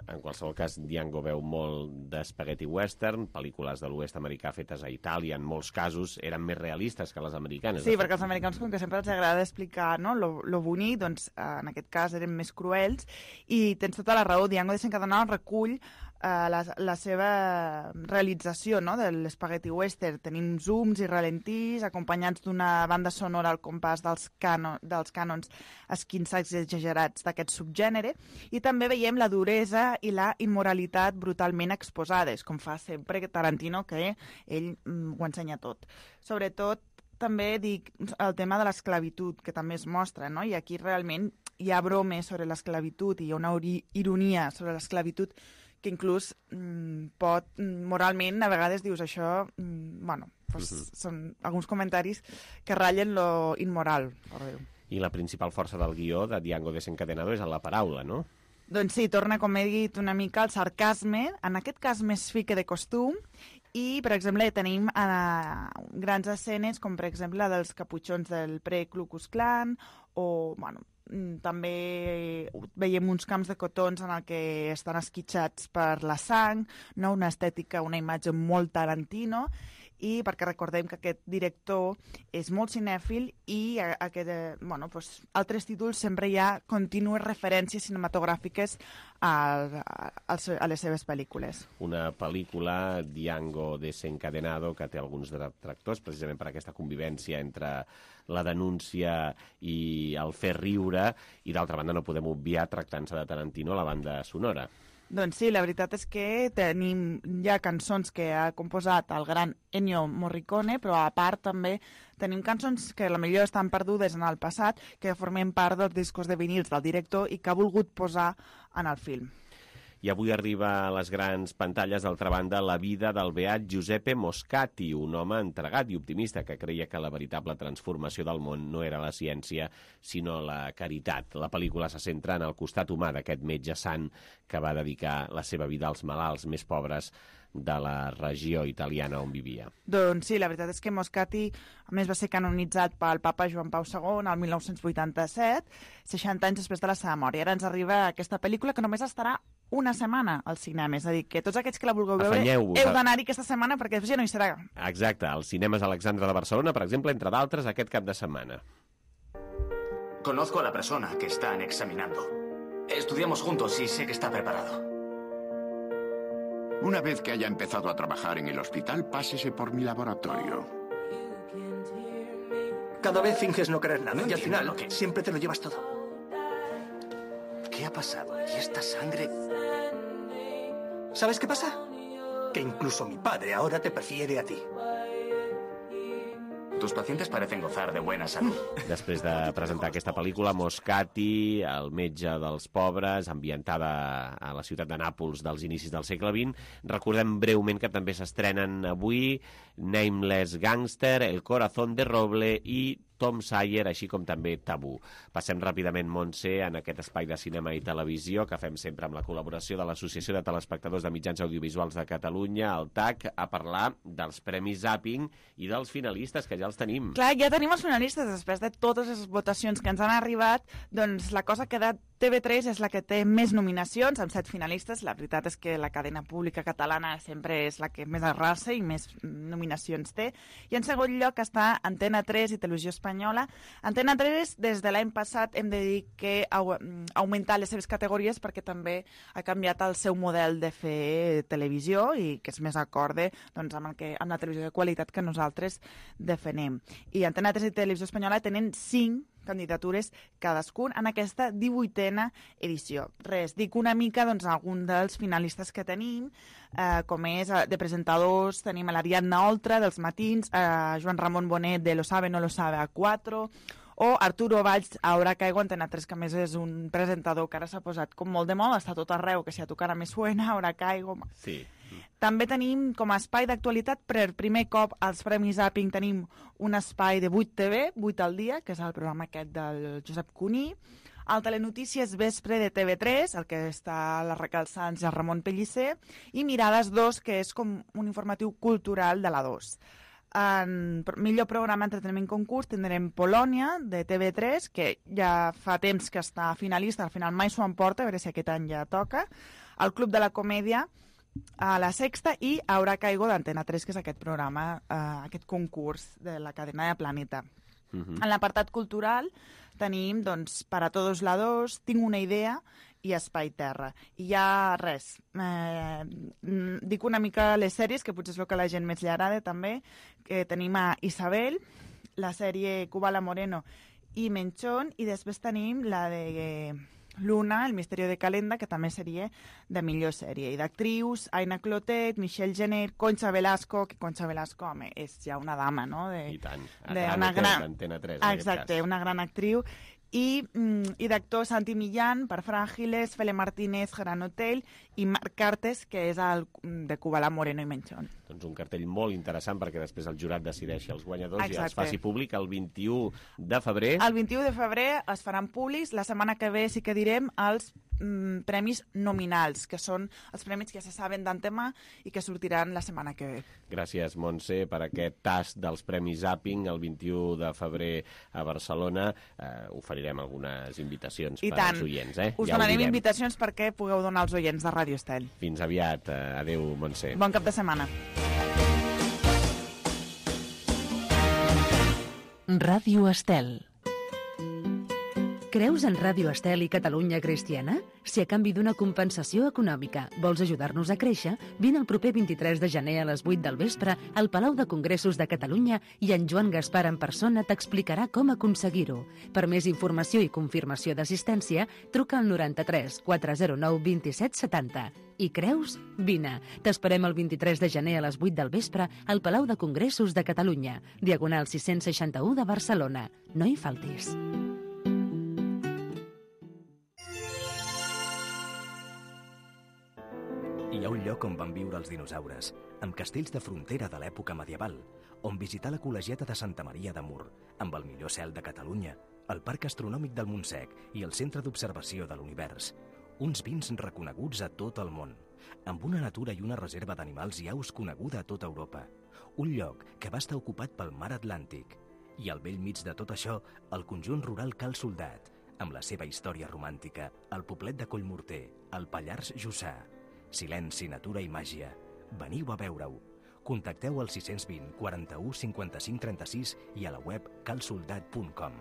En qualsevol cas, Django veu molt d'espaghetti western, pel·lícules de l'oest americà fetes a Itàlia, en molts casos eren més realistes que les americanes. Sí, perquè els americans, com que sempre els agrada explicar, no, lo, lo bonic, doncs en aquest cas eren més cruels, i tens tota la raó, Django Desencadenado recull Uh, la, la seva realització, no, de l'espaghetti western. Tenim zooms i ralentís acompanyats d'una banda sonora al compàs dels, cano, dels cànons esquinçats i exagerats d'aquest subgènere, i també veiem la duresa i la immoralitat brutalment exposades, com fa sempre Tarantino, que ell mm, ho ensenya tot. Sobretot també dic el tema de l'esclavitud, que també es mostra, no? I aquí realment hi ha bromes sobre l'esclavitud i hi ha una ironia sobre l'esclavitud que inclús mm, pot, moralment, a vegades dius això, mm, bueno, pues, uh-huh. són alguns comentaris que ratllen lo immoral, per dir-ho. I la principal força del guió de Django Desencadenado és en la paraula, no? Doncs sí, torna, com he dit, una mica al sarcasme, en aquest cas més fi que de costum, I, per exemple, tenim uh, grans escenes, com per exemple la dels caputxons del pre-Ku Klux Klan, o, bueno, també veiem uns camps de cotons en el que estan esquitxats per la sang, no? Una estètica, una imatge molt Tarantino, i perquè recordem que aquest director és molt cinèfil i aquest, bueno, doncs, altres títols sempre hi ha contínues referències cinematogràfiques a, a, a les seves pel·lícules. Una pel·lícula, Django Desencadenado, que té alguns detractors precisament per aquesta convivència entre la denúncia i el fer riure, i d'altra banda no podem obviar, tractant-se de Tarantino, la banda sonora. Doncs sí, la veritat és que tenim ja cançons que ha composat el gran Ennio Morricone, però a part també tenim cançons que potser estan perdudes en el passat, que formen part dels discos de vinils del director i que ha volgut posar en el film. I avui arriba a les grans pantalles, d'altra banda, la vida del beat Giuseppe Moscati, un home entregat i optimista que creia que la veritable transformació del món no era la ciència, sinó la caritat. La pel·lícula se centra en el costat humà d'aquest metge sant que va dedicar la seva vida als malalts més pobres de la regió italiana on vivia. Doncs sí, la veritat és que Moscati, a més, va ser canonitzat pel papa Joan Pau segon el mil nou-cents vuitanta-set, seixanta anys després de la seva mort. I ara ens arriba aquesta pel·lícula que només estarà una setmana al cinema. És a dir, que tots aquells que la vulgueu veure heu d'anar-hi aquesta setmana perquè després ja no hi serà. Exacte, als cinemes Alexandra de Barcelona, per exemple, entre d'altres, aquest cap de setmana. Conozco a la persona que están examinando. Estudiamos juntos y sé que está preparado. Una vez que haya empezado a trabajar en el hospital, pásese por mi laboratorio. Cada vez finges no querer nada y al final que siempre te lo llevas todo. ¿Qué ha pasado? ¿Y esta sangre? ¿Sabes qué pasa? Que incluso mi padre ahora te prefiere a ti. Tus pacientes parecen gozar de buena salud. Després de presentar aquesta pel·lícula, Moscati, el metge dels pobres, ambientada a la ciutat de Nàpols dels inicis del segle vint, recordem breument que també s'estrenen avui Nameless Gangster, El corazón de roble i Tom Sawyer, així com també Tabú. Passem ràpidament, Montse, en aquest espai de cinema i televisió que fem sempre amb la col·laboració de l'Associació de Telespectadors de Mitjans Audiovisuals de Catalunya, el T A C, a parlar dels Premis Zapping i dels finalistes, que ja els tenim. Clar, ja tenim els finalistes. Després de totes les votacions que ens han arribat, doncs la cosa que de T V tres és la que té més nominacions, amb set finalistes. La veritat és que la cadena pública catalana sempre és la que més arrasa i més nominacions té. I en segon lloc està Antena tres i Televisió Espanyola. Antena tres, des de l'any passat, hem de dir que ha augmentat les seves categories perquè també ha canviat el seu model de fer televisió i que és més acorde doncs, amb, el que, amb la televisió de qualitat que nosaltres defenem. I Antena tres i Televisió Espanyola tenen cinc candidatures cadascun en aquesta divuitena edició. Res, dic una mica doncs, algun dels finalistes que tenim, eh, com és de presentadors, tenim l'Ariadna Oltra dels matins, eh, Joan Ramon Bonet de Lo sabe, no lo sabe a quatre, o Arturo Valls a Ahora Caigo, Antena tres, que a més és un presentador que ara s'ha posat com molt de moda, està tot arreu, que si a tu cara me suena, Ahora Caigo. Sí. També tenim com a espai d'actualitat, per primer cop als Premis Zapping tenim un espai de vuit T V, vuit al dia, que és el programa aquest del Josep Cuní, el Telenotícies Vespre de T V tres, el que està la Raquel Sanz i el Ramon Pellicer, i Mirades dos, que és com un informatiu cultural de la dos. En millor programa entreteniment concurs tindrem Polònia, de T V tres, que ja fa temps que està finalista, al final mai s'ho emporta, a veure si aquest any ja toca, el Club de la Comèdia, a La Sexta, i Ahora Caigo d'Antena tres, que és aquest programa, eh, aquest concurs de la cadena de Planeta. Uh-huh. En l'apartat cultural tenim, doncs, Para Todos Lados, Tinc una idea i Espai Terra. I ja res, eh, dic una mica les sèries, que potser és el que a la gent més li agrada també, que tenim a Isabel, la sèrie Kubala Moreno i Menchón, i després tenim la de eh, Luna, El misterio de Calenda, que també seria de millor sèrie. I d'actrius, Aina Clotet, Michelle Jenner, Concha Velasco, que Concha Velasco, home, és ja una dama, no? De, I tant, a de gran una gran, Antena tres, exacte, una gran actriu. I, i d'actor Santi Millán, per Fràgiles, Fele Martínez, Gran Hotel, i Marc Cartes, que és el de Kubala, Moreno i Menchón. Doncs un cartell molt interessant perquè després el jurat decideixi els guanyadors. Exacte. I els faci públic el vint-i-u de febrer. El vint-i-u de febrer es faran públics. La setmana que ve sí que direm els mm, premis nominals, que són els premis que ja se saben d'antemà i que sortiran la setmana que ve. Gràcies, Montse, per aquest tast dels Premis Zapping el vint-i-u de febrer a Barcelona. Eh, oferirem algunes invitacions I per tant. als oients. Eh? Us ja donarem invitacions perquè pugueu donar als oients de Ràdio Estel. Fins aviat. Eh, adéu, Montse. Bon cap de setmana. Ràdio Estel. Creus en Ràdio Estel i Catalunya Cristiana? Si a canvi d'una compensació econòmica vols ajudar-nos a créixer, vine el proper vint-i-tres de gener a les vuit del vespre al Palau de Congressos de Catalunya i en Joan Gaspar en persona t'explicarà com aconseguir-ho. Per més informació i confirmació d'assistència, truca al noranta-tres quatre zero nou vint set setanta. I creus? Vine. T'esperem el vint-i-tres de gener a les vuit del vespre al Palau de Congressos de Catalunya, diagonal sis-cents seixanta-u de Barcelona. No hi faltis. Hi ha un lloc on van viure els dinosaures, amb castells de frontera de l'època medieval, on visitar la col·legiata de Santa Maria de Mur, amb el millor cel de Catalunya, el Parc Astronòmic del Montsec i el Centre d'Observació de l'Univers. Uns vins reconeguts a tot el món, amb una natura i una reserva d'animals i aus coneguda a tota Europa. Un lloc que va estar ocupat pel mar Atlàntic. I al bell mig de tot això, el conjunt rural Cal Soldat, amb la seva història romàntica, el poblet de Collmorter, el Pallars Jussà. Silenci, natura i màgia. Veniu a veure-ho. Contacteu al sis dos zero, quaranta-u, cinquanta-cinc, trenta-sis i a la web cal soldat punt com.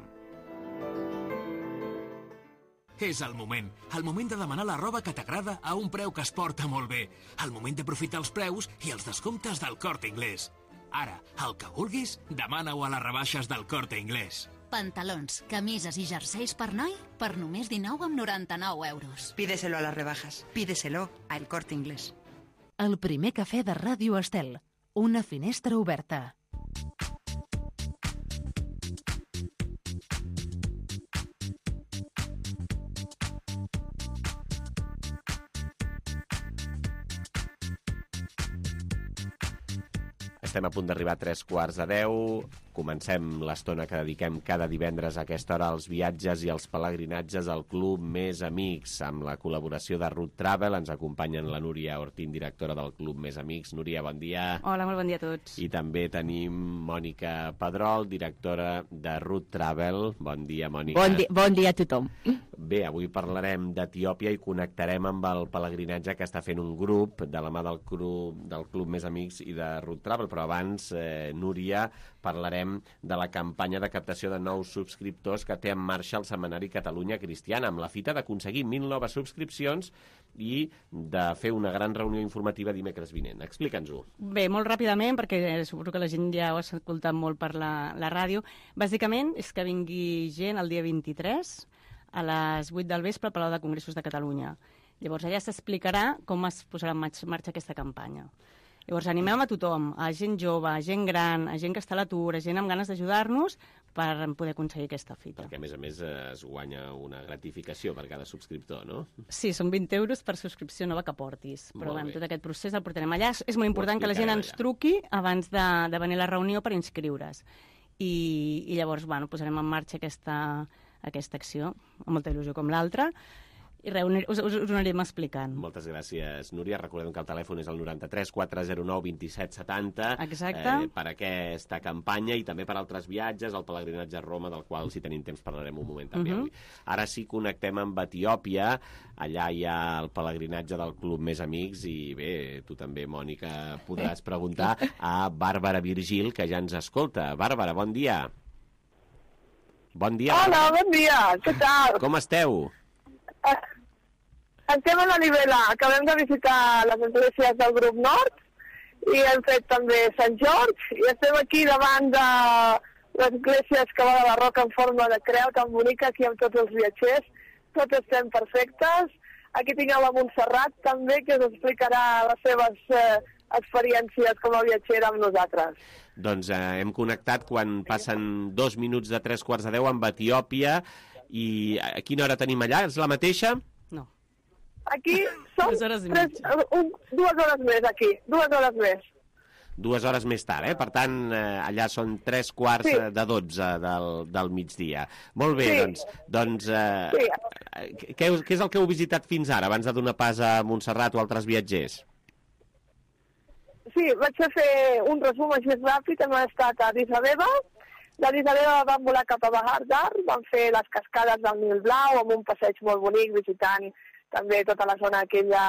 És el moment. El moment de demanar la roba que t'agrada a un preu que es porta molt bé. El moment d'aprofitar els preus i els descomptes del Corte Inglés. Ara, el que vulguis, demana-ho a les rebaixes del Corte Inglés. Pantalons, camises i jerseis per noi per només dinou coma noranta-nou euros. Pídeselo a las rebajas. Pídeselo a El Corte Inglés. El primer cafè de Ràdio Estel. Una finestra oberta. Estem a punt d'arribar a tres quarts de deu. Comencem l'estona que dediquem cada divendres a aquesta hora als viatges i als pelegrinatges al Club Més Amics. Amb la col·laboració de Route Travel ens acompanyen la Núria Ortín, directora del Club Més Amics. Núria, bon dia. Hola, molt bon dia a tots. I també tenim Mònica Pedrol, directora de Route Travel. Bon dia, Mònica. Bon dia, bon dia a tothom. Bé, avui parlarem d'Etiòpia i connectarem amb el pelegrinatge que està fent un grup de la mà del Club, del Club Més Amics i de Route Travel. Però abans, eh, Núria, parlarem de la campanya de captació de nous subscriptors que té en marxa el Setmanari Catalunya Cristiana, amb la fita d'aconseguir mil noves subscripcions i de fer una gran reunió informativa dimecres vinent. Explica'ns-ho. Bé, molt ràpidament, perquè suposo que la gent ja ho ha escoltat molt per la, la ràdio. Bàsicament és que vingui gent el dia vint-i-tres a les vuit del vespre al Palau de Congressos de Catalunya. Llavors allà s'explicarà com es posarà en marxa aquesta campanya. Llavors animem a tothom, a gent jove, a gent gran, a gent que està a l'atur, a gent amb ganes d'ajudar-nos per poder aconseguir aquesta fita. Perquè, a més a més, es guanya una gratificació per cada subscriptor, no? Sí, són vint euros per subscripció nova que portis. Però Molt bueno, bé. tot aquest procés el portarem allà. És molt important que la gent ens truqui abans de, de venir a la reunió per inscriure's. I, i llavors bueno, posarem en marxa aquesta, aquesta acció, amb molta il·lusió com l'altra, i res, us, us, us ho anirem explicant. Moltes gràcies, Núria. Recordem que el telèfon és el noranta-tres quatre zero nou vint set setanta. Exacte. Eh, per aquesta campanya i també per altres viatges, el pelegrinatge a Roma, del qual, si tenim temps, parlarem un moment també Mhm. avui. Ara sí, connectem amb Etiòpia. Allà hi ha el pelegrinatge del Club Més Amics i bé, tu també, Mònica, podràs preguntar a Bàrbara Virgil, que ja ens escolta. Bàrbara, bon dia. Bon dia. Hola, Bàrbara. bon dia, què tal? Com esteu? Estem a la Nivela, acabem de visitar les esglésies del grup Nord i hem fet també Sant George i estem aquí davant de l'església excavada de roca en forma de creu tan bonica aquí amb tots els viatgers. Tots estem perfectes. Aquí tingueu la Montserrat també, que us explicarà les seves eh, experiències com a viatgera amb nosaltres. Doncs eh, hem connectat quan passen dos minuts de tres quarts de deu amb Etiòpia. I a quina hora tenim allà? És la mateixa? Aquí som Dues hores i tres, un, dues hores més, aquí, dues hores més. dues hores més tard, eh? Per tant, eh, allà són tres quarts sí. de dotze del, del migdia. Molt bé, sí. doncs... doncs eh, sí. què, què és el que heu visitat fins ara, abans de donar pas a Montserrat o altres viatgers? Sí, vaig a fer un resum així ràpid. Hem estat a Addis Abeba. D'Addis Abeba vam volar cap a Bahar Dar, vam fer les cascades del Nil Blau amb un passeig molt bonic, visitant també tota la zona aquella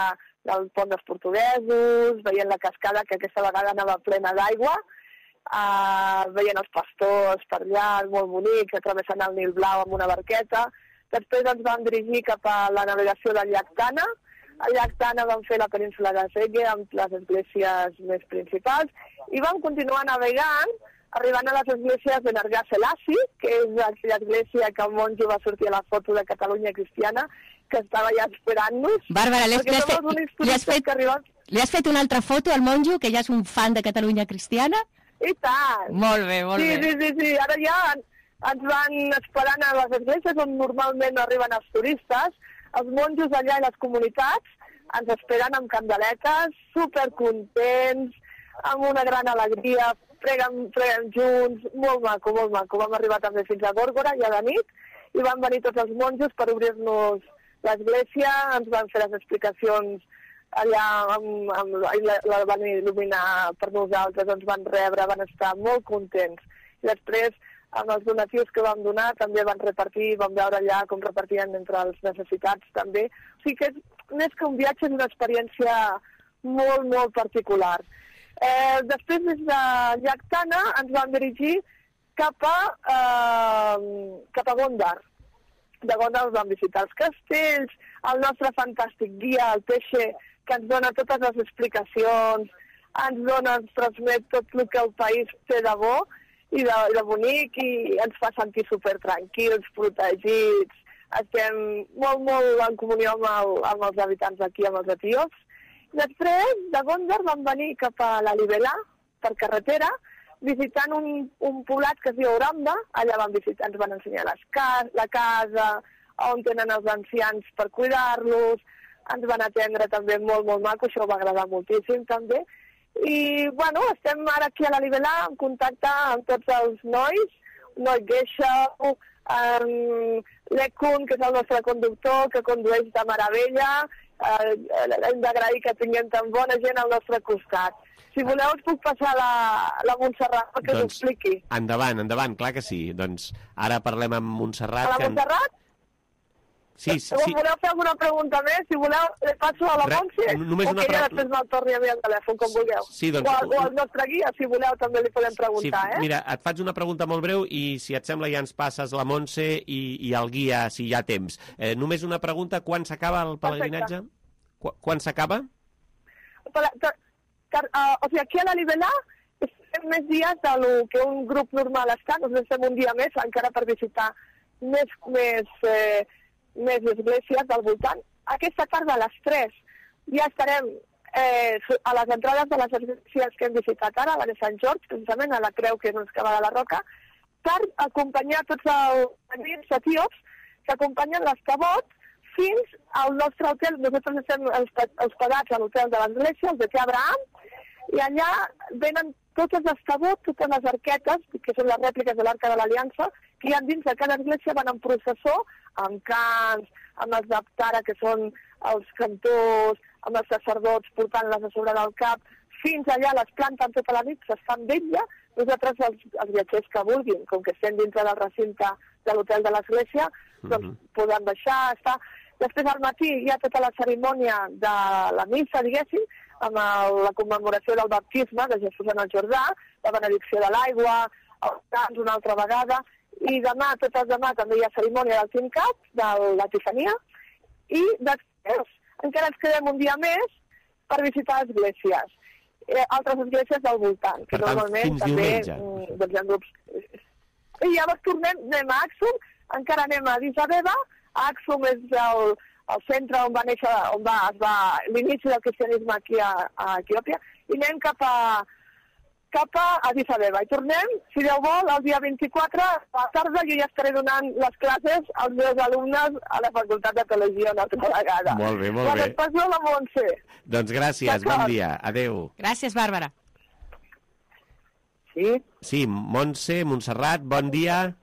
del pont dels portuguesos, veient la cascada, que aquesta vegada anava plena d'aigua, uh, veient els pastors per allà, molt bonic, travessant el Nil Blau amb una barqueta. Després ens vam dirigir cap a la navegació del llac Tana. Al llac Tana vam fer la península de Sege amb les esglésies més principals i vam continuar navegant, arribant a les esglésies de Nargà Selassie, que és aquella església que el monjo va sortir a la foto de Catalunya Cristiana, que estava ja esperant-nos. Bàrbara, li has, li, has fet, li, has fet, arribem... li has fet una altra foto al monjo, que ja és un fan de Catalunya Cristiana? I tant! Molt bé, molt sí, bé. Sí, sí, sí, ara ja ens van esperant a les esglésies on normalment arriben els turistes. Els monjos allà i les comunitats ens esperen amb candeletes, supercontents, amb una gran alegria, preguen, preguen junts, molt maco, molt maco. Vam arribar també fins a Gòrgora, ja de nit, i van venir tots els monjos per obrir-nos l'església, ens van fer les explicacions allà, amb, amb, la, la van il·luminar per nosaltres, ens van rebre, van estar molt contents. I després, amb els donatius que vam donar, també van repartir, vam veure allà com repartien entre els necessitats també. O sigui que és, més que un viatge, és una experiència molt, molt particular. Eh, després, des de llac Tana, ens vam dirigir cap a, eh, cap a Gondar. De Gondar vam visitar els castells, el nostre fantàstic guia, el Teixe, que ens dona totes les explicacions, ens dona, ens transmet tot el que el país té de bo i de, de bonic, i ens fa sentir supertranquils, protegits. Estem molt, molt en comunió amb, el, amb els habitants d'aquí, amb els etíops. Després, de Gondar, vam venir cap a la Libelà, per carretera, visitant un, un poblat que es diu Oramba. Allà vam visitar, ens van ensenyar les cas, la casa, on tenen els ancians per cuidar-los. Ens van atendre també molt, molt maco, això va agradar moltíssim també. I, bueno, estem ara aquí a la Libelà en contacte amb tots els nois, Noi Geixau, um, l'Ekun, que és el nostre conductor, que condueix de meravella. Uh, hem d'agrair que tinguem tan bona gent al nostre costat. Si voleu, us puc passar la, la Montserrat perquè doncs, us expliqui. Endavant, endavant, clar que sí. Doncs ara parlem amb Montserrat. A la Montserrat? Que... Sí, sí, si voleu fer alguna pregunta més, si voleu, li passo a la Montse, o que ella després me'l torni a mi al telèfon, com vulgueu. Sí, doncs... o, o al nostre guia, si voleu, també li podem preguntar, sí, eh? Mira, et faig una pregunta molt breu i, si et sembla, ja ens passes la Montse i, i el guia, si hi ha temps. Eh, només una pregunta, quan s'acaba el pelegrinatge? Qu quan s'acaba? Uh, o sigui, aquí a la Libelà estem més dies del que un grup normal està, doncs estem un dia més, encara per visitar més... més eh, més esglésies del voltant. Aquesta tarda a les tres ja estarem eh, a les entrades de les esglésies que hem visitat ara, la de Sant Jordi, precisament a la creu que és on es cava de la roca, per acompanyar tots els amics etíops que acompanyen l'escabot fins al nostre hotel. Nosaltres estem hospedats a l'hotel de l'església, el de Té Abraham, i allà venen tots els escabots, totes les arquetes, que són les rèpliques de l'Arca de l'Aliança, que hi ha dins de cada església, van en processó, amb cants, amb els d'Aptara, que són els cantors, amb els sacerdots portant-les a sobre del cap, fins allà les planten tota la nit, s'estan d'ella. Nosaltres, els, els viatgers que vulguin, com que estem dintre del recinte de l'hotel de l'església, mm-hmm. doncs poden baixar, estar... Després al matí hi ha tota la cerimònia de la missa, diguéssim, amb el, la commemoració del baptisme de Jesús en el Jordà, la benedicció de l'aigua, els cants una altra vegada, i demà, tot el demà, també hi ha cerimònia del Tincat, de l'Epifania, i després encara ens quedem un dia més per visitar esglésies, eh, altres esglésies del voltant, que per tant, normalment també doncs, hi ha grups. I llavors tornem, anem a Axum, encara anem a Addis Abeba. Axum és el, el centre on va néixer, on va, es va l'inici del cristianisme aquí a, a Etiòpia, i anem cap a cap a Addis Abeba. I tornem, si Déu vol, el dia vint-i-quatre a la tarda jo ja estaré donant les classes als meus alumnes a la Facultat de Teologia una altra vegada. Molt bé, molt bé. La passo a la Montse. Doncs gràcies, bon dia. Adéu. Gràcies, Bàrbara. Sí? Sí, Montse, Montserrat, bon dia.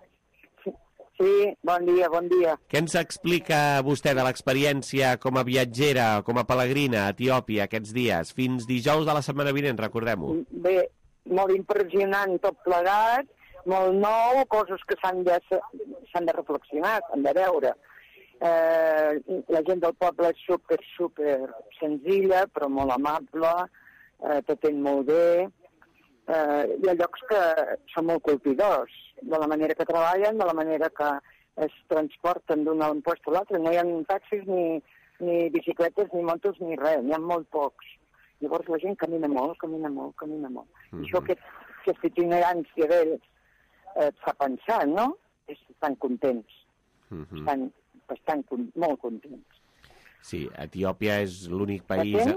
Sí, bon dia, bon dia. Què ens explica vostè de l'experiència com a viatgera, com a pelegrina a Etiòpia aquests dies? Fins dijous de la setmana vinent, recordem-ho. Bé, molt impressionant tot plegat, molt nou, coses que s'han de, s'han de reflexionar, s'han de veure. Eh, la gent del poble és super, super senzilla, però molt amable, eh, t'atén molt bé. Eh, hi ha llocs que són molt colpidors, de la manera que treballen, de la manera que es transporten d'un lloc a l'altre. No hi ha taxis, ni, ni bicicletes, ni motos, ni res, n'hi ha molt pocs. Llavors la gent camina molt, camina molt, camina molt. Mm -hmm. Això, que, aquesta itinerància d'ells eh, et fa pensar, no? Estan contents, mm -hmm. estan bastant, molt contents. Sí, Etiòpia és l'únic país...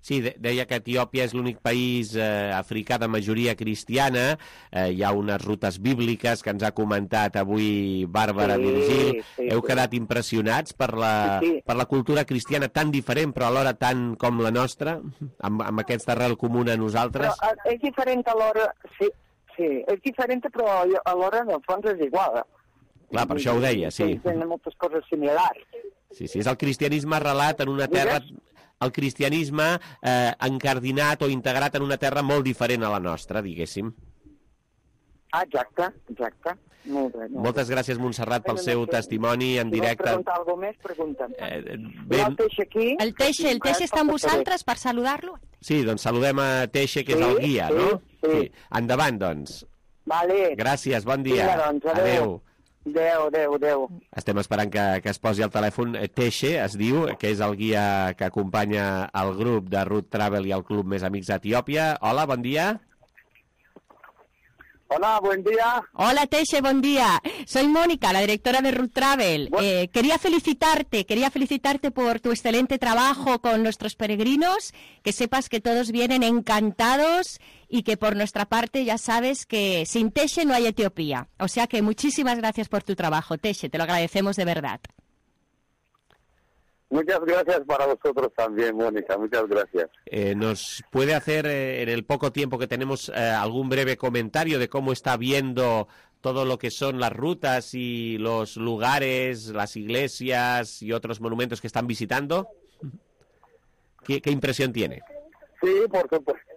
Sí, deia que Etiòpia és l'únic país eh, africà de majoria cristiana. Eh, hi ha unes rutes bíbliques que ens ha comentat avui Bàrbara sí, Virgil. Sí, Heu sí. quedat impressionats per la, sí, sí. per la cultura cristiana tan diferent, però alhora tan com la nostra, amb, amb aquesta arrel comuna a nosaltres? Però és diferent alhora, sí, sí, és diferent, però alhora en el fons és igual. Clar, per això ho deia, sí. Tenen moltes coses similars. Sí, sí, és el cristianisme arrelat en una terra... el cristianisme eh, encardinat o integrat en una terra molt diferent a la nostra, diguéssim. Ah, exacte, exacte. Molt bé, molt Moltes gràcies, Montserrat, pel seu testimoni en directe. Si vols preguntar alguna més, pregunta'm. Eh, ben... El Teixe aquí... El Teixe, el Teixe està amb vosaltres per saludar-lo? Sí, doncs saludem a Teixe, que sí, és el guia, sí, no? Sí. sí. Endavant, doncs. Vale. Gràcies, bon dia. Vinga, doncs, adéu. Adéu. Adéu, adéu, adéu. Estem esperant que, que es posi al telèfon Teixe, es diu, que és el guia que acompanya el grup de Root Travel i el Club Més Amics d'Etiòpia. Hola, bon dia. Hola, buen día. Hola, Teixe, buen día. Soy Mónica, la directora de Root Travel. Eh, quería felicitarte, quería felicitarte por tu excelente trabajo con nuestros peregrinos, que sepas que todos vienen encantados y que por nuestra parte ya sabes que sin Teixe no hay Etiopía. O sea que muchísimas gracias por tu trabajo, Teixe, te lo agradecemos de verdad. Muchas gracias para vosotros también, Mónica, muchas gracias. Eh, ¿Nos puede hacer, eh, en el poco tiempo que tenemos, eh, algún breve comentario de cómo está viendo todo lo que son las rutas y los lugares, las iglesias y otros monumentos que están visitando? ¿Qué, qué impresión tiene? Sí, por supuesto.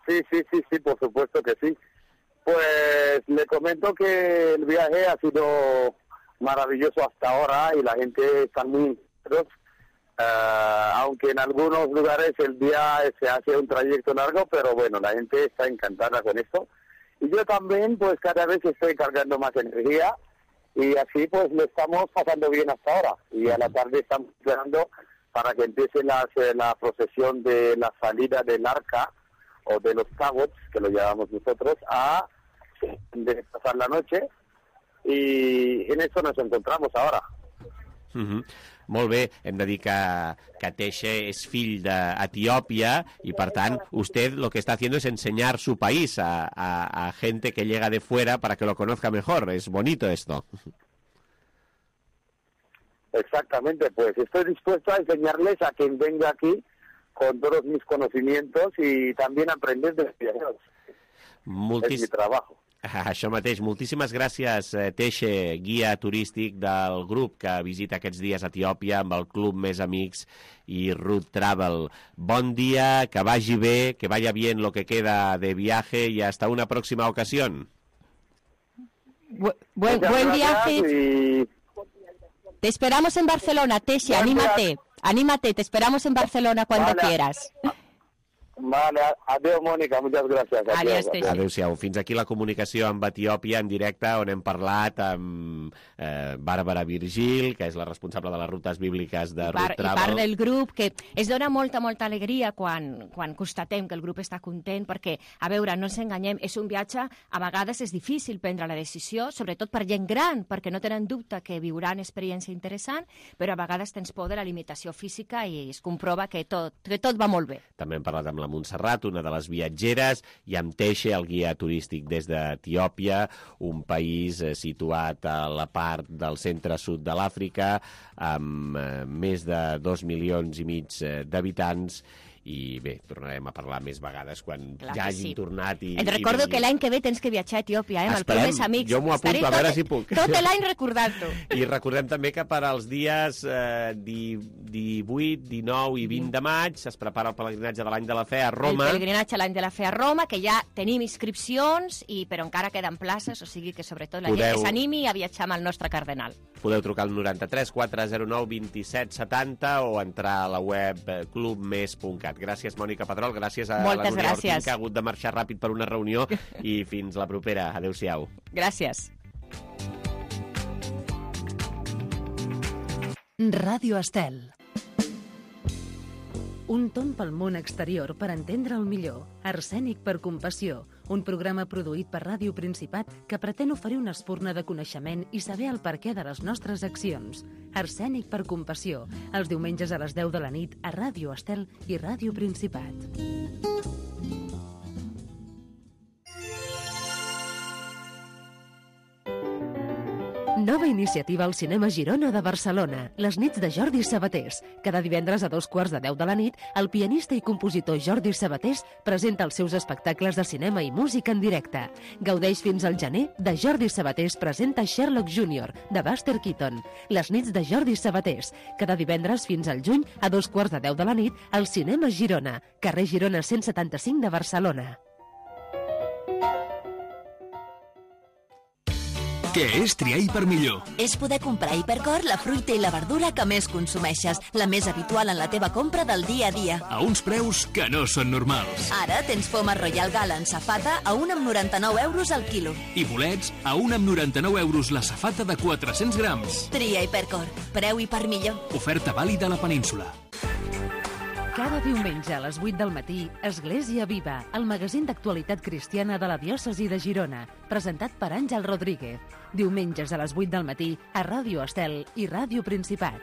Sí, sí, sí, sí, por supuesto que sí. Pues le comento que el viaje ha sido maravilloso hasta ahora y la gente está muy uh, aunque en algunos lugares el día se hace un trayecto largo, pero bueno, la gente está encantada con esto. Y yo también, pues cada vez estoy cargando más energía y así pues lo estamos pasando bien hasta ahora. Y a la tarde estamos esperando para que empiece la, la procesión de la salida del arca o de los tabots, que lo llamamos nosotros, a de pasar la noche. I en això nos encontramos ahora. Uh -huh. Molt bé, hem de dir que, que Teixe és fill d'Etiòpia i per tant usted lo que está haciendo es enseñar su país a, a, a gente que llega de fuera para que lo conozca mejor. Es bonito esto. Exactamente, pues estoy dispuesto a enseñarles a quien venga aquí con todos mis conocimientos y también aprender de los viajeros. Multis... Es mi trabajo. Això mateix. Moltíssimes gràcies, Teixe, guia turístic del grup que visita aquests dies a Etiòpia amb el Club Més Amics i Root Travel. Bon dia, que vagi bé, que vaya bien lo que queda de viaje y hasta una próxima ocasión. Bu buen, buen viaje. Y... Te esperamos en Barcelona, Teixe, anímate, anímate, te esperamos en Barcelona cuando vale. quieras. Vale, adéu, Mònica, moltes gràcies. Adéu, adéu. Adéu-siau. Fins aquí la comunicació amb Etiòpia en directe, on hem parlat amb eh, Bàrbara Virgil, que és la responsable de les rutes bíbliques de Root Travel. I part del grup, que es dona molta, molta alegria quan, quan constatem que el grup està content, perquè, a veure, no ens enganyem, és un viatge, a vegades és difícil prendre la decisió, sobretot per gent gran, perquè no tenen dubte que viuran experiència interessant, però a vegades tens por de la limitació física i es comprova que tot, que tot va molt bé. També hem parlat amb la Montserrat, una de les viatgeres, i amb Teixe, el guia turístic des d'Etiòpia, un país eh, situat a la part del centre-sud de l'Àfrica, amb eh, més de dos milions i mig eh, d'habitants, i bé, tornarem a parlar més vegades quan Clar ja que hagin sí. tornat. I, Et recordo i que l'any que ve tens que viatjar a Etiòpia, eh, amb el Club Esperem. Més Amics. Jo m'ho apunto, Estaré a veure tot, si puc. Tot l'any recordant-ho. I recordem també que per als dies eh, divuit, dinou i vint de maig es prepara el pelegrinatge de l'any de la fe a Roma. El pelegrinatge a l'any de la fe a Roma, que ja tenim inscripcions, i però encara queden places, o sigui que sobretot la Podeu... gent que s'animi a viatjar amb el nostre cardenal. Podeu trucar al noranta-tres quatre zero nou vint set setanta o entrar a la web club mes punt cat. Gràcies, Mònica Pedrol, gràcies a Moltes la Núria gràcies. Ortín, que ha hagut de marxar ràpid per una reunió, i fins la propera. Adéu-siau. Gràcies. Ràdio Estel. Un tomb pel món exterior per entendre el millor. Arsènic per compassió. Un programa produït per Ràdio Principat que pretén oferir una espurna de coneixement i saber el perquè de les nostres accions. Arsènic per compassió. Els diumenges a les deu de la nit a Ràdio Estel i Ràdio Principat. Nova iniciativa al Cinema Girona de Barcelona, les nits de Jordi Sabatés. Cada divendres a dos quarts de deu de la nit, el pianista i compositor Jordi Sabatés presenta els seus espectacles de cinema i música en directe. Gaudeix fins al gener de Jordi Sabatés presenta Sherlock júnior, de Buster Keaton. Les nits de Jordi Sabatés. Cada divendres fins al juny, a dos quarts de deu de la nit, al Cinema Girona, carrer Girona cent setanta-cinc de Barcelona. Què és triar Hipermillor? És poder comprar a Hipercor la fruita i la verdura que més consumeixes, la més habitual en la teva compra del dia a dia. A uns preus que no són normals. Ara tens poma Royal Gala en safata a un amb noranta-nou euros al quilo. I bolets a un amb noranta-nou euros la safata de quatre-cents grams. Tria Hipercor. Preu Hipermillor. Oferta vàlida a la península. Cada diumenge a les vuit del matí, Església Viva, el magazín d'actualitat cristiana de la diòcesi de Girona, presentat per Àngel Rodríguez. Diumenges a les vuit del matí a Ràdio Estel i Ràdio Principat.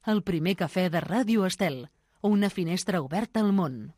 El primer cafè de Ràdio Estel, una finestra oberta al món.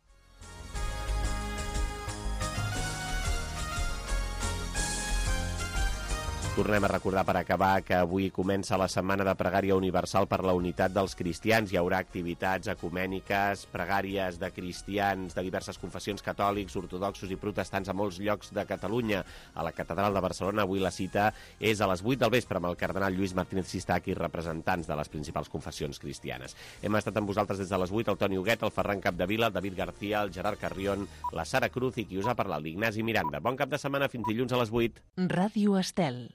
Tornem a recordar per acabar que avui comença la Setmana de Pregària Universal per la Unitat dels Cristians. Hi haurà activitats ecumèniques, pregàries de cristians de diverses confessions catòlics, ortodoxos i protestants a molts llocs de Catalunya. A la Catedral de Barcelona avui la cita és a les vuit del vespre amb el cardenal Lluís Martínez Sistac i representants de les principals confessions cristianes. Hem estat amb vosaltres des de les vuit el Toni Huguet, el Ferran Capdevila, el David García, el Gerard Carrión, la Sara Cruz i qui us ha parlat, l'Ignasi Miranda. Bon cap de setmana, fins dilluns a les vuit. Ràdio Estel.